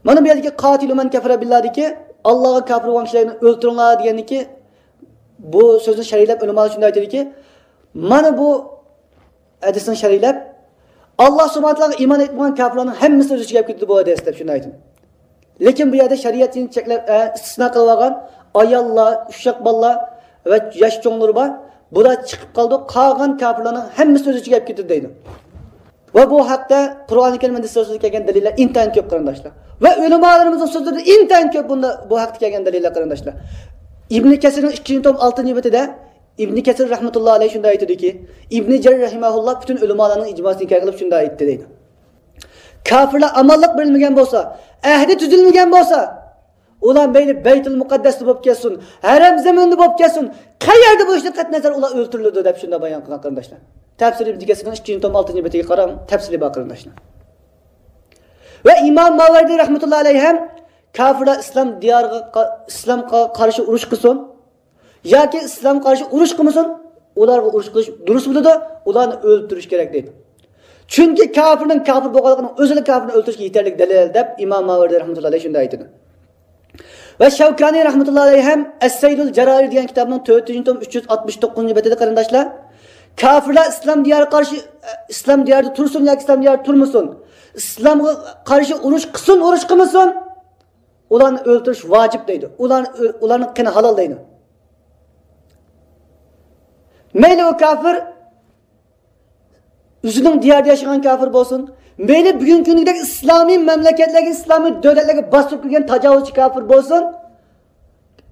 مانا بۇ يەردىكى قاتىلۇ مەن كەفەرە بىللاھدىكى ئاللاھقا كاپىر بولغان كىشىلەرنى ئۆلتۈرۈڭلار دېگەندىكى بۇ سۆزنى شەرھلەپ ئۆلىمالار شۇنداق ئېيتىدۇكى، مانا بۇ ھەدىسنى شەرھلەپ، ئاللاھ سۇبھانەھۇ ۋە تائالاغا ئىمان ئېيتمىغان كاپىرلارنىڭ ھەممىسى ئۆز ئىچىگە ئەپ كېتىدۇ بۇ ھەدىس دەپ شۇنداق ئېيتىدۇ. لېكىن بۇ يەردە شەرىئەتنى چەكلەپ، ئە، ئىستىسنا قىلىۋالغان ئاياللار، ئۇششاق بالىلار ۋە ياش چوڭلىرى بار. بۇلار چىقىپ قالىدۇ. قالغان كاپىرلارنىڭ ھەممىسى ئۆز ئىچىگە ئەپ كېتىدۇ دەيدۇ. ۋە بۇ ھەقتە قۇرئانى كەرىم ھەدىسلەردە كەلگەن دەلىللەر ئىنتايىن كۆپ، قېرىنداشلار. ۋە ئۆلىمالىرىمىزنىڭ سۆزلىرىدە ئىنتايىن كۆپ بۇندا، بۇ ھەقتە كەلگەن دەلىللەر، قېرىنداشلار. ئىبنى كەسىرنىڭ ئىككىنچى توم ئالتىنچى بېتىدە ئىبنى كەسىر رەھمەتۇللا ئەلەيھى شۇنداق ئېيتىدۇكى، ئىبنى جەرىر رەھىمەھۇللا پۈتۈن ئۆلىمالارنىڭ ئىجماسىنى ھىكايە قىلىپ شۇنداق ئېيتتى دەيدۇ. كاپىرلار ئامانلىق بېرىلمىگەن بولسا، ئەھدى تۈزۈلمىگەن بولسا، ئۇلار مەيلى بەيتۇل مۇقەددەستە بولۇپ كەتسۇن، ھەرەم زېمىنىدا بولۇپ كەتسۇن، قەيەردە بولۇشىدىن قەتئىينەزەر ئۇلار ئۆلتۈرۈلىدۇ دەپ شۇنداق بايان قىلغان، قېرىنداشلار. تەپسىر ئىبنى كەسىرنىڭ ئىككىنچى توم ئالتىنچى بېتىگە قاراڭ، تەپسىلى بار، قېرىنداشلار. ۋە ئىمام ماۋەردى رەھمەتۇللا ئەلەيھى ھەم كاپىرلار ئىسلام دىيارىغا قا-، ئىسلامغا قارشى ئۇرۇش قىلسۇن، ياكى ئىسلامغا قارشى ئۇرۇش قىلمىسۇن، ئۇلارغا ئۇرۇش قىلىش دۇرۇس بولىدۇ، ئۇلارنى ئۆلتۈرۈش كېرەك دەيدۇ. چۈنكى كاپىرنىڭ كاپىر بولغانلىقىنىڭ ئۆزىلا كاپىرنى ئۆلتۈرۈشكە يېتەرلىك دەلىل دەپ ئىمام ماۋەردى رەھمەتۇللا ئەلەيھى شۇنداق ئېيتىدۇ. ۋە شەۋكانى رەھمەتۇللا ئەلەيھى ھەم ئەس-سەيلۇل جارارى دېگەن كىتابنىڭ تۆتىنچى توم ئۈچ يۈز ئاتمىش توققۇزىنچى بېتىدە، قېرىنداشلار، كاپىرلار ئىسلام دىيارىغا قارشى، ئىسلام دىيارىدا تۇرسۇن ياكى ئىسلام دىيارىدا تۇرمىسۇن، ئىسلامغا قارشى ئۇرۇش قىلسۇن، ئۇرۇش قىلمىسۇن، ئۇلارنى ئۆلتۈرۈش ۋاجىپ دەيدۇ. ئۇلارنى ئۆ-، ئۇلارنىڭ قېنى ھالال دەيدۇ. مەيلى ئۇ كاپىر ئۆزىنىڭ دىيارىدا ياشىغان كاپىر بولسۇن، مەيلى بۈگۈنكى كۈنگىدەك ئىسلامىي مەملىكەتلەرگە، ئىسلامىي دۆلەتلەرگە باستۇرۇپ كىرگەن تاجاۋۇزچى كاپىر بولسۇن،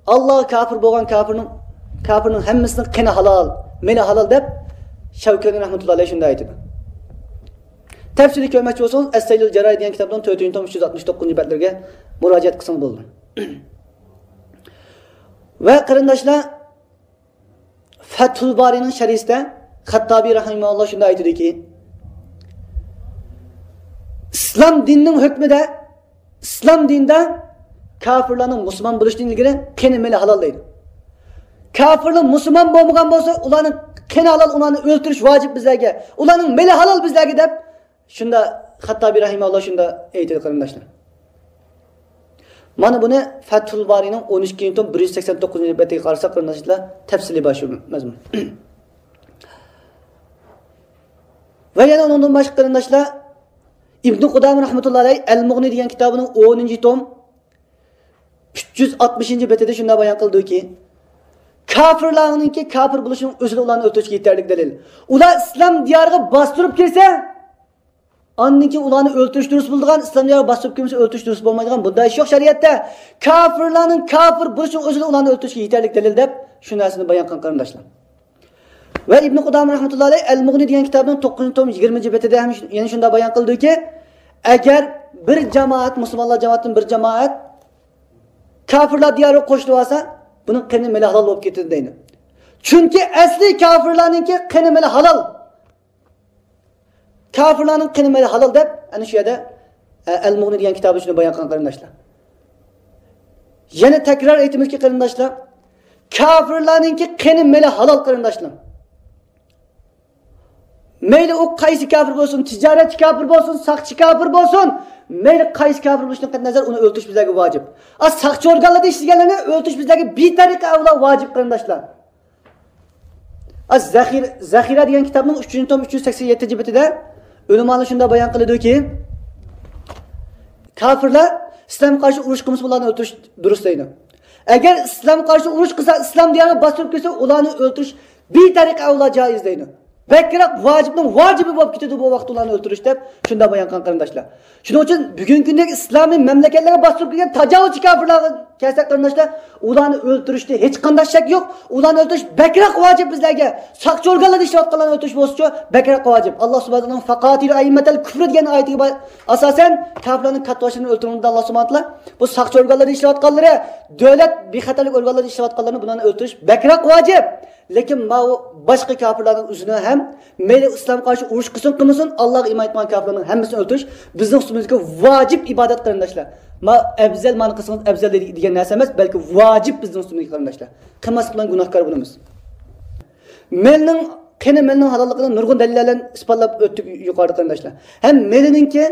ئاللاغا كاپىر بولغان كاپىرنىڭ، كاپىرنىڭ ھەممىسىنىڭ قېنى ھالال، مېلى ھالال دەپ شەۋكانى رەھمەتۇللا ئەلەيھ شۇنداق ئېيتىدۇ. تەپسىلىي كۆرمەكچى بولسىڭىز، ئەس-سەيلۇل جەررارى دېگەن كىتابنىڭ تۆتىنچى توم ئۈچ يۈز ئاتمىش توققۇزىنچى بەتلىرىگە مۇراجىئەت قىلسىڭىز بولىدۇ. ۋە قېرىنداشلار، فەتھۇل بارىنىڭ شەرھىسىدە خەتتابى رەھىمەھۇللا شۇنداق ئېيتىدۇكى، ئىسلام دىنىنىڭ ھۆكمىدە، ئىسلام دىنىدا كاپىرلارنىڭ مۇسۇلمان بولۇشتىن ئىلگىرى قېنى مېلى ھالال دەيدۇ. كاپىرلار مۇسۇلمان بولمىغان بولسا، ئۇلارنىڭ قېنى ھالال، ئۇلارنى ئۆلتۈرۈش ۋاجىپ بىزلەرگە، ئۇلارنىڭ مېلى ھالال بىزلەرگە دەپ شۇنداق خەتتابى رەھىمەھۇللا شۇنداق ئېيتىدۇ قېرىنداشلار. مانا بۇنى فەتھۇل بارىنىڭ ئون ئىككىنچى توم بىر يۈز سەكسەن توققۇزىنچى بەتىگە قارىساق قېرىنداشلار، تەپسىلىي بار شۇ مەزمۇن. ۋە يەنە ئۇنىڭدىن باشقا قېرىنداشلار، ئىبنى قۇدامە رەھمەتۇللا ئەلەيھ ئەل مۇغنى دېگەن كىتابىنىڭ ئونىنچى توم ئۈچ يۈز ئاتمىشىنچى بېتىدە شۇنداق بايان قىلدىكى، كاپىرلارنىڭكى كاپىر بولۇشىنىڭ ئۆزىلا ئۇلارنى ئۆلتۈرۈشكە يېتەرلىك دەلىل. ئۇلار ئىسلام دىيارىغا باستۇرۇپ كىرسە، ئاندىن كېيىن ئۇلارنى ئۆلتۈرۈش دۇرۇس بولىدىغان، ئىسلام دىيارىغا باستۇرۇپ كىرمىسە ئۆلتۈرۈش دۇرۇس بولمايدىغان بۇنداق ئىش يوق شەرىئەتتە. كاپىرلارنىڭ كاپىر بولۇشىنىڭ ئۆزىلا ئۇلارنى ئۆلتۈرۈشكە يېتەرلىك دەلىل دەپ شۇ نەرسىنى بايان قىلغان قېرىنداشلار. ۋە ئىبنى قۇدامە رەھمەتۇللا ئەلەيھ ئەل مۇغنى دېگەن كىتابنىڭ توققۇزىنچى توم يىگىرمىنچى بېتىدە ھەم شۇ-، يەنە شۇنداق بايان قىلدىكى، ئەگەر بىر جامائەت، مۇسۇلمانلار جامائىتىدىن بىر جامائەت كاپىرلار دىيارىغا قوشۇلۇۋالسا، بۇنىڭ قېنى مېلى ھالال بولۇپ كېتىدۇ دەيدۇ. چۈنكى ئەسلى كاپىرلارنىڭكى قېنى مېلى ھالال. كاپىرلارنىڭ قېنى مېلى ھالال دەپ، ئەنە شۇ يەردە، ئە، ئەل مۇغنى دېگەن كىتابى شۇنى بايان قىلغان قېرىنداشلار. يەنە تەكرار ئېيتىمىزكى قېرىنداشلار، كاپىرلارنىڭكى قېنى مېلى ھالال قېرىنداشلار. مەيلى ئۇ قايسى كاپىر بولسۇن، تىجارەتچى كاپىر بولسۇن، ساقچى كاپىر بولسۇن، مەيلى قايسى كاپىر بولۇشىدىن قەتئىينەزەر، ئۇنى ئۆلتۈرۈش بىزلەرگە ۋاجىپ. ئا، ساقچى ئورگانلىرىدا ئىشلىگەنلەرنى ئۆلتۈرۈش بىزلەرگە بىتەرىقە ئەۋلا ۋاجىپ قېرىنداشلار. ئا، زەخىر-، زەخىرە دېگەن كىتابنىڭ ئۈچىنچى توم ئۈچ يۈز سەكسەن يەتتىنچى بېتىدە ئۆلىمالار شۇنداق بايان قىلىدۇكى، كاپىرلار ئىسلامغا قارشى ئۇرۇش قىلمىسا، ئۇلارنى ئۆلتۈرۈش دۇرۇس دەيدۇ. ئەگەر ئىسلامغا قارشى ئۇرۇش قىلسا، ئىسلام دىيارىغا باستۇرۇپ كىرسە، ئۇلارنى ئۆلتۈرۈش بىتەرىقە ئەۋلا جائىز دەيدۇ. بەكرەك ۋاجىپنىڭ ۋاجىپى بولۇپ كېتىدۇ بۇ ۋاقىتتا ئۇلارنى ئۆلتۈرۈش دەپ شۇنداق بايان قىلغان قېرىنداشلار. شۇنىڭ ئۈچۈن بۈگۈنكى كۈندىكى ئىسلامىي مەملىكەتلەرگە باستۇرۇپ كىرگەن تاجاۋۇزچى كاپىرلارغا كەلسەك قېرىنداشلار، ئۇلارنى ئۆلتۈرۈشتە ھېچقانداق شەك يوق. ئۇلارنى ئۆلتۈرۈش بەكرەك ۋاجىپ بىزلەرگە. ساقچى ئورگانلاردا ئىشلەۋاتقانلارنى ئۆلتۈرۈش بولسىچۇ بەكرەك ۋاجىپ. ئاللا سۇبھانەھۇ ۋە تائالا فەقاتىلۇ ئەئىممەتەل كۇفر دېگەن ئايىتىگە با-، ئاساسەن كاپىرلارنىڭ كاتتىباشلىرىنى ئۆلتۈرۈڭ دېدى ئاللا سۇبھانەھۇ ۋە تائالا. بۇ ساقچى ئورگانلاردا ئىشلەۋاتقانلىرى، دۆلەت بىخەتەرلىك ئورگانلىرىدا ئىشلەۋاتقانلارنى بۇلارنى ئۆلتۈرۈش بەكرەك ۋاجىپ. لېكىن ماۋۇ باشقا كاپىرلارنىڭ ئۆزىنى ھەم مەيلى ئىسلامغا قارشى ئۇرۇش قىلسۇن قىلمىسۇن، ئاللاغا ئىمان ئېيتمىغان كاپىرلارنىڭ ھەممىسىنى ئۆلتۈرۈش بىزنىڭ ئۈستىمىزدىكى ۋاجىپ ئىبادەت قېرىنداشلار. ما ئەۋزەل مانا قىلسىڭىز ئەۋزەل دېگەن نەرسە ئەمەس، بەلكى ۋاجىپ بىزنىڭ ئۈستىمىزگە قېرىنداشلار. قىلماسلىق بىلەن گۇناھكار بولىمىز. مېلنىڭ، قېنى مېلنىڭ ھالاللىقىنى نۇرغۇن دەلىللەر بىلەن ئىسپاتلاپ ئۆتتۇق يۇقىرىدا قېرىنداشلار. ھەم مېلىنىڭكى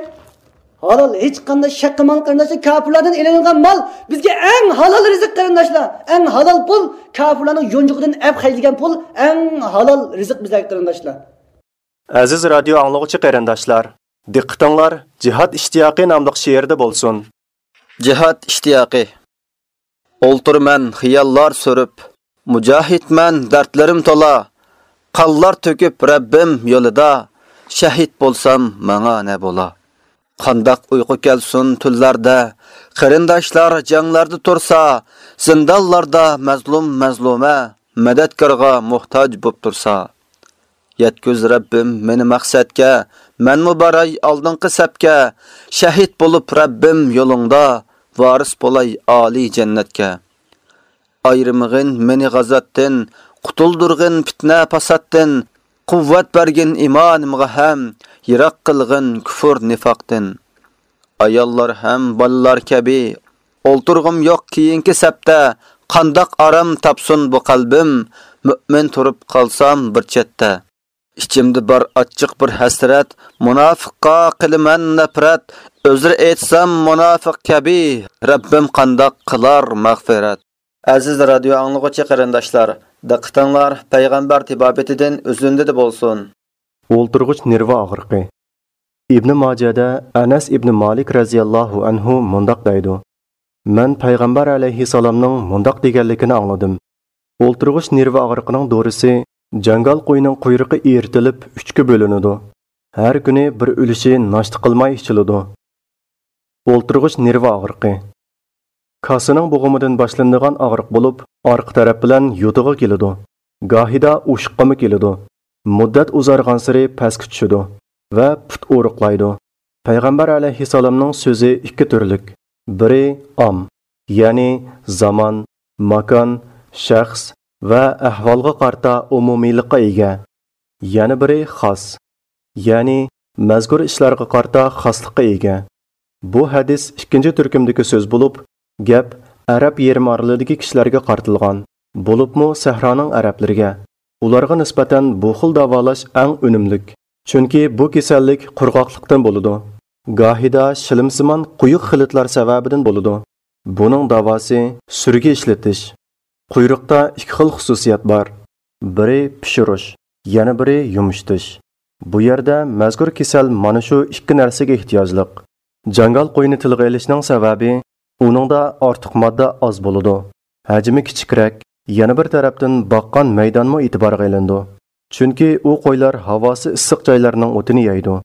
ھالال، ھېچقانداق شەك قىلماڭ قېرىنداشلار، كاپىرلاردىن ئېلىنغان مال بىزگە ئەڭ ھالال رىزىق قېرىنداشلار. ئەڭ ھالال پۇل، كاپىرلارنىڭ يونچۇقىدىن ئەپ خەجلىگەن پۇل ئەڭ ھالال رىزىق بىزلەرگە قېرىنداشلار. ئەزىز رادىيو ئاڭلىغۇچى قېرىنداشلار، دىققىتىڭلار جىھاد ئىشتىياقى ناملىق شېئىردا بولسۇن. جىھاد ئىشتىياقى. ئولتۇرىمەن خىياللار سۈرۈپ، مۇجاھىدمەن دەردلىرىم تولا، قانلار تۆكۈپ رەببىم يولىدا، شەھىد بولسام ماڭا نە بولا؟ قانداق ئۇيقۇ كەلسۇن تۈنلەردە، قېرىنداشلار جەڭلەردە تۇرسا، زىندانلاردا مەزلۇم مەزلۇمە، مەدەتكارغا موھتاج بوپ تۇرسا. يەتكۈز رەببىم مېنى مەقسەتكە، مەنمۇ باراي ئالدىنقى سەپكە، شەھىد بولۇپ رەببىم يولۇڭدا، ۋارىس بولاي ئالىي جەننەتكە. ئايرىمىغىن مېنى غازاتتىن، قۇتۇلدۇرغىن پىتنە پاساتتىن، قۇۋۋەت بەرگىن ئىمانىمغا ھەم، يىراق قىلغىن كۇفۇر نىفاقتىن. ئاياللار ھەم بالىلار كەبى، ئولتۇرغۇم يوق كېيىنكى سەپتە، قانداق ئارام تاپسۇن بۇ قەلبىم، مۆمىن تۇرۇپ قالسام بىر چەتتە. ئىچىمدە بار ئاچچىق بىر ھەسرەت، مۇناپىققا قىلىمەن نەپرەت، ئۆزرە ئېيتسام مۇناپىق كەبى، رەببىم قانداق قىلار مەغپىرەت. ئەزىز رادىيو ئاڭلىغۇچى قېرىنداشلار، دىققىتىڭلار پەيغەمبەر تېبابىتىدىن ئۈزۈندىدە بولسۇن. ئولتۇرغۇچ نېرۋا ئاغرىقى. ئىبنى ماجەدە ئەنەس ئىبنى مالىك رەزىياللاھۇ ئەنھۇ مۇنداق دەيدۇ: مەن پەيغەمبەر ئەلەيھىسسالامنىڭ مۇنداق دېگەنلىكىنى ئاڭلىدىم: ئولتۇرغۇچ نېرۋا ئاغرىقىنىڭ دورىسى جاڭگال قويىنىڭ قۇيرۇقى ئېرىتىلىپ ئۈچكە بۆلۈنىدۇ. ھەر كۈنى بىر ئۈلۈشى ناشتا قىلماي ئىچىلىدۇ. ئولتۇرغۇچ نېرۋا ئاغرىقى. كاسىنىڭ بوغۇمىدىن باشلىنىدىغان ئاغرىق بولۇپ، ئارقا تەرەپ بىلەن يوتىغا كېلىدۇ. گاھىدا ئوشۇققىمۇ كېلىدۇ. مۇددەت ئۇزارغانسېرى پەسكە چۈشىدۇ ۋە پۇت ئورۇقلايدۇ. پەيغەمبەر ئەلەيھىسسالامنىڭ سۆزى ئىككى تۈرلۈك. بىرى ئام، يەنى زامان، ماكان، شەخس ۋە ئەھۋالغا قارىتا ئومۇمىيلىققا ئىگە. يەنە بىرى خاس، يەنى مەزكۇر ئىشلارغا قارىتا خاسلىققا ئىگە. بۇ ھەدىس ئىككىنچى تۈركۈمدىكى سۆز بولۇپ، گەپ ئەرەب يېرىم ئارىلىدىكى كىشىلەرگە قارىتىلغان، بولۇپمۇ سەھرانىڭ ئەرەبلىرىگە. ئۇلارغا نىسبەتەن بۇ خىل داۋالاش ئەڭ ئۈنۈملۈك. چۈنكى بۇ كېسەللىك قۇرغاقلىقتىن بولىدۇ. گاھىدا شىلىمسىمان قويۇق خىلىتلار سەۋەبىدىن بولىدۇ. بۇنىڭ داۋاسى سۈرگە ئىشلىتىش. قۇيرۇقتا ئىككى خىل خۇسۇسىيەت بار. بىرى پىشۇرۇش، يەنە بىرى يۇمشىتىش. بۇ يەردە مەزكۇر كېسەل مانا شۇ ئىككى نەرسىگە ئېھتىياجلىق. جاڭگال قوينى تىلغا ئېلىشنىڭ سەۋەبى، ئۇنىڭدا ئارتۇق ماددا ئاز بولىدۇ. ھەجمى كىچىكرەك، يەنە بىر تەرەپتىن باققان مەيدانمۇ ئېتىبارغا ئېلىنىدۇ. چۈنكى ئۇ قويلار ھاۋاسى ئىسسىق جايلارنىڭ ئوتىنى يەيدۇ.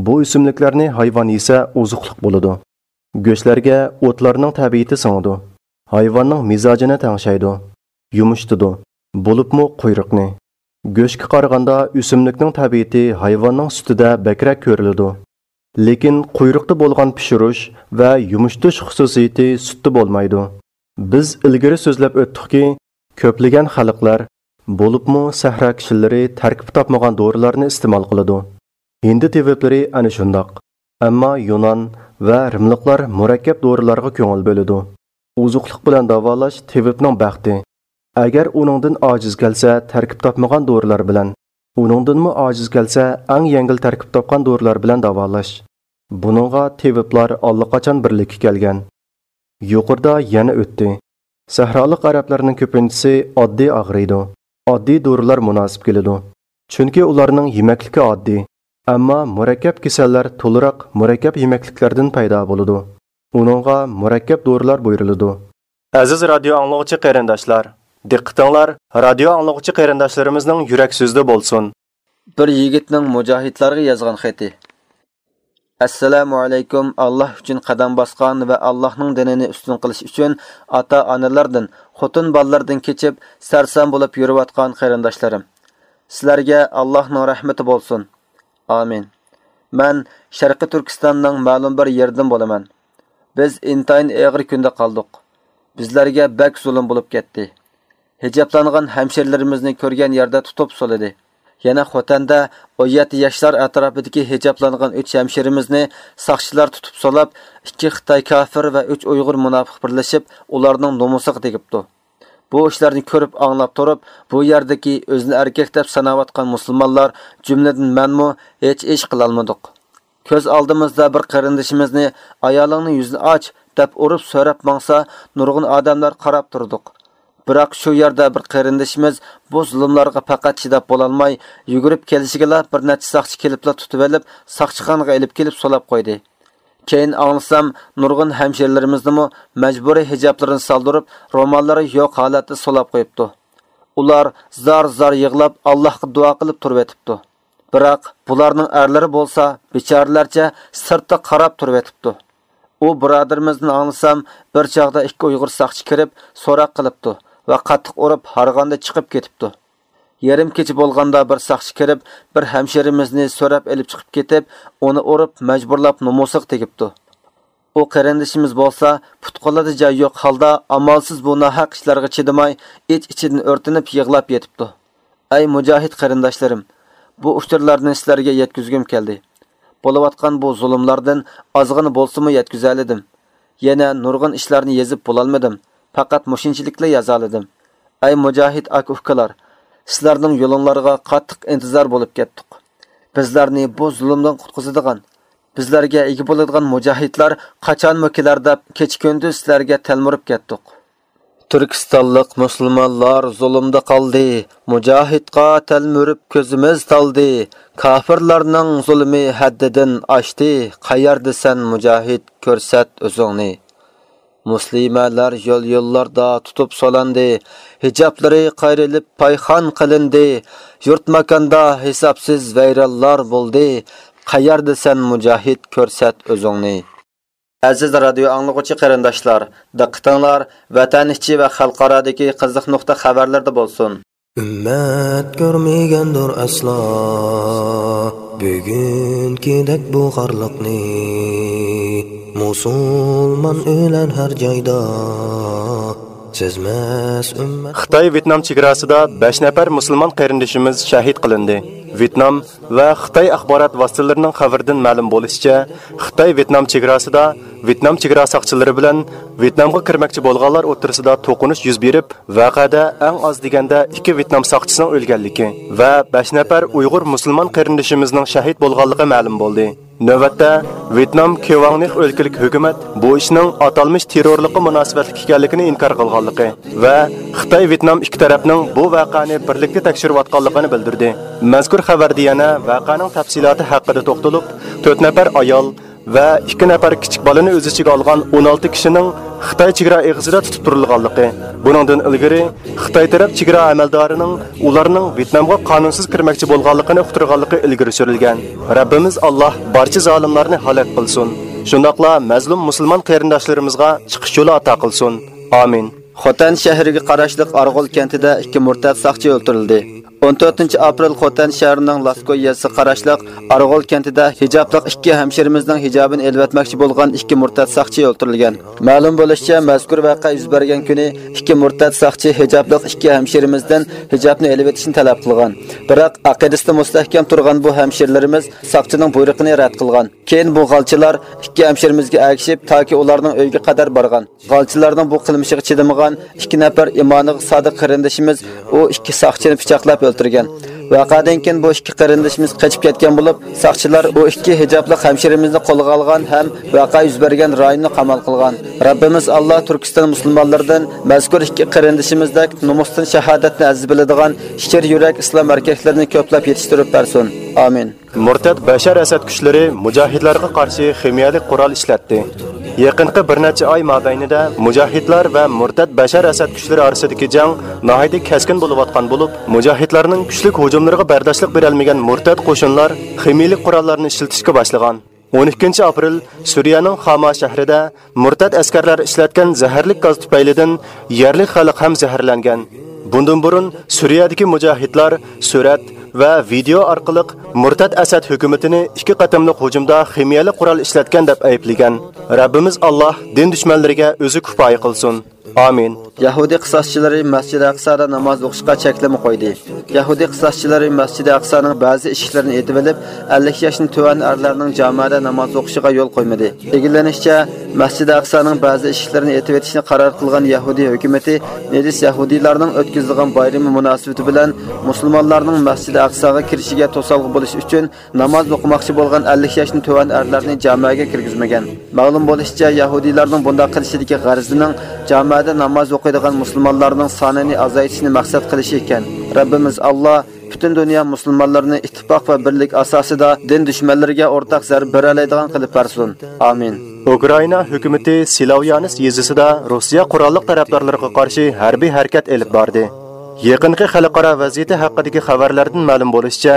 بۇ ئۆسۈملۈكلەرنى ھايۋان يېسە ئوزۇقلۇق بولىدۇ. گۆشلەرگە ئوتلارنىڭ تەبىئىتى سىڭىدۇ. ھايۋاننىڭ مىزاجىنى تەڭشەيدۇ، يۇمشىتىدۇ، بولۇپمۇ قۇيرۇقنى. گۆشكە قارىغاندا ئۆسۈملۈكنىڭ تەبىئىتى ھايۋاننىڭ سۈتىدە بەكرەك كۆرۈلىدۇ. لېكىن قۇيرۇقتا بولغان پىشۇرۇش ۋە يۇمشىتىش خۇسۇسىيىتى سۈتتە بولمايدۇ. بىز ئىلگىرى سۆزلەپ ئۆتتۇقكى، كۆپلىگەن خەلقلەر، بولۇپمۇ سەھرا كىشىلىرى تەركىب تاپمىغان دورىلارنى ئىستېمال قىلىدۇ. ھىندى تېۋىپلىرى ئەنە شۇنداق. ئەمما يۇنان ۋە رىملىقلار مۇرەككەپ دورىلارغا كۆڭۈل بۆلىدۇ. ئوزۇقلۇق بىلەن داۋالاش تېۋىپنىڭ بەختى. ئەگەر ئۇنىڭدىن ئاجىز كەلسە، تەركىب تاپمىغان دورىلار بىلەن، ئۇنىڭدىنمۇ ئاجىز كەلسە، ئەڭ يەڭگىل تەركىب تاپقان دورىلار بىلەن داۋالاش. بۇنىڭغا تېۋىپلار ئاللىقاچان بىرلىككە كەلگەن. يۇقىرىدا يەنە ئۆتتى. سەھرالىق ئەرەبلەرنىڭ كۆپىنچىسى ئاددىي ئاغرىيدۇ، ئاددىي دورىلار مۇناسىپ كېلىدۇ. چۈنكى ئۇلارنىڭ يېمەكلىكى ئاددىي. ئەمما مۇرەككەپ كېسەللەر تولىراق مۇرەككەپ يېمەكلىكلەردىن پەيدا بولىدۇ. ئۇنىڭغا مۇرەككەپ دورىلار بۇيرۇلىدۇ. ئەزىز رادىيو ئاڭلىغۇچى قېرىنداشلار، دىققىتىڭلار رادىيو ئاڭلىغۇچى قېرىنداشلىرىمىزنىڭ يۈرەك سۆزىدە بولسۇن. بىر يىگىتنىڭ مۇجاھىدلارغا يازغان خېتى. ئەسسالامۇئەلەيكۇم، ئاللاھ ئۈچۈن قەدەم باسقان ۋە ئاللاھنىڭ دىنىنى ئۈستۈن قىلىش ئۈچۈن ئاتا-ئانىلاردىن، خوتۇن-بالىلاردىن كېچىپ، سەرسان بولۇپ يۈرۈۋاتقان قېرىنداشلىرىم. سىلەرگە ئاللاھنىڭ رەھمىتى بولسۇن. ئامىن. مەن شەرقىي تۈركىستاننىڭ مەلۇم بىر يېرىدىن بولىمەن. بىز ئىنتايىن ئېغىر كۈندە قالدۇق. بىزلەرگە بەك زۇلۇم بولۇپ كەتتى. ھىجابلانغان ھەمشىرىلىرىمىزنى كۆرگەن يەردە تۇتۇپ سولىدى. يەنە خوتەندە ئون يەتتە ياشلار ئەتراپىدىكى ھىجابلانغان ئۈچ ھەمشىرىمىزنى ساقچىلار تۇتۇپ سولاپ، ئىككى خىتاي كاپىر ۋە ئۈچ ئۇيغۇر مۇناپىق بىرلىشىپ، ئۇلارنىڭ نومۇسىغا تېگىپتۇ. بۇ ئىشلارنى كۆرۈپ ئاڭلاپ تۇرۇپ، بۇ يەردىكى ئۆزىنى ئەركەك دەپ ساناۋاتقان مۇسۇلمانلار، جۈملىدىن مەنمۇ، ھېچ ئىش قىلالمىدۇق. كۆز ئالدىمىزدا بىر قېرىندىشىمىزنى «ئايالىڭنىڭ يۈزىنى ئاچ» دەپ ئۇرۇپ سۆرەپ ماڭسا، نۇرغۇن ئادەملەر قاراپ تۇردۇق. بىراق شۇ يەردە بىر قېرىندىشىمىز بۇ زۇلۇملارغا پەقەت چىداپ بولالماي، يۈگۈرۈپ كېلىشىگىلا بىر نەچچە ساقچى كېلىپلا تۇتۇۋېلىپ، ساقچىخانىغا ئېلىپ كېلىپ سولاپ قويدى. كېيىن ئاڭلىسام، نۇرغۇن ھەمشىرىلىرىمىزنىمۇ مەجبۇرىي ھىجابلىرىنى سالدۇرۇپ، روماللىرى يوق ھالەتتە سولاپ قويۇپتۇ. ئۇلار زار-زار يىغلاپ، ئاللاھقا دۇئا قىلىپ تۇرۇۋېتىپتۇ. بىراق بۇلارنىڭ ئەرلىرى بولسا بىچارىلەرچە سىرتتا قاراپ تۇرۇۋېتىپتۇ. ئۇ بۇرادىرىمىزدىن ئاڭلىسام، بىر چاغدا ئىككى ئۇيغۇر ساقچى كىرىپ سوراق قىلىپتۇ ۋە قاتتىق ئۇرۇپ ھارغاندا چىقىپ كېتىپتۇ. يېرىم كېچە بولغاندا بىر ساقچى كىرىپ، بىر ھەمشىرىمىزنى سۆرەپ ئېلىپ چىقىپ كېتىپ، ئۇنى ئۇرۇپ مەجبۇرلاپ نومۇسىغا تېگىپتۇ. ئۇ قېرىندىشىمىز بولسا پۇت-قولىدا جاي يوق ھالدا ئامالسىز بۇ ناھەق ئىشلارغا چىدىماي، ئىچ-ئىچىدىن ئۆرتىنىپ يىغلاپ يېتىپتۇ. ئەي مۇجاھىد قېرىنداشلىرىم، بۇ ئۇچۇرلارنى سىلەرگە يەتكۈزگۈم كەلدى. بولۇۋاتقان بۇ زۇلۇملاردىن ئازغىنە بولسىمۇ يەتكۈزەلىدىم. يەنە نۇرغۇن ئىشلارنى يېزىپ بولالمىدىم. پەقەت مۇشۇنچىلىكلا يازالىدىم. ئەي مۇجاھىد ئاكا-ئۇكىلار، سىلەرنىڭ يولۇڭلارغا قاتتىق ئىنتىزار بولۇپ كەتتۇق. بىزلەرنى بۇ زۇلۇمدىن قۇتقۇزىدىغان، بىزلەرگە ئىگە بولىدىغان مۇجاھىدلار قاچانمۇ كېلەر دەپ كېچە-كۈندۈز سىلەرگە تەلمۈرۈپ كەتتۇق. تۈركىستانلىق مۇسۇلمانلار زۇلۇمدا قالدى، مۇجاھىدقا تەلمۈرۈپ كۆزىمىز تالدى. كاپىرلارنىڭ زۇلمى ھەددىدىن ئاشتى، قەيەردىسەن مۇجاھىد، كۆرسەت ئۆزۈڭنى. مۇسلىمەلەر يول-يوللاردا تۇتۇپ سولاندى، ھىجابلىرى قايرىلىپ پايخان قىلىندى، يۇرت-ماكاندا ھېسابسىز ۋەيرانلار بولدى، قەيەردىسەن مۇجاھىد، كۆرسەت ئۆزۈڭنى. ئەزىز رادىيو ئاڭلىغۇچى قېرىنداشلار، دىققىتىڭلار ۋەتەن ئىچى ۋە خەلقئارادىكى قىزىق نۇقتا خەۋەرلىرىدە بولسۇن. ئۈممەت كۆرمىگەندۇر ئەسلا بۈگۈنكىدەك بۇ خارلىقنى. مۇسۇلمان ئۆلەر ھەر جايدا، سەزمەس ئۈممەت. خىتاي ۋيېتنام چېگراسىدا بەش نەپەر مۇسۇلمان قېرىندىشىمىز شەھىد قىلىندى. ۋيېتنام ۋە خىتاي ئاخبارات ۋاسىتىلىرىنىڭ خەۋىرىدىن مەلۇم بولۇشىچە، خىتاي ۋيېتنام چېگراسىدا ۋيېتنام چېگرا ساقچىلىرى بىلەن ۋيېتنامغا كىرمەكچى بولغانلار ئوتتۇرىسىدا توقۇنۇش يۈز بېرىپ، ۋەقەدە ئەڭ ئاز دېگەندە ئىككى ۋيېتنام ساقچىسىنىڭ ئۆلگەنلىكى ۋە بەش نەپەر ئۇيغۇر مۇسۇلمان قېرىندىشىمىزنىڭ شەھىد بولغانلىقى مەلۇم بولدى. نۆۋەتتە، ۋيېتنام كېۋاڭنىخ ئۆلكىلىك ھۆكۈمەت بۇ ئىشنىڭ ئاتالمىش تېررورلۇققا مۇناسىۋەتلىك ئىكەنلىكىنى ئىنكار قىلغانلىقى ۋە خىتاي ۋيېتنام ئىككى تەرەپنىڭ بۇ ۋەقەنى بىرلىكتە تەكشۈرۈۋاتقانلىقىنى بىلدۈردى. مەزكۇر خەۋەردە يەنە ۋەقەنىڭ تەپسىلاتى ھەققىدە توختىلىپ، تۆت نەپەر ئايال ۋە ئىككى نەپەر كىچىك بالىنى ئۆز ئىچىگە ئالغان ئون ئالتە كىشىنىڭ خىتاي چېگرا ئېغىزىدا تۇتۇپ تۇرۇلغانلىقى، بۇنىڭدىن ئىلگىرى خىتاي تەرەپ چېگرا ئەمەلدارىنىڭ ئۇلارنىڭ ۋيېتنامغا قانۇنسىز كىرمەكچى بولغانلىقىنى ئۇقتۇرغانلىقى ئىلگىرى سۈرۈلگەن. رەببىمىز ئاللاھ بارچە زالىملارنى ھالاك قىلسۇن. شۇنداقلا مەزلۇم مۇسۇلمان قېرىنداشلىرىمىزغا چىقىش يولى ئاتا قىلسۇن. ئامىن. خوتەن شەھىرىگە قاراشلىق ئارغول كەنتىدە ئىككى مۇرتەت ساقچى ئۆلتۈرۈلدى. ئون تۆتىنچى ئاپرېل خوتەن شەھىرىنىڭ لاسكوي يېزىسىغا قاراشلىق ئارغول كەنتىدە ھىجابلىق ئىككى ھەمشىرىمىزنىڭ ھىجابىنى ئېلىۋەتمەكچى بولغان ئىككى مۇرتەت ساقچى ئۆلتۈرۈلگەن. مەلۇم بولۇشىچە، مەزكۇر ۋەقە يۈز بەرگەن كۈنى ئىككى مۇرتەت ساقچى ھىجابلىق ئىككى ھەمشىرىمىزدىن ھىجابنى ئېلىۋېتىشنى تەلەپ قىلغان. بىراق، ئەقىدىسىدە مۇستەھكەم تۇرغان بۇ ھەمشىرىلىرىمىز ساقچىنىڭ بۇيرۇقىنى رەت قىلغان. كېيىن بۇ غالچىلار ئىككى ھەمشىرىمىزگە ئەگىشىپ، تاكى ئۇلارنىڭ ئۆيىگە قەدەر بارغان. غالچىلارنىڭ بۇ قىلمىشىغا چىدىمىغان ئىككى نەپەر ئىمانىغا سادىق قېرىندىشىمىز ئۇ ئىككى ساقچىنى پىچاقلاپ ئۆلتۈرگەن. ۋەقەدىن كېيىن بۇ ئىككى قېرىندىشىمىز قېچىپ كەتكەن بولۇپ، ساقچىلار ئۇ ئىككى ھىجابلىق ھەمشىرىمىزنى قولغا ئالغان ھەم ۋەقە يۈز بەرگەن رايوننى قامال قىلغان. رەببىمىز ئاللا تۈركىستان مۇسۇلمانلىرىدىن مەزكۇر ئىككى قېرىندىشىمىزدەك نومۇستىن شاھادەتنى ئەزىز بىلىدىغان شىر يۈرەك ئىسلام ئەركەكلىرىنى كۆپلەپ يېتىشتۈرۈپ بەرسۇن. ئامىن. مۇرتەت بەشەر ئەسەد كۈچلىرى مۇجاھىدلارغا قارشى خىمىيەلىك قورال ئىشلەتتى. يېقىنقى بىر نەچچە ئاي مابەينىدە مۇجاھىدلار ۋە مۇرتەت بەشەر ئەسەد كۈچلىرى ئارىسىدىكى جەڭ ناھايىتى كەسكىن بولۇۋاتقان بولۇپ، مۇجاھىدلارنىڭ كۈچلۈك ھۇجۇملىرىغا بەرداشلىق بېرەلمىگەن مۇرتەت قوشۇنلار خىمىيەلىك قوراللارنى ئىشلىتىشكە باشلىغان. ئون ئىككىنچى ئاپرېل سۈرىيەنىڭ خاما شەھىرىدە مۇرتەت ئەسكەرلەر ئىشلەتكەن زەھەرلىك گاز تۈپەيلىدىن يەرلىك خەلق ھەم زەھەرلەنگەن. بۇندىن بۇرۇن سۈرىيەدىكى مۇجاھىدلار سۈرەت ۋە ۋىدېئو ئارقىلىق مۇرتەت ئەسەد ھۆكۈمىتىنى ئىككى قېتىملىق ھۇجۇمدا خىمىيەلىك قورال ئىشلەتكەن دەپ ئەيىبلىگەن. رەببىمىز ئاللاھ دىن دۈشمەنلىرىگە ئۆزى كۇپايە قىلسۇن. ئامىن. يەھۇدىي قىساسچىلىرى مەسچىدى ئەقسادا ناماز ئوقۇشقا چەكلىمە قويدى. يەھۇدىي قىساسچىلىرى مەسچىدى ئەقسانىڭ بەزى ئىشىكلىرىنى ئېتىۋېلىپ، ئەللىك ياشتىن تۆۋەن ئەرلەرنىڭ جامەدە ناماز ئوقۇشىغا يول قويمىدى. ئىگىلىنىشىچە، مەسچىدى ئەقسانىڭ بەزى ئىشىكلىرىنى ئېتىۋېتىشنى قارار قىلغان يەھۇدىي ھۆكۈمىتى نىجىس يەھۇدىيلارنىڭ ئۆتكۈزىدىغان بايرىمى مۇناسىۋىتى بىلەن مۇسۇلمانلارنىڭ مەسچىدى ئەقساغا كىرىشىگە توسالغۇ بولۇش ئۈچۈن ناماز ئوقۇماقچى بولغان ئەللىك ياشتىن تۆۋەن ئەرلەرنى جامەگە كىرگۈزمىگەن. مەلۇم بولۇشىچە، يەھۇدىيلارنىڭ بۇنداق قىلىشىدىكى غەرىزىنىڭ جامەدە ناماز ئوقۇيدىغان مۇسۇلمانلارنىڭ سانىنى ئازايتىشنى مەقسەت قىلىشى ئىكەن. رەببىمىز ئاللا پۈتۈن دۇنيا مۇسۇلمانلىرىنى ئىتتىپاق ۋە بىرلىك ئاساسىدا دىن دۈشمەنلىرىگە ئورتاق زەربە بېرەلەيدىغان قىلىپ بەرسۇن. ئامىن. ئۇكرائىنا ھۆكۈمىتى سىلاۋيانس يېزىسىدا روسىيە قوراللىق تەرەپدارلىرىغا قارشى ھەربىي ھەرىكەت ئېلىپ باردى. يېقىنقى خەلقئارا ۋەزىيىتى ھەققىدىكى خەۋەرلەردىن مەلۇم بولۇشىچە،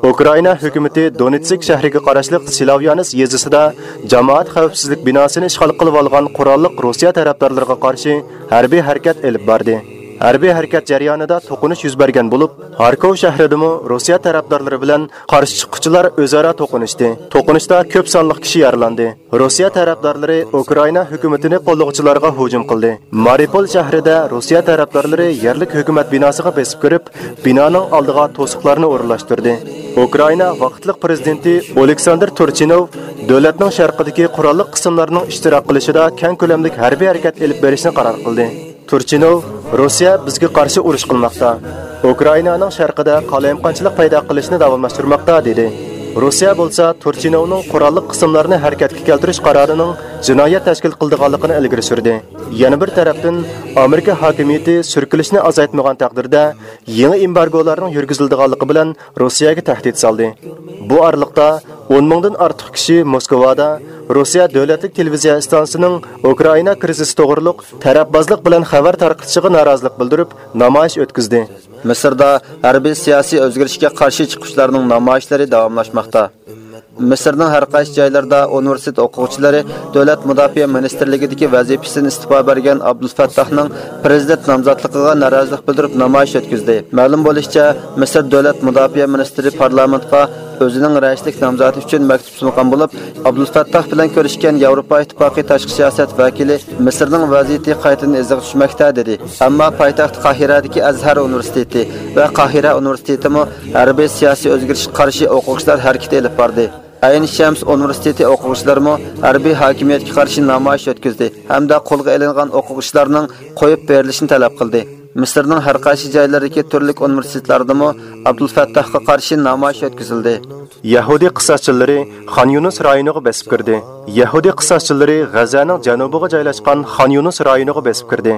ئۇكرائىنا ھۆكۈمىتى دونېتسك شەھىرىگە قاراشلىق سىلاۋيانس يېزىسىدا جامائەت خەۋپسىزلىك بىناسىنى ئىشغال قىلىۋالغان قوراللىق روسىيە تەرەپدارلىرىغا قارشى ھەربىي ھەرىكەت ئېلىپ باردى. ھەربىي ھەرىكەت جەريانىدا توقۇنۇش يۈز بەرگەن بولۇپ، خاركوۋ شەھىرىدىمۇ روسىيە تەرەپدارلىرى بىلەن قارشى چىققۇچىلار ئۆزئارا توقۇنۇشتى. توقۇنۇشتا كۆپ سانلىق كىشى يارىلاندى. روسىيە تەرەپدارلىرى ئۇكرائىنا ھۆكۈمىتىنى قوللىغۇچىلارغا ھۇجۇم قىلدى. مارىپول شەھىرىدە روسىيە تەرەپدارلىرى يەرلىك ھۆكۈمەت بىناسىغا بېسىپ كىرىپ، بىنانىڭ ئالدىغا توسۇقلارنى ئورۇنلاشتۇردى. ئۇكرائىنا ۋاقىتلىق پىرېزىدېنتى ئولېكساندىر تۇرچىنوۋ دۆلەتنىڭ شەرقىدىكى قوراللىق قىسىملارنىڭ ئىشتىراك قىلىشىدا كەڭ كۆلەملىك ھەربىي ھەرىكەت ئېلىپ بېرىشنى قارار قىلدى. تۇرچىنوۋ، «روسىيە بىزگە قارشى ئۇرۇش قىلماقتا، ئۇكرائىنانىڭ شەرقىدە قالايمىقانچىلىق پەيدا قىلىشنى داۋاملاشتۇرماقتا» دېدى. روسىيە بولسا تۇرچىنوۋنىڭ قوراللىق قىسىملارنى ھەرىكەتكە كەلتۈرۈش قارارىنىڭ جىنايەت تەشكىل قىلىدىغانلىقىنى ئىلگىرى سۈردى. يەنە بىر تەرەپتىن، ئامېرىكا ھاكىمىيىتى سۈركىلىشنى ئازايتمىغان تەقدىردە، يېڭى ئېمبارگولارنىڭ يۈرگۈزۈلىدىغانلىقى بىلەن روسىيەگە تەھدىت سالدى. بۇ ئارىلىقتا ئون مىڭدىن ئارتۇق كىشى موسكۋادا روسىيە دۆلەتلىك تېلېۋىزىيە ئىستانسىسىنىڭ ئۇكرائىنا كىرىزىسى توغرۇلۇق تەرەپبازلىق بىلەن خەۋەر تارقىتىشىغا نارازىلىق بىلدۈرۈپ، نامايىش ئۆتكۈزدى. مىسىردا ھەربىي سىياسىي ئۆزگىرىشكە قارشى چىقىشلارنىڭ نامايىشلىرى داۋاملاشماقتا. مىسىرنىڭ ھەر قايسى جايلىرىدا ئۇنىۋېرسىتېت ئوقۇغۇچىلىرى دۆلەت مۇداپىئە مىنىستىرلىكىدىكى ۋەزىپىسىدىن ئىستېپا بەرگەن ئابدۇلفەتتاھنىڭ پىرېزىدېنت نامزاتلىقىغا نارازىلىق بىلدۈرۈپ نامايىش ئۆتكۈزدى. مەلۇم بولۇشىچە، مىسىر دۆلەت مۇداپىئە مىنىستىرى پارلامېنتقا ئۆزىنىڭ رەئىسلىك نامزاتى ئۈچۈن مەكتۇپ سۇنغان بولۇپ، ئابدۇلفەتتاھ بىلەن كۆرۈشكەن ياۋروپا ئىتتىپاقى تاشقى سىياسەت ۋەكىلى مىسىرنىڭ ۋەزىيىتى قايتىدىن ئىزىغا چۈشمەكتە، دېدى. ئەمما پايتەخت قاھىرەدىكى ئەزھەر ئۇنىۋېرسىتېتى ۋە قاھىرە ئۇنىۋېرسىتېتىمۇ ھەربىي سىياسىي ئۆزگىرىشكە قارشى ئوقۇغۇچىلار ھەرىكىتى ئېلىپ باردى. ئەين شەمس ئۇنىۋېرسىتېتى ئوقۇغۇچىلىرىمۇ ھەربىي ھاكىمىيەتكە قارشى نامايىش ئۆتكۈزدى ھەمدە قولغا ئېلىنغان ئوقۇغۇچىلارنىڭ قويۇپ بېرىلىشىنى تەلەپ قىلدى. مىسىرنىڭ ھەر قايسى جايلىرىدىكى تۈرلۈك ئۇنىۋېرسىتېتلاردىمۇ ئابدۇلفەتتاھقا قارشى نامايىش ئۆتكۈزۈلدى. يەھۇدىي قىساسچىلىرى خان يۇنۇس رايونىغا بېسىپ كىردى. يەھۇدىي قىساسچىلىرى غەززەنىڭ جەنۇبىغا جايلاشقان خان يۇنۇس رايونىغا بېسىپ كىردى.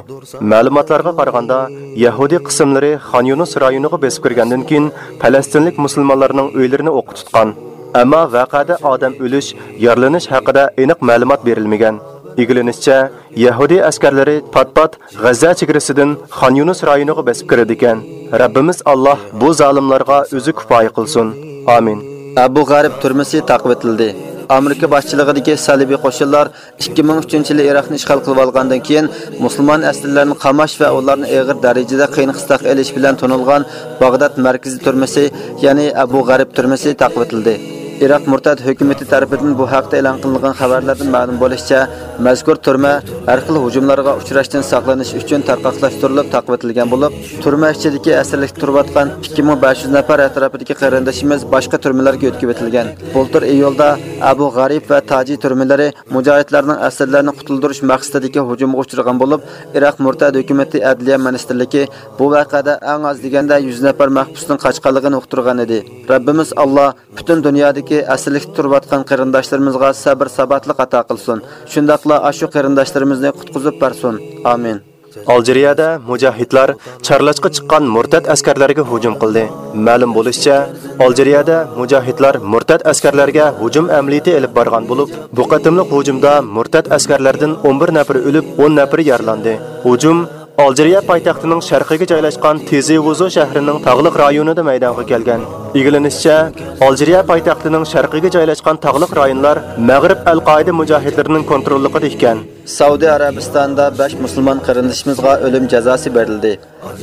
مەلۇماتلارغا قارىغاندا، يەھۇدىي قىسىملىرى خان يۇنۇس رايونىغا بېسىپ كىرگەندىن كېيىن، پەلەستىنلىك مۇسۇلمانلارنىڭ ئۆيلىرىنى ئوققا تۇتقان. ئەمما ۋەقەدە ئادەم ئۆلۈش، يارىلىنىش ھەققىدە ئېنىق مەلۇمات بېرىلمىگەن. ئىگىلىنىشىچە، يەھۇدىي ئەسكەرلىرى پات-پات غەززە چېگرىسىدىن خان يۇنۇس رايونىغا بېسىپ كىرىدىكەن. رەببىمىز ئاللاھ بۇ زالىملارغا ئۆزى كۇپايە قىلسۇن. ئامىن. ئەبۇ غەرىب تۈرمىسى تاقىۋېتىلدى. ئامېرىكا باشچىلىقىدىكى سەلىبىي قوشۇنلار ئىككى مىڭ ئۈچىنچى يىلى ئىراقنى ئىشغال قىلىۋالغاندىن كېيىن، مۇسۇلمان ئەسىرلەرنى قاماش ۋە ئۇلارنى ئېغىر دەرىجىدە قىيىن قىستاققا ئېلىش بىلەن تونۇلغان باغداد مەركىزىي تۈرمىسى، يەنى ئەبۇ غەرىب تۈرمىسى تاقىۋېتىلدى. ئىراق مۇرتەت ھۆكۈمىتى تەرىپىدىن بۇ ھەقتە ئېلان قىلىنغان خەۋەرلەردىن مەلۇم بولۇشىچە، مەزكۇر تۈرمە ھەر خىل ھۇجۇملارغا ئۇچراشتىن ساقلىنىش ئۈچۈن تارقاقلاشتۇرۇلۇپ تاقىۋېتىلگەن بولۇپ، تۈرمە ئىچىدىكى ئەسىرلىكتە تۇرۇۋاتقان ئىككى مىڭ بەش يۈز نەپەر ئەتراپىدىكى قېرىندىشىمىز باشقا تۈرمىلەرگە يۆتكىۋېتىلگەن. بۇلتۇر ئىيۇلدا ئەبۇ غەرىب ۋە تاجى تۈرمىلىرى مۇجاھىدلارنىڭ ئەسىرلەرنى قۇتۇلدۇرۇش مەقسىتىدىكى ھۇجۇمغا ئۇچرىغان بولۇپ، ئىراق مۇرتەت ھۆكۈمىتى ئەدلىيە مىنىستىرلىكى بۇ ۋەقەدە ئەڭ ئاز دېگەندە يۈز نەپەر مەھبۇسنىڭ قاچقانلىقىنى ئۇقتۇرغان ئىدى. رەببىمىز ئاللا پۈتۈن دۇنيادىكى ئەسىرلىكتە تۇرۇۋاتقان قېرىنداشلىرىمىزغا سەبىر-ساباتلىق ئاتا قىلسۇن. شۇنداقلا ئاشۇ قېرىنداشلىرىمىزنى قۇتقۇزۇپ بەرسۇن. ئامىن. ئالجىرىيەدە مۇجاھىدلار چارلاشقا چىققان مۇرتەت ئەسكەرلەرگە ھۇجۇم قىلدى. مەلۇم بولۇشىچە، ئالجىرىيەدە مۇجاھىدلار مۇرتەت ئەسكەرلەرگە ھۇجۇم ئەمەلىيىتى ئېلىپ بارغان بولۇپ، بۇ قېتىملىق ھۇجۇمدا مۇرتەت ئەسكەرلەردىن ئون بىر نەپىرى ئۆلۈپ، ئون نەپىرى يارىلاندى. ھۇجۇم ئالجىرىيە پايتەختىنىڭ شەرقىگە جايلاشقان تىزى ۋۇزۇ شەھىرىنىڭ تاغلىق رايونىدا مەيدانغا كەلگەن. ئىگىلىنىشىچە، ئالجىرىيە پايتەختىنىڭ شەرقىگە جايلاشقان تاغلىق رايونلار مەغرىب ئەل-قائىدە مۇجاھىدلىرىنىڭ كونتروللۇقىدا ئىكەن. سەئۇدى ئەرەبىستاندا بەش مۇسۇلمان قېرىندىشىمىزغا ئۆلۈم جازاسى بېرىلدى.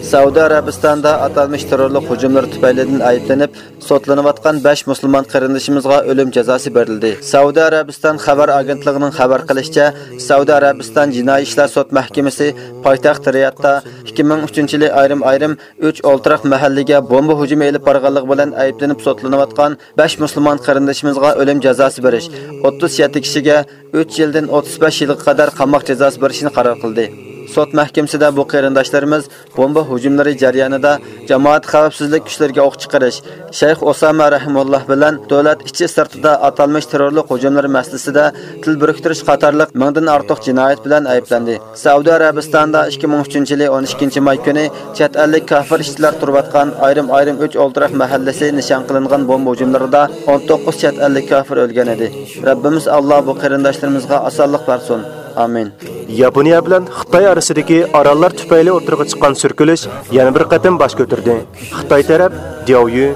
سەئۇدى ئەرەبىستاندا ئاتالمىش تېررورلۇق ھۇجۇملىرى تۈپەيلىدىن ئەيىبلىنىپ سوتلىنىۋاتقان بەش مۇسۇلمان قېرىندىشىمىزغا ئۆلۈم جازاسى بېرىلدى. سەئۇدى ئەرەبىستان خەۋەر ئاگېنتلىقىنىڭ خەۋەر قىلىشىچە، سەئۇدى ئەرەبىستان جىنايى ئىشلار سوت مەھكىمىسى پايتەخت رىيادتا ئىككى مىڭ ئۈچىنچى يىلى ئايرىم-ئايرىم ئۈچ ئولتۇراق مەھەللىگە بومبا ھۇجۇمى ئېلىپ بارغانلىقى بىلەن ئەيىبلىنىپ سوتلىنىۋاتقان بەش مۇسۇلمان قېرىندىشىمىزغا ئۆلۈم جازاسى بېرىش، ئوتتۇز يەتتە كىشىگە ئۈچ يىلدىن ئوتتۇز بەش يىلغا قەدەر قاماق جازاسى بېرىشنى قارار قىلدى. سوت مەھكىمىسىدە بۇ قېرىنداشلىرىمىز بومبا ھۇجۇملىرى جەريانىدا جامائەت خەۋپسىزلىك كۈچلىرىگە ئوق چىقىرىش، شەيخ ئۇسامە رەھىمۇللا بىلەن دۆلەت ئىچى سىرتىدا ئاتالمىش تېررورلۇق ھۇجۇملىرى مەسىلىسىدە تىل بىرىكتۈرۈش قاتارلىق مىڭدىن ئارتۇق جىنايەت بىلەن ئەيىبلەندى. سەئۇدى ئەرەبىستانىدا ئىككى مىڭ ئۈچىنچى يىلى ئون ئىككىنچى ماي كۈنى چەت ئەللىك كاپىر ئىشچىلار تۇرۇۋاتقان ئايرىم-ئايرىم ئۈچ ئولتۇراق مەھەللىسى نىشان قىلىنغان بومبا ھۇجۇملىرىدا ئون توققۇز چەت ئەللىك كاپىر ئۆلگەن ئىدى. رەببىمىز ئاللا بۇ قېرىنداشلىرىمىزغا ئاسانلىق بەرسۇن. ئامىن. ياپونىيە بىلەن خىتاي ئارىسىدىكى ئاراللار تۈپەيلى ئوتتۇرىغا چىققان سۈركىلىش يەنە بىر قېتىم باش كۆتۈردى. خىتاي تەرەپ دياۋيۈ،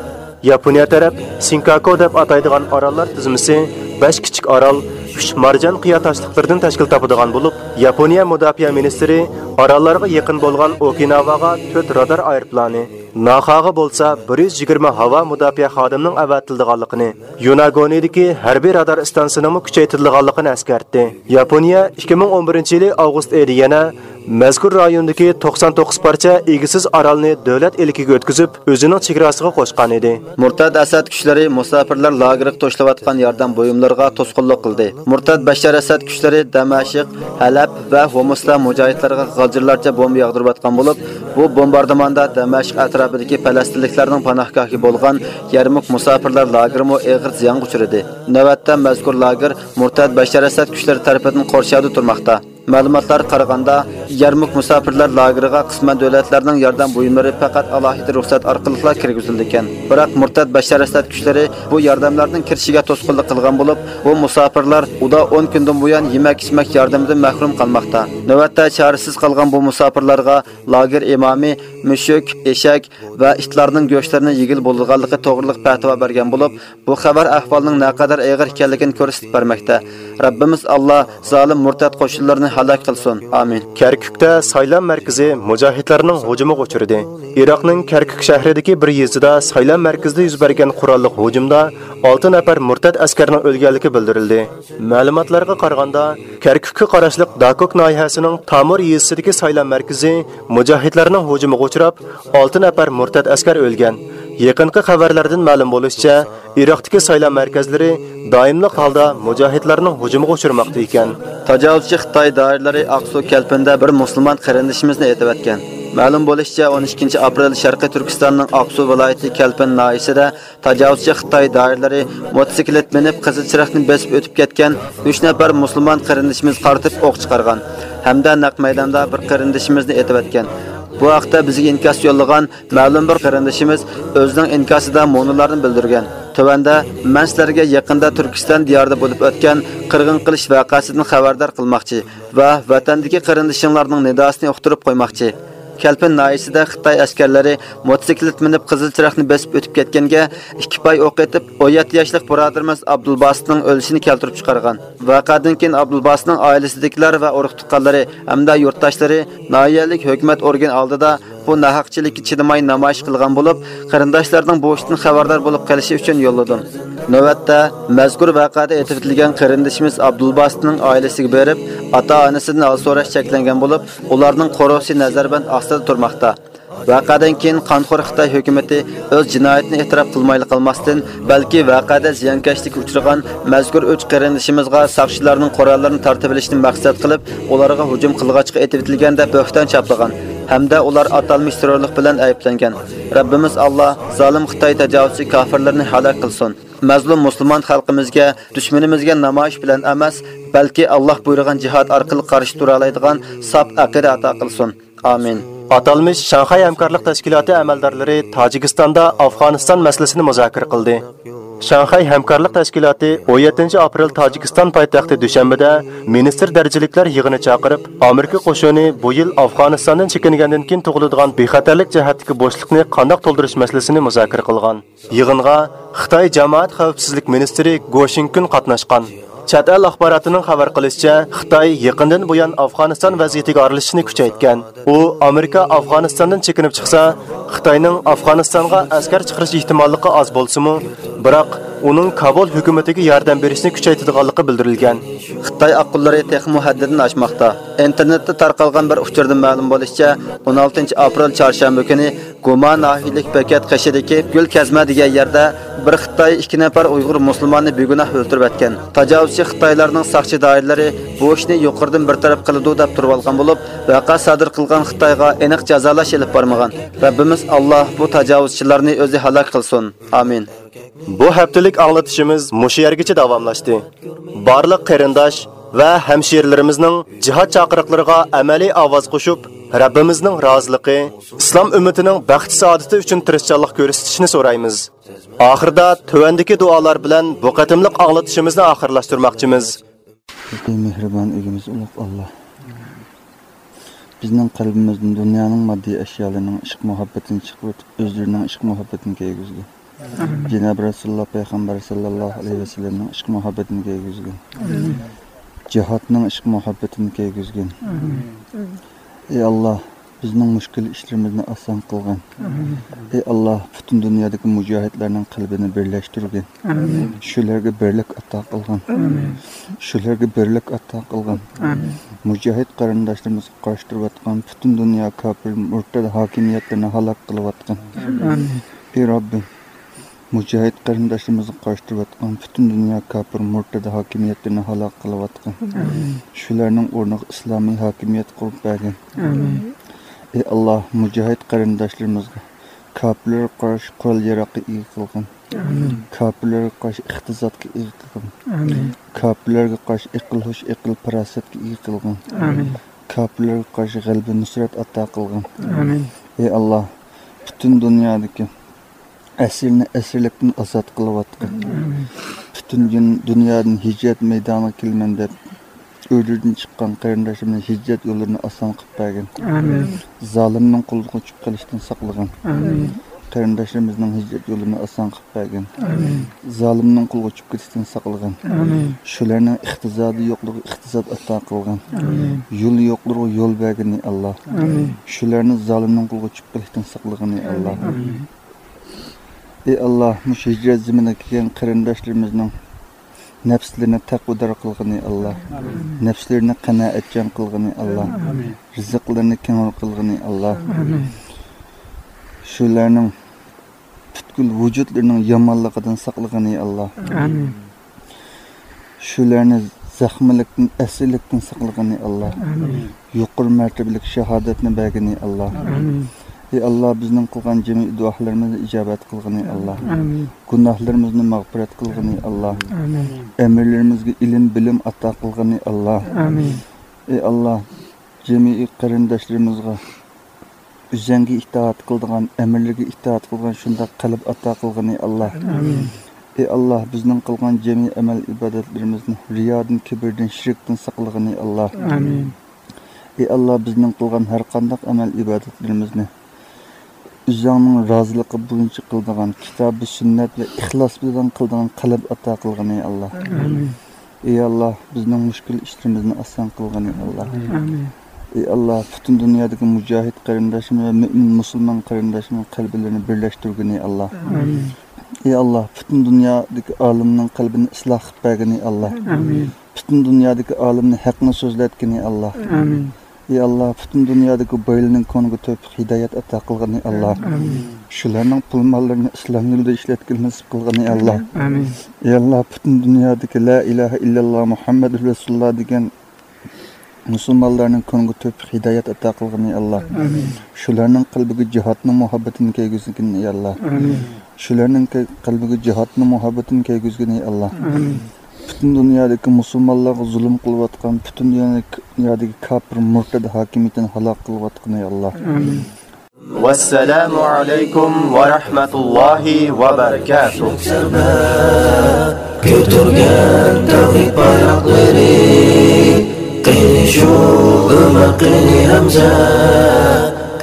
ياپونىيە تەرەپ سىنكاكۇ دەپ ئاتايدىغان ئاراللار تىزمىسى بەش كىچىك ئارال، ئۈچ مارجان قىيا تاشلىقلىرىدىن تەشكىل تاپىدىغان بولۇپ، ياپونىيە مۇداپىئە مىنىستىرى ئاراللارغا يېقىن بولغان ئوكىناۋاغا تۆت رادار ئايروپىلانى، ناخاغا بولسا بىر يۈز يىگىرمە ھاۋا مۇداپىئە خادىمىنىڭ ئەۋەتىلىدىغانلىقىنى، يۇناگونىدىكى ھەربىي رادار ئىستانسىسىنىڭمۇ كۈچەيتىلىدىغانلىقىنى ئەسكەرتتى. ياپونىيە ئىككى مىڭ ئون بىرىنچى يىلى ئاۋغۇست ئېيىدا يەنە مەزكۇر رايوندىكى توقسان توققۇز پارچە ئىگىسىز ئارالنى دۆلەت ئىلكىگە ئۆتكۈزۈپ، ئۆزىنىڭ چېگراسىغا قوشقانىدى. مۇرتەت ئەسەد كۈچلىرى مۇساپىرلار لاگېرىغا توشۇلۇۋاتقان ياردەم بۇيۇملىرىغا توسقۇنلۇق قىلدى. مۇرتەت بەششار ئەسەد كۈچلىرى دەمەشق، ھەلەب ۋە ھومۇستا مۇجاھىدلارغا غالجىرلارچە بومبا ياغدۇرۇۋاتقان بولۇپ، بۇ بومباردىماندا دەمەشق ئەتراپىدىكى پەلەستىنلىكلەرنىڭ پاناھگاھى بولغان يەرمۇك مۇساپىرلار لاگېرىمۇ ئېغىر زىيانغا ئۇچرىدى. نۆۋەتتە مەزكۇر لاگېر مۇرتەت بەششار ئەسەد كۈچلىرى تەرىپىدىن قورشاۋدا تۇرماقتا. مەلۇماتلارغا قارىغاندا، يەرمۇك مۇساپىرلار لاگېرىغا قىسمەن دۆلەتلەرنىڭ ياردەم بۇيۇملىرى پەقەت ئالاھىدە رۇخسەت ئارقىلىقلا كىرگۈزۈلىدىكەن. بىراق مۇرتەت بەششار ئەسەد كۈچلىرى بۇ ياردەملەرنىڭ كىرىشىگە توسقۇنلۇق قىلغان بولۇپ، بۇ مۇساپىرلار ئۇدا ئون كۈندىن بۇيان يېمەك-ئىچمەك ياردىمىدىن مەھرۇم قالماقتا. نۆۋەتتە چارىسىز قالغان بۇ مۇساپىرلارغا لاگېر ئىمامى مۈشۈك، ئېشەك ۋە ئىتلارنىڭ گۆشلىرىنى يېگىلى بولىدىغانلىقى توغرىلىق پەتىۋا بەرگەن بولۇپ، بۇ خەۋەر ئەھۋالنىڭ نەقەدەر ئېغىر ئىكەنلىكىنى كۆرسىتىپ بەرمەكتە. رەببىمىز ئاللا زالىم مۇرتەت قوشۇنلىرىنى ھالاك قىلسۇن. ئامىن. كەركۈكتە سايلام مەركىزى مۇجاھىدلارنىڭ ھۇجۇمىغا ئۇچرىدى. ئىراقنىڭ كەركۈك شەھىرىدىكى بىر يېزىدا سايلام مەركىزىدە يۈز بەرگەن قوراللىق ھۇجۇمدا ئالتە نەپەر مۇرتەت ئەسكەرنىڭ ئۆلگەنلىكى بىلدۈرۈلدى. مەلۇماتلارغا قارىغاندا، كەركۈككە قاراشلىق داكوك ناھىيەسىنىڭ تامۇر يېزىسىدىكى سايلام مەركىزى مۇجاھىدلارنىڭ ھۇجۇمىغا ئۇچراپ، ئالتە نەپەر مۇرتەت ئەسكەر ئۆلگەن. يېقىنقى خەۋەرلەردىن مەلۇم بولۇشىچە، ئىراقتىكى سايلام مەركەزلىرى دائىملىق ھالدا مۇجاھىدلارنىڭ ھۇجۇمىغا ئۇچرىماقتا ئىكەن. تاجاۋۇزچى خىتاي دائىرىلىرى ئاقسۇ كەلپىندە بىر مۇسۇلمان قېرىندىشىمىزنى ئېتىۋەتكەن. مەلۇم بولۇشىچە، ئون ئىككىنچى ئاپرېل شەرقىي تۈركىستاننىڭ ئاقسۇ ۋىلايىتى كەلپىن ناھىيەسىدە تاجاۋۇزچى خىتاي دائىرىلىرى موتوسىكلىت مىنىپ قىزىل چىراغنى بېسىپ ئۆتۈپ كەتكەن ئۈچ نەپەر مۇسۇلمان قېرىندىشىمىزغا قارىتىپ ئوق چىقارغان ھەمدە نەق مەيداندا بىر قېرىندىشىمىزنى ئېتىۋەتكەن. بۇ ھەقتە بىزگە ئىنكاس يوللىغان مەلۇم بىر قېرىندىشىمىز ئۆزىنىڭ ئىنكاسىدا مۇنۇلارنى بىلدۈرگەن. تۆۋەندە مەن سىلەرگە يېقىندا تۈركىستان دىيارىدا بولۇپ ئۆتكەن قىرغىن قىلىش ۋەقەسىدىن خەۋەردار قىلماقچى ۋە ۋەتەندىكى قېرىندىشىڭلارنىڭ نىداسىنى ئۇقتۇرۇپ قويماقچى. كەلپىن ناھىيەسىدە خىتاي ئەسكەرلىرى موتوسىكلىت مىنىپ قىزىل چىراغنى بېسىپ ئۆتۈپ كەتكەنگە ئىككى پاي ئوق ئېتىپ، ئون يەتتە ياشلىق بۇرادىرىمىز ئابدۇلباسىتنىڭ ئۆلۈشىنى كەلتۈرۈپ چىقارغان. ۋەقەدىن كېيىن ئابدۇلباسىتنىڭ ئائىلىسىدىكىلەر ۋە ئۇرۇق-تۇغقانلىرى ھەمدە يۇرتداشلىرى ناھىيەلىك ھۆكۈمەت ئورگىنى ئالدىدا بۇ ناھەقچىلىككە چىدىماي نامايىش قىلغان بولۇپ، قېرىنداشلارنىڭ بۇ ئىشتىن خەۋەردار بولۇپ قېلىشى ئۈچۈن يوللىدىم. نۆۋەتتە، مەزكۇر ۋەقەدە ئېتىۋېتىلگەن قېرىندىشىمىز ئابدۇلباسىتنىڭ ئائىلىسىگە بېرىپ، ئاتا-ئانىسىدىن ھال سوراش چەكلەنگەن بولۇپ، ئۇلارنىڭ قورۇسى نەزەربەند ئاستىدا تۇرماقتا. ۋەقەدىن كېيىن قانخور خىتاي ھۆكۈمىتى ئۆز جىنايىتىنى ئېتىراپ قىلمايلا قالماستىن، بەلكى ۋەقەدە زىيانكەشلىككە ئۇچرىغان مەزكۇر ئۈچ قېرىندىشىمىزغا ساقچىلارنىڭ قوراللىرىنى تارتىۋېلىشنى مەقسەت قىلىپ، ئۇلارغا ھۇجۇم قىلغاچقا ئېتىۋېتىلگەن دەپ بۆھتان چاپلىغان ھەمدە ئۇلار ئاتالمىش تېررورلۇق بىلەن ئەيىبلەنگەن. رەببىمىز ئاللا زالىم خىتاي تاجاۋۇزچى كاپىرلىرىنى ھالاك قىلسۇن. مەزلۇم مۇسۇلمان خەلقىمىزگە، دۈشمىنىمىزگە نامايىش بىلەن ئەمەس، بەلكى ئاللا بۇيرۇغان جىھاد ئارقىلىق قارشى تۇرالايدىغان ساپ ئەقىدە ئاتا قىلسۇن. ئامىن. ئاتالمىش شاڭخەي ھەمكارلىق تەشكىلاتى ئەمەلدارلىرى تاجىكىستاندا ئافغانىستان مەسىلىسىنى مۇزاكىرە قىلدى. شاڭخەي ھەمكارلىق تەشكىلاتى ئون يەتتىنچى ئاپرېل تاجىكىستان پايتەختى دۈشەنبىدە مىنىستىر دەرىجىلىكلەر يىغىنى چاقىرىپ، ئامېرىكا قوشۇنى بۇ يىل ئافغانىستاندىن چېكىنگەندىن كېيىن تۇغۇلىدىغان بىخەتەرلىك جەھەتتىكى بوشلۇقنى قانداق تولدۇرۇش مەسىلىسىنى مۇزاكىرە قىلغان. يىغىنغا خىتاي جامائەت خەۋپسىزلىك مىنىستىرى گو شىڭكۈن قاتناشقان. چەت ئەل ئاخباراتىنىڭ خەۋەر قىلىشىچە، خىتاي يېقىندىن بۇيان ئافغانىستان ۋەزىيىتىگە ئارىلىشىشنى كۈچەيتكەن. ئۇ ئامېرىكا ئافغانىستاندىن چېكىنىپ چىقسا، خىتاينىڭ ئافغانىستانغا ئەسكەر چىقىرىش ئېھتىماللىقى ئاز بولسىمۇ، بىراق ئۇنىڭ كابۇل ھۆكۈمىتىگە ياردەم بېرىشنى كۈچەيتىدىغانلىقى بىلدۈرۈلگەن. خىتاي ئاققۇنلىرى تېخىمۇ ھەددىدىن ئاشماقتا. ئىنتېرنېتتا تارقالغان بىر ئۇچۇردىن مەلۇم بولۇشىچە، ئون ئالتىنچى ئاپرېل چارشەنبە كۈنى گۇما ناھىيەلىك بېكەت قېشىدىكى گۈل كەزمە دېگەن يەردە بىر خىتاي ئىككى نەپەر ئۇيغۇر مۇسۇلماننى بىگۇناھ ئۆلتۈرۈۋەتكەن. تاجاۋۇزچى خىتايلارنىڭ ساقچى دائىرىلىرى بۇ ئىشنى يۇقىرىدىن بىر تەرەپ قىلىدۇ دەپ تۇرۇۋالغان بولۇپ، ۋەقە سادىر قىلغان خىتايغا ئېنىق جازالاش ئېلىپ بارمىغان. رەببىمىز ئاللا بۇ تاجاۋۇزچىلارنى ئۆزى ھالاك قىلسۇن. ئامىن. بۇ ھەپتىلىك ئاڭلىتىشىمىز مۇشۇ يەرگىچە داۋاملاشتى. بارلىق قېرىنداش ۋە ھەمشىرىلىرىمىزنىڭ جىھاد چاقىرىقلىرىغا ئەمەلىي ئاۋاز قوشۇپ، رەببىمىزنىڭ رازىلىقى، ئىسلام ئۈممىتىنىڭ بەخت-سائادىتى ئۈچۈن تىرىشچانلىق كۆرسىتىشىنى سورايمىز. ئاخىرىدا تۆۋەندىكى دۇئالار بىلەن بۇ قېتىملىق ئاڭلىتىشىمىزنى ئاخىرلاشتۇرماقچىمىز. بىزدىن مېھرىبان ئىگىمىز ئۇلۇغ ئاللا. بىزنىڭ قەلبىمىزدىن دۇنيانىڭ ماددىي ئەشيالىرىنىڭ ئىشق-مۇھەببىتىنى چىقىرىۋېتىپ، ئۆزلىرىنىڭ ئىشق-مۇھەببىتىنى كىيگۈزگىن. جانابى رەسۇلۇللا پەيغەمبەر ساللاللاھۇ ئەلەيھى ۋەسەللەمنىڭ ئىشق-مۇھەببىتىنى كىيگۈزگىن. جىھادنىڭ ئىشق-مۇھەببىتىنى كىيگۈزگىن. ئەي ئاللا، بىزنىڭ مۈشكۈل ئىشلىرىمىزنى ئاسان قىلغىن. ئەي ئاللا، پۈتۈن دۇنيادىكى مۇجاھىدلارنىڭ قەلبىنى بىرلەشتۈرگىن. شۇلارغا بىرلىك ئاتا قىلغىن. شۇلارغا بىرلىك ئاتا قىلغىن. مۇجاھىد قېرىنداشلىرىمىزغا قارشى تۇرۇۋاتقان پۈتۈن دۇنيا كاپىر مۇرتەد ھاكىمىيەتلىرىنى ھالاك قىلىۋاتقىن. ئەي رەببىم، مۇجاھىد قېرىنداشلىرىمىزغا قارشى تۇرۇۋاتقان پۈتۈن دۇنيا كاپىر مۇرتەد ھاكىمىيەتلىرىنى ھالاك قىلىۋاتقىن. شۇلارنىڭ ئورنىغا ئىسلامىي ھاكىمىيەت قۇرۇپ بەرگىن. ئەي ئاللا، مۇجاھىد قېرىنداشلىرىمىزغا كاپىرلارغا قارشى قورال ياراغقا ئىگە قىلغىن. كاپىرلارغا قارشى ئىقتىسادقا ئىگە قىلغىن. كاپىرلارغا قارشى ئەقىل ھوش، ئەقىل پاراسەتكە ئىگە قىلغىن. كاپىرلارغا قارشى غەلىبە نۇسرەت ئاتا قىلغىن. ئەي ئاللا، پۈتۈن دۇنيادىكى ئەسىرنى ئەسىرلىكتىن ئازاد قىلىۋاتقىن. پۈتۈن دۇن-، دۇنيادىن ھىجرەت مەيدانىغا كېلىمەن دەپ ئۆيلىرىدىن چىققان قېرىنداشلىرىمىزنىڭ ھىجرەت يوللىرىنى ئاسان قىلىپ بەرگىن. زالىمنىڭ قولىغا چۈشۈپ قېلىشتىن ساقلىغىن. قېرىنداشلىرىمىزنىڭ ھىجرەت يوللىرىنى ئاسان قىلىپ بەرگىن. زالىمنىڭ قولىغا چۈشۈپ كېتىشتىن ساقلىغىن. شۇلارنىڭ ئىقتىسادى يوقلىرىغا ئىقتىساد ئاتا قىلغىن. يولى يوقلىرىغا يول بەرگىن، ئەي ئاللا. شۇلارنى زالىمنىڭ قولىغا چۈشۈپ قېلىشتىن ساقلىغىن، ئەي ئاللا. ئەي ئاللا، مۇشۇ ھىجرەت زېمىنىغا كەلگەن قېرىنداشلىرىمىزنىڭ نەپسلىرىنى تەقۋادار قىلغىن، ئەي ئاللا. نەپسلىرىنى قانائەتچان قىلغىن، ئەي ئاللا. رىزىقلىرىنى كەڭرى قىلغىن، ئەي ئاللا. شۇلارنىڭ پۈتكۈل ۋۇجۇدلىرىنىڭ يامانلىقىدىن ساقلىغىن، ئەي ئاللا. شۇلارنى زەخمىلىكتىن، ئەسىرلىكتىن ساقلىغىن، ئەي ئاللا. يۇقىرى مەرتىبىلىك شاھادەتنى بەرگىن، ئەي ئاللا. ئەي ئاللا، بىزنىڭ قىلغان جىمى دۇئالىرىمىزنى ئىجابەت قىلغىن، ئەي ئاللا. گۇناھلىرىمىزنى مەغپىرەت قىلغىن، ئەي ئاللا. ئەمىرلىرىمىزگە ئىلىم، بىلىم ئاتا قىلغىن، ئەي ئاللا. ئەي ئاللا، جىمى قېرىنداشلىرىمىزغا ئۆزۈڭگە ئىتائەت قىلىدىغان، ئەمىرلىرىگە ئىتائەت قىلىدىغان شۇنداق قەلب ئاتا قىلغىن، ئەي ئاللا. ئەي ئاللا، بىزنىڭ قىلغان جىمى ئەمەل ئىبادەتلىرىمىزنى رىيادىن، كىبىردىن، شىركتىن ساقلىغىن، ئەي ئاللا. ئەي ئاللا، بىزنىڭ قىلغان ھەر قانداق ئەمەل ئىبادەتلىرىمىزنى ئۆزۈڭنىڭ رازىلىقى بويىچە قىلىدىغان، كىتابى سۈننەت ۋە ئىخلاس بىلەن قىلىدىغان قەلب ئاتا قىلغىن، ئەي ئاللا. ئەي ئاللا، بىزنىڭ مۈشكۈل ئىشلىرىمىزنى ئاسان قىلغىن، ئەي ئاللا. ئەي ئاللا، پۈتۈن دۇنيادىكى مۇجاھىد قېرىنداشلىرىمىز ۋە مۆمىن مۇسۇلمان قېرىنداشلىرىمىزنىڭ قەلبلىرىنى بىرلەشتۈرگىن، ئەي ئاللا. ئەي ئاللا، پۈتۈن دۇنيادىكى ئالىمنىڭ قەلبىنى ئىسلاھ قىلىپ بەرگىن، ئەي ئاللا. پۈتۈن دۇنيادىكى ئالىمنى ھەقنى سۆزلەتكىن، ئەي ئاللا. ئەي ئاللا، پۈتۈن دۇنيادىكى بايلارنىڭ كۆڭلىگە تەۋپىق، ھىدايەت ئاتا قىلغىن، ئەي ئاللا. شۇلارنىڭ پۇل ماللىرىنى ئىسلام يولىدا ئىشلەتكىلى نېسىپ قىلغىن، ئەي ئاللا. ئەي ئاللا، پۈتۈن دۇنيادىكى لا ئىلاھە ئىللاللا مۇھەممەد رەسۇلۇللا دېگەن مۇسۇلمانلارنىڭ كۆڭلىگە تەۋپىق، ھىدايەت ئاتا قىلغىن، ئەي ئاللا. شۇلارنىڭ قەلبىگە جىھادنىڭ مۇھەببىتىنى كەيگۈزگىن، ئەي ئاللا. شۇلارنىڭ كە-، قەلبىگە جىھادنىڭ مۇھەببىتىنى كەيگۈزگىن، ئەي ئاللا. پۈتۈن دۇنيادىكى مۇسۇلمانلارغا زۇلۇم قىلىۋاتقان، پۈتۈن دۇنيادىكى، دۇنيادىكى كاپىر مۇرتەد ھاكىمىيىتىنى ھالاك قىلىۋاتقىن، ئەي ئاللا. ۋەسسالامۇ ئەلەيكۇم ۋە رەھمەتۇللاھى ۋە بەرىكاتۇھ. كۆتۈرگەن تەۋھىد بايراقلىرى، قېنى شۇ ئۆمەر، قېنى ھەمزە،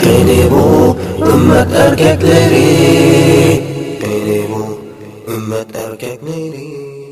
قېنى بۇ ئۈممەت ئەركەكلىرى، قېنى بۇ ئۈممەت ئەركەكلىرى.